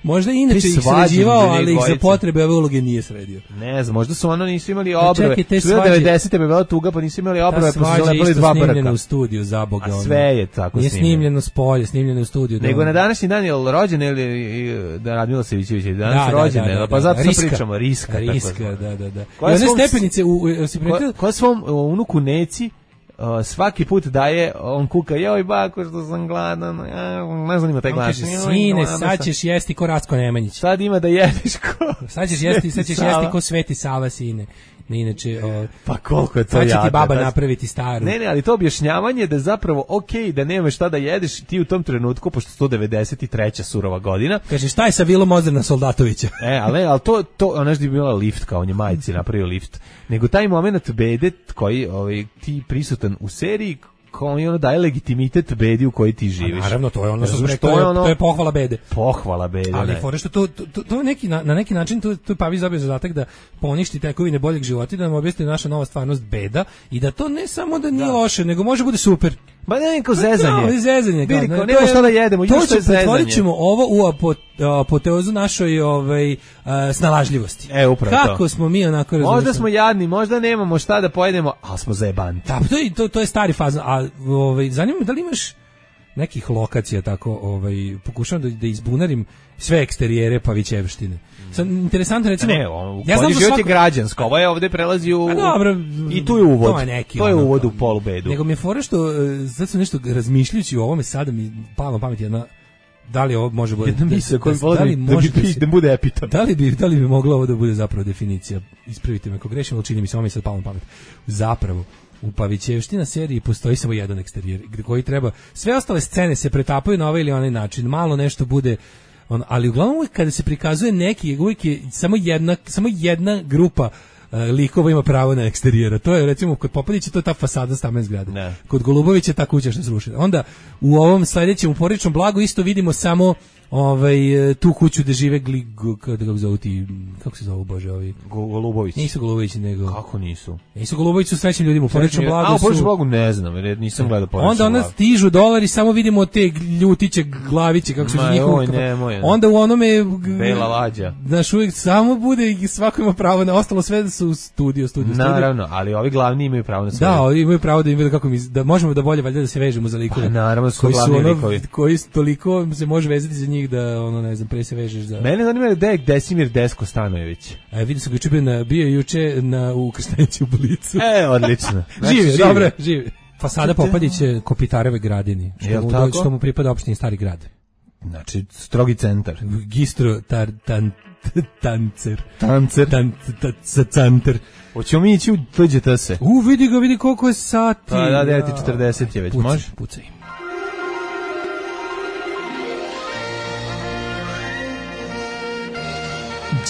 S8: Možda inače ih sređivao, ali ih za potrebe ove uloge nije sredio.
S7: Ne znam, možda su ono nisu imali obrve. Su bilo 90. bi bila tuga, pa nisu imali obrve, pa su zalepili 2 brka.
S8: Snimljeno u studiju, za Boga.
S7: A sve je tako
S8: snimljeno. Nije snimljeno s polja, snimljeno u studiju.
S7: Nego na današnji dan je rođen ili da Radmila Savićević je danas rođen, pa zato sad pričamo, Riska.
S8: Da. I one stepenice
S7: koja svom unuku Neci svaki put daje, on kuka, joj bako što sam gladan, ne znam ima taj glas.
S8: Sine, sad ćeš jesti ko Racko Nemanjić.
S7: Sad ima da jedeš ko...
S8: Sad ćeš jesti ko Sveti Sava, sine. Inače,
S7: pa koliko je to
S8: sad će ti baba napraviti staru.
S7: Ne, ali to objašnjavanje da je zapravo okej da nemaš šta da jedeš ti u tom trenutku, pošto 193. surova godina.
S8: Kaže, šta je sa vilom Ozrena Soldatovića?
S7: Ali to nešto je bila lift, kao on je majici napravio lift. Nego taj moment bede koji ti prisutan u seriji, koji ono daje legitimitet bedi u kojoj ti živiš.
S8: Naravno, to je ono što to je pohvala bede.
S7: Pohvala bede.
S8: Ali fore što to je na neki način tu Pavić dobio zadatak da poništi tekovine boljeg života i da nam objasni naša nova stvarnost beda i da to ne samo da nije loše, nego može bude super.
S7: Ba ne, kao zezanje.
S8: Zezanje.
S7: Nemo šta da jedemo, još što je zezanje.
S8: Pretvorit ćemo ovo u apoteozu našoj snalažljivosti.
S7: Upravo to.
S8: Kako smo mi onako razumeli.
S7: Možda smo jadni, možda nemamo šta da pojedemo, ali smo zajebanti.
S8: Da, to je stari faz. A zanima me da li imaš nekih lokacija tako, pokušavam da izbunarim sve eksterijere Pavićevštine. Interesantno recimo.
S7: Ja znam život je građansko, ovo je ovde prelazi u...
S8: Dobro,
S7: i tu je uvod. To je uvod u polubedu.
S8: Nego mi je fora što sad sam nešto razmišljajući o ovome, sada mi pala na pamet jedna Da li ovo može bude
S7: jedna misao koja da bude epitom.
S8: Da li bi moglo ovo da bude zapravo definicija? Ispravite me ako grešim, ali čini mi se ovo mi sad palo na pamet. Zapravo u Pavićevština seriji postoji samo jedan eksterijer koji treba, sve ostale scene se pretapaju na ovaj ili onaj način, malo nešto bude ali uglavnom uvijek kada se prikazuje neki, uvijek je samo jedna grupa likova ima pravo na eksterijera. To je recimo kod Popadića to je ta fasada stambene zgrade. Ne. Kod Golubovića ta kuća što je srušena. Onda u ovom sledećem u Porodičnom blagu isto vidimo samo tu kuću gde žive kako se zovu bože ovi
S7: Golubović.
S8: Nisu Golubović nego
S7: kako nisu?
S8: Nisu Golubović su srećni ljudima u Porodičnom blagu.
S7: A u Porodičnom blagu ne znam, jer nisam gledao Porodični
S8: Onda stižu dolari, samo vidimo te ljutiće glaviće kako su njihovi. Onda u onome
S7: Bela lađa.
S8: Znaš, uvijek samo bude i svako ima pravo na ostalo sve da su studio.
S7: Naravno, ali ovi glavni imaju pravo na sve.
S8: Da, imaju pravo da im vide kako da možemo da bolje valjda da se vežemo za likove.
S7: Naravno, su glavni likovi.
S8: Koji toliko se može vezati za njih da ne znam, pre se vežeš za...
S7: Mene zanima da je Desimir Desko Stanojević.
S8: Vidio sam ga bio juče u Krstenici u Blicu.
S7: Odlično.
S8: Živi, dobro, živi. Fasada Popadić je Kopitareve gradini, što mu pripada opštini Stari grad.
S7: Znači, strogi centar.
S8: Gistro Tancer.
S7: Hoćemo mi ići u TGTS.
S8: Vidi koliko je sati.
S7: Pa da, 9:40 je već, može?
S8: Pucaj.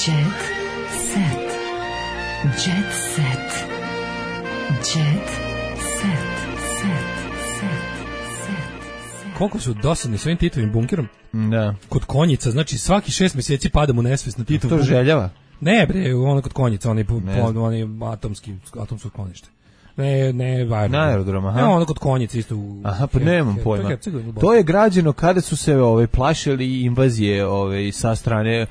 S1: Jet set. Jet set. Jet set.
S8: Koliko su dosadni svojim Titovim bunkerom?
S7: Da.
S8: Kod Konjica, znači svaki 6 mjeseci padamo u nesvest na Titov bunker.
S7: To željava?
S8: Ne bre, ono kod Konjica, oni atomsko sklonište. Ne, važno.
S7: Na aerodrom, aha.
S8: Ne, ono kod Konjice isto.
S7: Aha, pa nemam pojma. To je građeno kada su se plašili invazije sa strane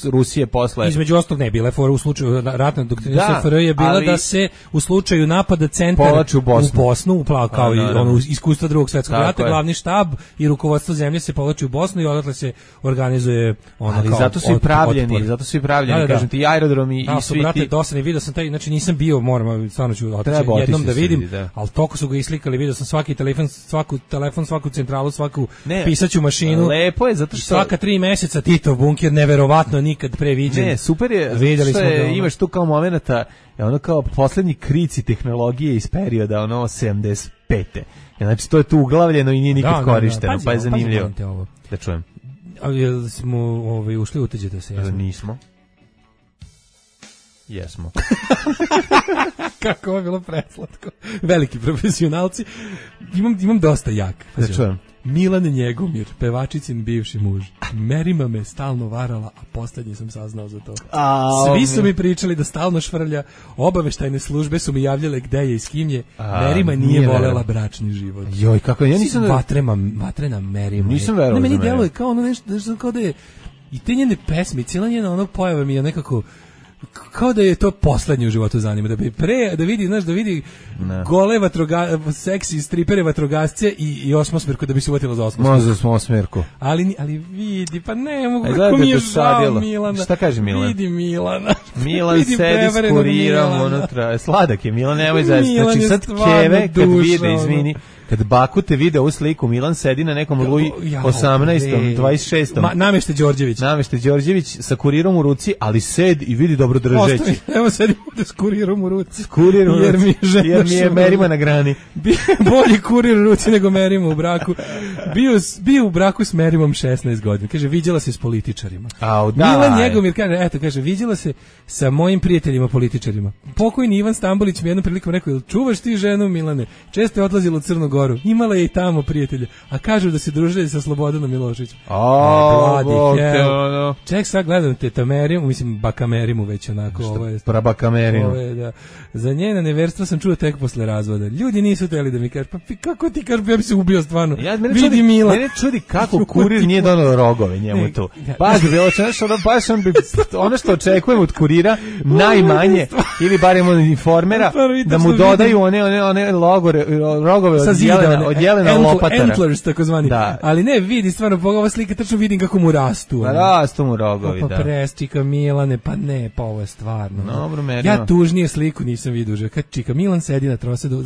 S7: Rusije posle.
S8: Između ostalog ne, bila je fora u slučaju ratne doktrine SFRJ je bila da se u slučaju napada centar u Bosnu, kao i ono iskustva Drugog svjetskog rata, glavni štab i rukovodstvo zemlje se povlači u Bosnu i odatle se organizuje ono kao.
S7: Zato su i pravljeni, kažem ti, aerodromi i svi ti.
S8: Dosadni, video sam taj, znači nisam bio, moram, stvarno ću otići jednom da vidim, ali toliko su ga islikali, vidio sam svaki telefon, svaku centralu, svaku pisaću mašinu.
S7: Lepo je, zato što
S8: svaka 3 meseca Titov bunker, neverovatno nikad pre viđen.
S7: Ne, super je, videli smo ga. Imaš tu kao momenata, ono kao poslednji krici tehnologije iz perioda, ono 75. Znači, to je tu uglavljeno i nije nikad korišteno, pa je zanimljivo. Da čujem.
S8: Ali smo ušli u TGTS?
S7: Nismo. Jesmo.
S8: Kako je bilo preslatko. Veliki profesionalci. Imam dosta jak.
S7: Da čujem.
S8: Milan Njegomir, pevačicin bivši muž. Merima me stalno varala, a poslednji sam saznao za to. Svi su mi pričali da stalno švrlja, obaveštajne službe su mi javljale gde je i s kim je. Merima nije volela bračni život.
S7: Joj, kako ja nisam...
S8: Vatrena Merima.
S7: Nisam verovao za
S8: meni deluje kao ono nešto, kao da je... I te njene pesme, cijela njena ono pojava mi je nekako... kao da je to poslednje u životu zanima, da vidi gole seksi stripere vatrogasce i osmosmerku da bi se uvatila za osmosmerku.
S7: Možda osmosmerku.
S8: Ali vidi, pa ne mogu, kako mi je žao Milana.
S7: Šta kaže Milan?
S8: Vidi Milana.
S7: Milan sedi s kurirom unutra. Sladak je Milan, nemoj zaista. Znači sad Keve kad vide, izvini, kad Baku te vide u sliku, Milan sedi na nekom Luj 18. 26. Namešte Đorđević sa kurirom u ruci, ali sed i vidi dobro držeći.
S8: Evo sedim ovdje s kurirom u ruci.
S7: Jer mi je Merima na grani.
S8: Bolji kurir u ruci nego Merima u braku. Bio u braku s Merimom 16 godina. Kaže, viđala se s političarima. Milan Njegomir kaže, viđala se sa mojim prijateljima političarima. Pokojni Ivan Stambolić mi jednom prilikom rekao, čuvaš ti ženu, Milane? Često je odlazila u Crnu Goru. Imala je i tamo prijatelja. A kažu da se družili sa Slobodanom Miloševićem. Ček, sad gledam teta Merimu, mislim Baka Merimu već onako.
S7: Prabaka Merimu.
S8: Za njena neverstva sam čuo tek posle razvoda. Ljudi nisu teli da mi kažu, pa kako ti kažu, ja bi se ubio stvarno. Vidi Mila.
S7: Mene čudi kako kurir nije donao rogove njemu tu. Baš bi bilo ono što očekujem od kurira najmanje, ili barem od informera, da mu dodaju one rogove od jelena lopatara.
S8: Antlers, takozvani. Ali ne, vidi, stvarno, ova slika tačno vidim kako mu rastu.
S7: Rastu mu rogovi, da.
S8: Pa presčika Milane, pa ne, pa ovo je stvarno. Ja tužnije sliku nisam vidio. Kad čika Milan sedi na trosedu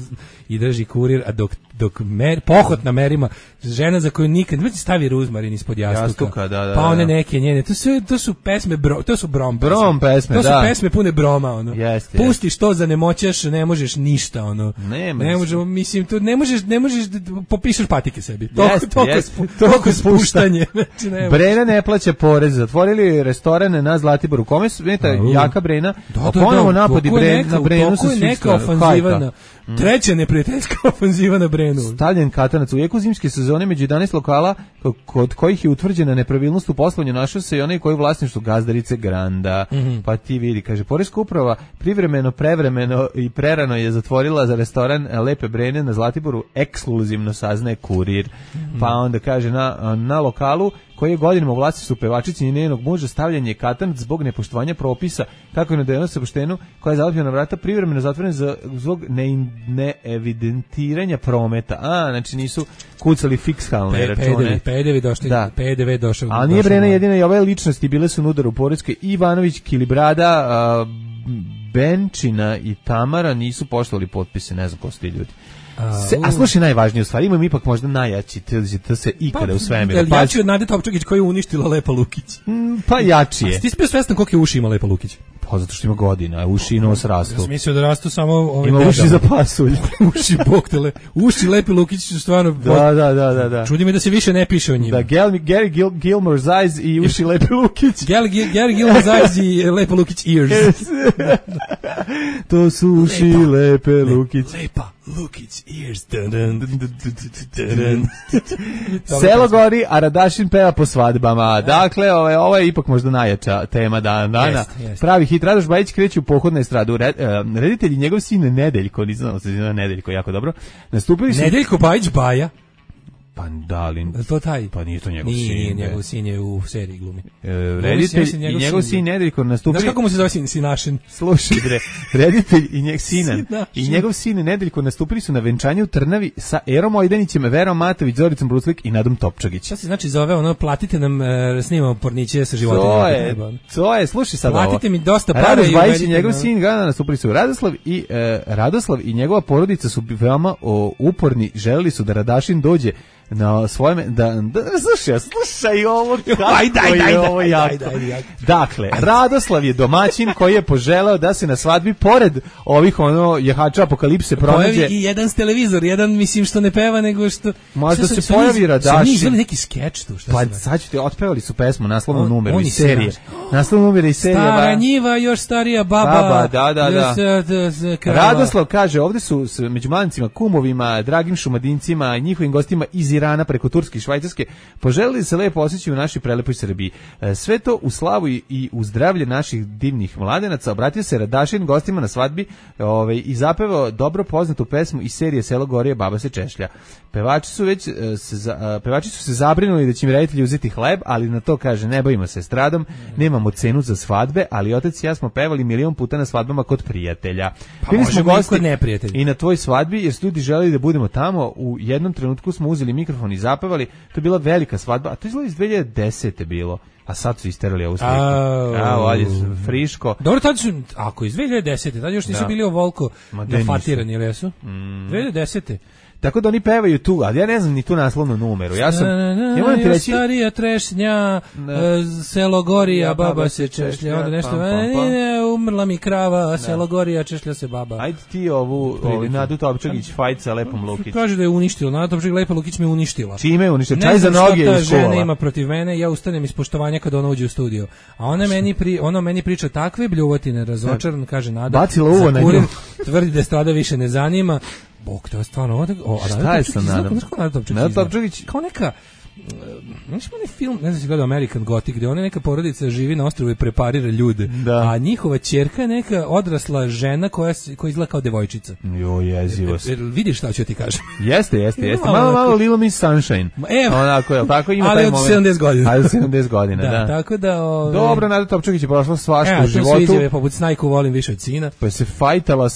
S8: i drži kurir, a dok dok pohod na merima, žena za koju nikad ne stavi ruzmarin ispod jastuka.
S7: Da,
S8: pa one neke njene, to su pesme, to su brom
S7: pesme,
S8: to su pesme pune broma, ono. Pustiš to za nemoćaš, ne možeš ništa, ono. Ne možemo, mislim, to ne možeš popišeš patike sebi. Toliko spuštanje. Znači,
S7: Brena ne plaća porez, zatvorili restorane na Zlatiboru. Kome su jaka Brena? Ponovo napadi na Brenu su
S8: neka ofanziva. Treća neprijateljska ofanziva na Brenu.
S7: Stavljen katanac u jeku zimske sezone među 11 lokala kod kojih je utvrđena nepravilnost u poslovanju našao se i onaj koji je u vlasništvu Gazdarice Granda. Pa ti vidi, kaže, poreska uprava privremeno, prevremeno i prerano je zatvorila za restoran Lepe Brene na Zlatiboru, ekskluzivno saznaje Kurir. Pa onda kaže na lokalu koji je godinama u vlasništvu pevačice i njenog muža stavljen je katanac zbog nepoštovanja propisa, kako je navedeno sa poštenu, koja je zalepljena vrata privremeno zatvoren zbog neevidentiranja prometa. Znači nisu kucali fikskalne račune.
S8: PDV došao.
S7: A nije Brena jedina i ove ličnosti bile su na udaru u poreskoj. Ivanović, Kilibrada, Benčina i Tamara nisu poštovali potpise, ne znam ko su ti ljudi. A slušaj, najvažnije u stvari, imam ipak možda najjači, to se ikada u svemiru.
S8: Jači od Nade Topčagić koja je uništila Lepa Lukić.
S7: Pa jači je.
S8: A ti si bio svestan koliko je uši ima Lepa Lukić?
S7: Pa zato što ima godina, uši i nos rastu.
S8: Ja sam mislio da rastu samo...
S7: Ima uši za pasulj.
S8: Uši boktele. Uši Lepe Lukić su stvarno...
S7: Da.
S8: Čudi me da se više ne piše o njima.
S7: Da, Gary Gilmore's eyes i uši Lepe Lukić.
S8: Gary Gilmore's eyes i Lepa Lukić ears.
S7: To su uši Lepe Lukić.
S8: Lepa Lukić ears.
S7: Selo gori, a Radašin peva po svadbama. Dakle, ovo je ipak možda najjača tema dana. Pravi hit. Radoš Bajić kreće u pohod na estradu. Reditelj i njegov sin Nedeljko, nisam se zna Nedeljko jako dobro, nastupili su...
S8: Nedeljko Bajić Baja?
S7: Pa da li...
S8: To taj?
S7: Pa nije to njegov sin.
S8: Nije, njegov sin je u seriji glumi.
S7: Reditelj i njegov sin Nedeljko nastupili...
S8: Znaš kako mu se zove Sinašin?
S7: Slušaj, reditelj i njegov sin Nedeljko nastupili su na venčanju u Trnavi sa Erom Ojdanićem, Verom Matović, Zoricom Bruclik i Nadom Topčagić.
S8: Šta se znači zove platite nam, snimamo porniće sa životinjama.
S7: To je, slušaj sad ovo.
S8: Platite mi dosta para.
S7: Radoš Bajić i njegov sin nastupili su Radoslav i njegova porodica su veoma uporni, želeli su da Radašin dođe na svoje slušaj ovo kako je jako. Dakle, Radoslav je domaćin koji je poželeo da se na svadbi pored ovih jehača apokalipse pronađe
S8: pojavi i jedan televizor, jedan mislim što ne peva nego što
S7: možda se pojavi Radašin.
S8: Nije neki skeč tu, šta
S7: pa sad ćete otpevali su pesmu naslovnom numeru iz serije. Naslovnom numeru iz serije.
S8: Stara njiva, još starija baba.
S7: Da. Radoslav kaže, ovde su među mladencima, kumovima, dragim šumadincima, njihovim gostima iz Irana preko Turske i Švajcarske poželili da se lepo osjećaju u našoj prelepoj Srbiji. Sve to u slavu i u zdravlje naših divnih mladenaca. Obratio se Radašin gostima na svadbi i zapevao dobro poznatu pesmu iz serije Selo Gorije, baba se češlja. Pevači su se zabrinuli da će im reditelji uzeti hleb, ali na to kaže, ne bavimo se estradom, nemamo cenu za svadbe, ali otac i ja smo pevali milion puta na svadbama kod prijatelja.
S8: Bili smo gosti
S7: i na tvoj svadbi, jer su ljudi želeli da budemo tamo. U jednom trenutku smo uzeli mikrofon i zapevali. To je bila velika svadba, a to je iz 2010. bilo. A sad su isterali ovu sliku. Ovdje friško.
S8: Dobro, tad su, ako iz 2010. Tad još nisu bili ovoliko nafatirani, ili jesu? 2010.
S7: Tako da oni pevaju tu, ali ja ne znam ni tu naslovnu numeru. Ja moram ti reći...
S8: Starija trešnja, selo Gorija, baba se češlja, onda nešto, umrla mi krava, selo Gorija, češlja se baba.
S7: Ajde ti ovu Nadu Topčagić fajt sa Lepom Lukić.
S8: Kaže da je uništila, Nadu Topčagić, Lepa Lukić me uništila.
S7: Čime je uništila? Čaj za noge iz škola.
S8: Žena ima protiv mene, ja ustanem iz poštovanja kada ona uđe u studio. A ona meni priča takve bljuvotine, razočaran, kaže Nada.
S7: Bacila uvo na nju.
S8: Tvrdi da strada više ne zanima. Bog, to je stvarno...
S7: Šta je sa Nadom?
S8: Nada Topčagić kao neka... Znaš onaj film, ne znam si gledao American Gothic, gde ona neka porodica živi na ostrvu i preparira ljude, a njihova ćerka je neka odrasla žena koja izgleda kao devojčica.
S7: Jezivo.
S8: Vidiš šta ću ti kažem?
S7: Jeste. Malo Little Miss Sunshine. Onako, je tako ima taj moment.
S8: Ali od 70 godina.
S7: Ali od 70 godina, da.
S8: Tako da...
S7: Dobro, Nada Topčagić je prošla svašta u životu.
S8: To sviđa, poput Snajku volim više od sina.
S7: Pa se fajtala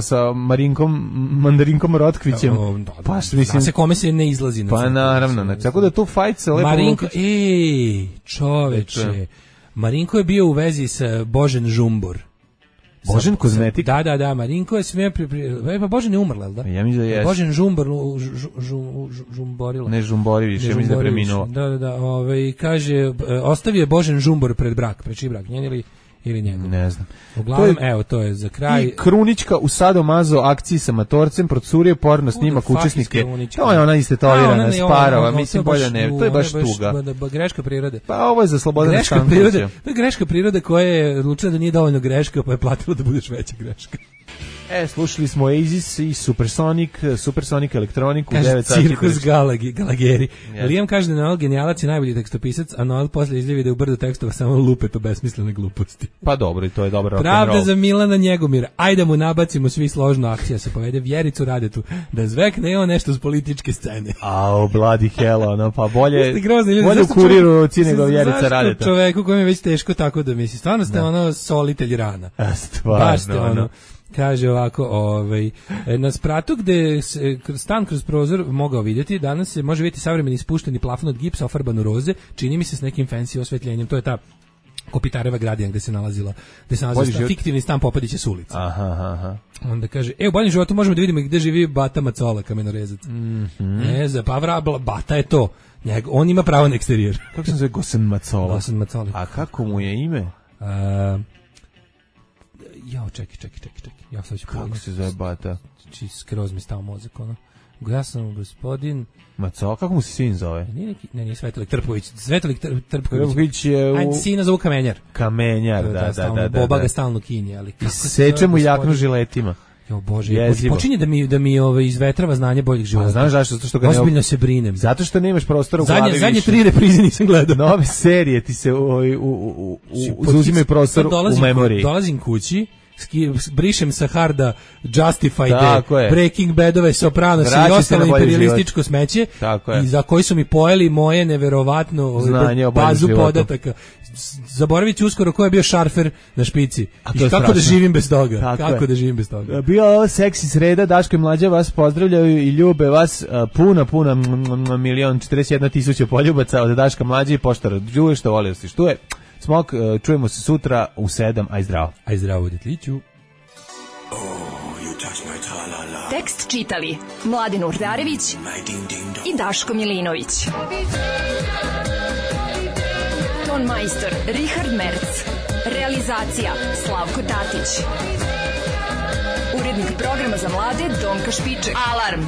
S7: sa Mandarinkom Rotkvićem.
S8: Pa se kome se ne izlazi.
S7: Pa naravno, tako da tu fajt se lepo...
S8: Marinko, čoveče, Marinko je bio u vezi sa Božen Žumbor.
S7: Božen kozmetik?
S8: Da, Marinko je sve pa Božen je umrla, da?
S7: Ja mislim da je.
S8: Božen žumborila.
S7: Ne žumbori više, mislim da preminuo.
S8: Da, kaže, ostavio je Božen žumbor pred čiji brak, njen ili njegov.
S7: Ne znam.
S8: Uglavnom, evo, to je za kraj.
S7: I Krunička u sadomazo akciji sa matorcem procurio porno snimak učesnike. To je ona istetovirana Sparova, mislim bolje ne, to je baš tuga.
S8: Greška prirode.
S7: Pa ovo je za Slobodana Stankovića.
S8: To je greška prirode koja je odlučila da nije dovoljno greška, pa je platila da budeš veća greška.
S7: Slušali smo Oasis i Supersonic elektroniku u 9
S8: sati. Cirkus Galageri. Liam kaže da Noel genijalac i najbolji tekstopisac, a Noel posle izljevi da je u brdu tekstova samo lupe to besmislene gluposti.
S7: Pa dobro, i to je dobro rock'n'roll.
S8: Pravda za Milana Njegomira. Ajde mu nabacimo svi složno akcija, se povede Vjericu Radetu, da zvekne on nešto s političke scene.
S7: Bloody hell, pa bolje u Kuriru nego Vjerica Radeta.
S8: Zašto čoveku kojem je već teško tako da misli? Stvarno ste solitelj rana.
S7: Stvarno,
S8: Kaže ovako, na spratu gde se stan kroz prozor mogao vidjeti, danas se može vidjeti savremeni ispušteni plafon od gipsa ofarban u roze, čini mi se s nekim fancy osvetljenjem, to je ta Kopitareva gradija gde se nalazila fiktivni stan Popadića s ulice.
S7: Aha.
S8: Onda kaže, u boljem životu možemo da vidimo gde živi Bata Macola, kamenorezac. Bata je to. On ima pravo na eksterijer.
S7: Kako se zove Gosen Macola?
S8: Gosen Macola.
S7: A kako mu je ime?
S8: Čekaj. Ja sad ću
S7: kako se zove Bata?
S8: Skroz mi stao mozak, ono. Ja sam gospodin
S7: Macola, kako mu se sin zove?
S8: Nije Svetolik Trpović. Svetolik
S7: Trpović je
S8: u... Sina zovu Kamenjar.
S7: Kamenjar, da.
S8: Boba ga stalno kinje, ali...
S7: Seče mu jaknu žiletima.
S8: Jo Bože, počinje da mi izvetrava znanje boljeg života.
S7: Znaš zašto? Zato što ga
S8: ozbiljno se brinem.
S7: Zato što nemaš prostora u glavi više.
S8: Zadnje 3 reprize nisam gledao.
S7: Nove serije ti se uzimaju prostor u memoriji.
S8: Dolazim kući, brišem sa harda Justified, Breaking Badove, Sopranos i ostalo imperialističko smeće i za koji su mi pojeli moje neverovatno bazu podataka. Zaboravit ću uskoro ko je bio šarfer na špici i kako da živim bez toga.
S7: Bio ovo seksi sreda, Daško i Mlađa vas pozdravljaju i ljube vas puna 1.041.000 poljubaca od Daška Mlađa i poštara Đuje što voli da se štuje. Smok, čujemo se sutra u 7, aj zdravo.
S8: Aj zdravo, detliću.
S11: Tekst čitali Mladen Urdarević i Daško Milinović. Ton majstor Richard Merc. Realizacija Slavko Tatić. Urednik programa za mlade Donka Špiček. Alarm!